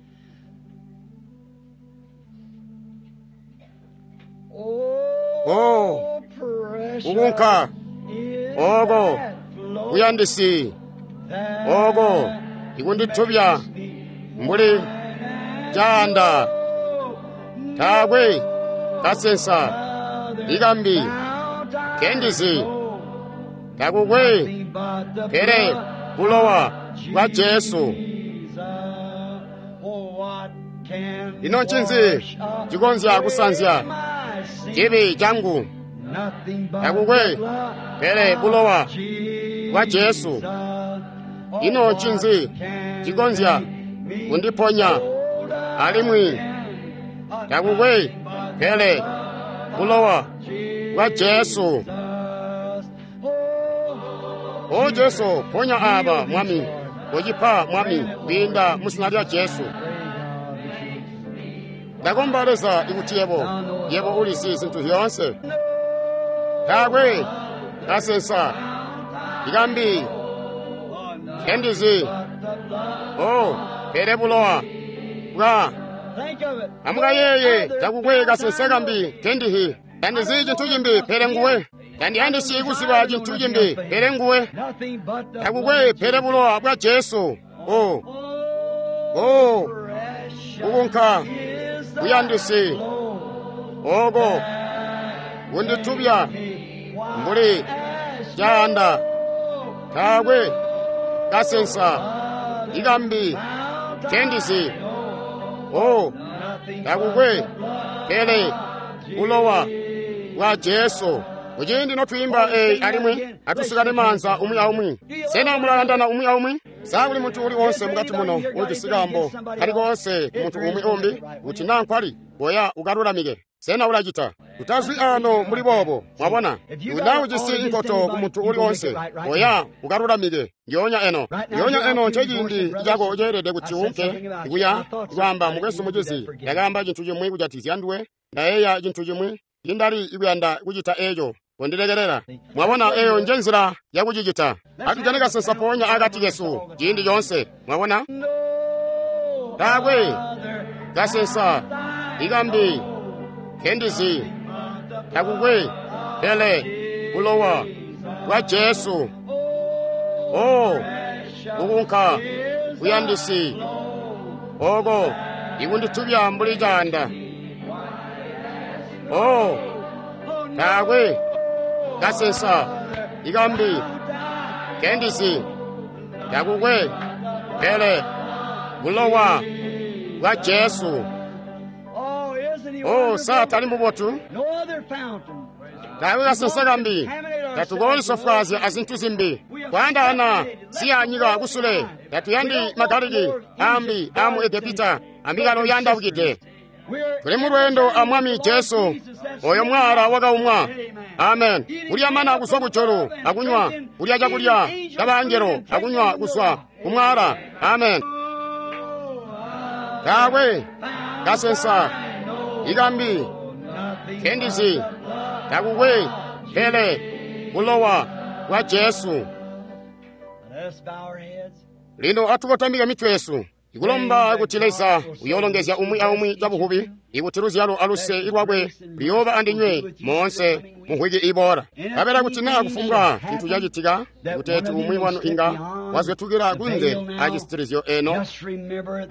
S1: Oh, kukunka oko kuyandisi oko ikunditubya mbuli caanda taakwe kasensa ikambi kendizi takukwe pele bulowa bwa Jesu. Ino ncinzi cikonzya kusanzya cibi cangu? Takukwe pele bulowa bwa Jesu. Ino ncinzi cikonzya kundiponya alimwi? Takukwe pele bulowa bwa Jesu. O Jesu, ponya aba Mwami, kocipa Mwami kwiinda muzina lya Jesu. Ndakomba Leza ikuti yebo, yebo ulizi zintu zyoonse. Taakwe kasensa ikambi kendizi, o pele bulowa bwa. Amukayeeye, takukwe kasensa kambi kendihi. Tandizi cintu cimbi pele nguwe. Tandiyandisi kuziba cintu cimbi pele nguwe. Takukwe pele bulowa bwa Jesu. O o kukunka kuyandisi oko kunditubya mbuli caanda taakwe kasensa ikambi kendizi. O takukwe pele bulowa bwa Jesu. Kuciindi notwiimba eyi alimwi atusikane maanza umwi aumwi. Sena mulayandana umwi aumwi? Sa kuli muntu uli wonse mukati muno ujisi kaambo kali koonse ku muntu umwi umbi kuti naa nkwali boya ukalulamike? Sena ulacita? Utazwi ano muli boobo, mwabona? Kuti naa ujisi inkoto ku muntu uli wonse, boya ukalulamike ndyonya eno. Ndyonya eno nceciindi cako ceelede kuti unke kuya kwaamba, mukwesu mucizi, ndakaamba cintu cimwi kujatikizya nduwe, ndayeeya cintu cimwi, indali ikuyanda kucita eeco, kondilekelela. Mwabona, eyo nje nzila yakucicita. Atujane kasensa ponya akati kesu ciindi coonse. Mwabona, taakwe kasensa ikambi kendizi, takukwe pele bulowa bwa Jesu. O kukunka kuyandisi oko ikunditubya mbuli caanda. O taakwe kasensa ikambi kendizi, takukwe pele bulowa bwa Jesu. O sa tali mubotu? Taakwe kasensa kambi. Tatukolisofwaazya azintu zimbi kwaandaana siya nyika kusule. Tatuyandi magaliki ambi amu Egepita ambikalo yandabukide. Tuli mu lweendo a Mwami Jesu, oyo mwala wakaumwa. Amen. Kulya mana kuzwa kujulu akunywa, kulya cakulya cabangelo akunywa kuzwa kumwala. Amen. Taakwe kasensa ikambi kendizi, takukwe pele bulowa bwa Jesu. Lino atukotamike mitwe yesu ikulomba kuti Leza uyoolongezya umwi aumwi cabuhubi, ikuti luzyalo aluse lwakwe luyooba andinywe moonse mumvwiki iboola. Kabela kuti naa kufumbwa cintu cacitika, kuteeti umwi wanu inga wazwetukila kunze acisitilizyo eno,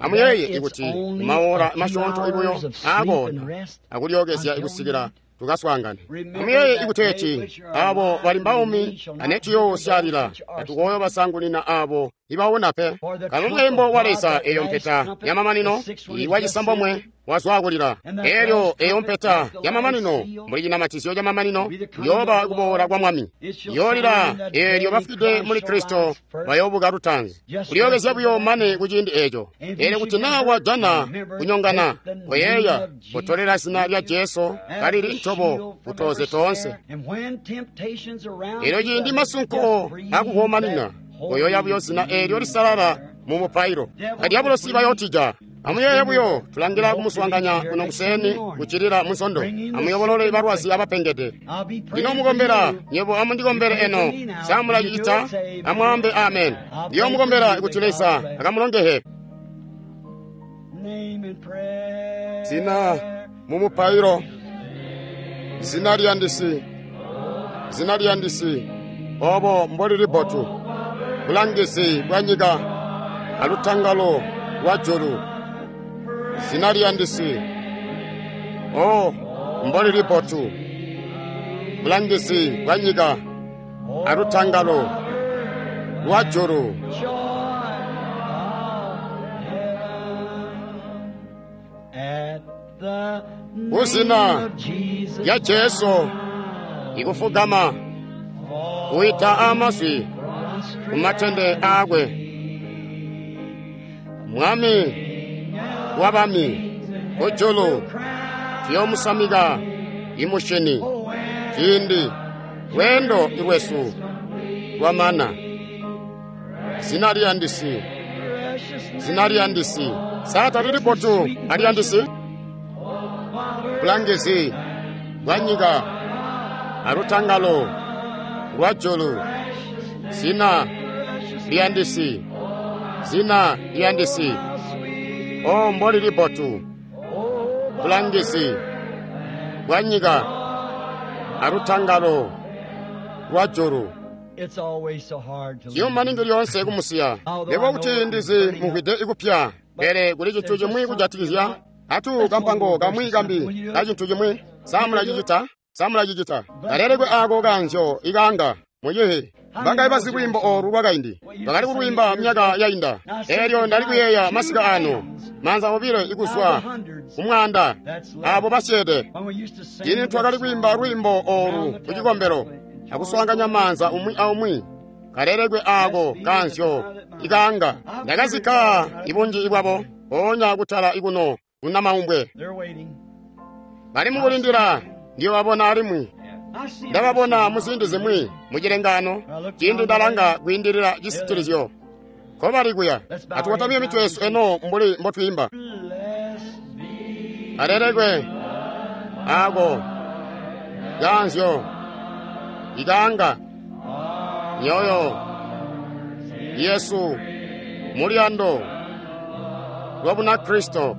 S1: amuyeeye ikuti maola masyoonto ibuyo aakoona akulyookezya ikusikila tukaswaangane. Amuyeeye ikuteeti abo bali mbaumi anetuyoosyalila atukoyo basangunina abo ibawona pe. Kalo mweembo wa Leza eyo mpeta yamamanino iwacisambomwe wazwaakulila. Elyo eyo mpeta yamamanino mbuli cinamatizyo camamanino yooba kuboola kwa Mwami. Yoolila eelyo bafwide muli Kristo bayoobuka lutaanzi. Kulyookezya buyo mane kuciindi eeco. Eelyo kuti naa wajana kunyongana, koyeeya kutolela zina lya Jesu kalili ntobo kutoze toonse. Eelyo ciindi masunko akukomanina, koyoya buyo zina eelyo lisalala mu mupailo. Badyabulosi bayootija. Amuyeeye buyo, tulangila kumuswaanganya kuno kuseeni kucilila munsondo. Amuyobolole balwazi abapengede. Lino mukombela, nywebo amundikombele eno. Samulacicita, amwaambe amen. Ndiyo mukombela kuti Leza akamulongehe. Zina mu mupailo. Zina liyandisi. Zina liyandisi. Obo mbolili bbotu. Bulangizi bwa nyika alutangalo lwa julu. Zina liyandisi. O mbolili bbotu. Bulangizi bwa nyika alutangalo lwa julu. Kuzina lya Jesu ikufugama kuita amazwi kumatende aakwe. Mwami wabami kujulu tuyomusamika imushini ciindi lweendo lwesu lwamana. Zina liyandisi, zina liyandisi. Sa talili bbotu aliyandisi? Bulangizi bwa nyika alutangalo lwa julu. Zina liyandisi, zina liyandisi. O mbolili bbotu. Bulangizi bwa nyika alutangalo lwa julu. Ciyuma lyoonse kumusiya. Nebo kuti ndizi muvwide ikupya, pele kuli cintu cimwi kujatikizya atu kampango kamwi kambi ka cintu cimwi. Samulacicita, samulacicita. Kalelekwe aako kanzyo ikanga mucihi. Bangayi bazi lwiimbo oolu lwakaindi. Bakali kulwiimba myaka yainda. Eelyo ndali kuyeeya masika ano, maanza obilo ikuzwa kumwaanda abo basyeede. Ciindi twakali kwiimba lwiimbo oolu kucikombelo akuswaanganya maanza umwi aumwi. Kalelekwe aako kanzyo ikanga. Ndakazikka ibunji bwabo mpoonya kutala ikuno kunamaumbwe. Bali mukulindila ndiyobabona alimwi. Ndababona muziindi zimwi mucilengano ciindi ndalanga kwiindilila cisitilizyo. Nkobali kuya. Atukotamye mitwe yesu eno mbuli mbotwiimba. Kalelekwe aako kanzyo ikanga myoyo yesu muliyando lwa Bunakristo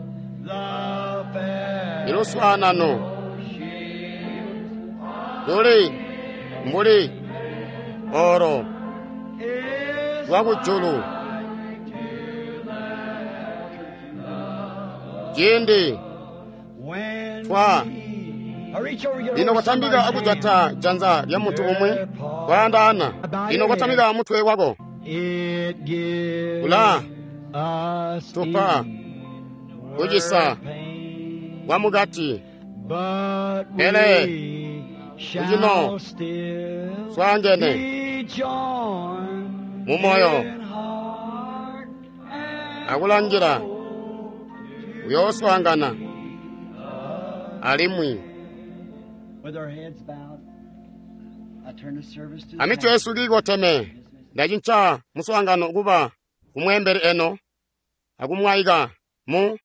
S1: iluswaanano luli mbuli oro lwa kujulu. Ciindi twa lino kwatambika akujata janza lya muntu umwi kwaandaana. Lino kwatamika mutwe wako kula tupa kucisa kwa mukati, pele kucino swaangene mumoyo akulangila uyooswaangana alimwi. Amitwe yesu kiikoteme. Ndacinca muswaangano kuba kumweembeli eno akumwaika mu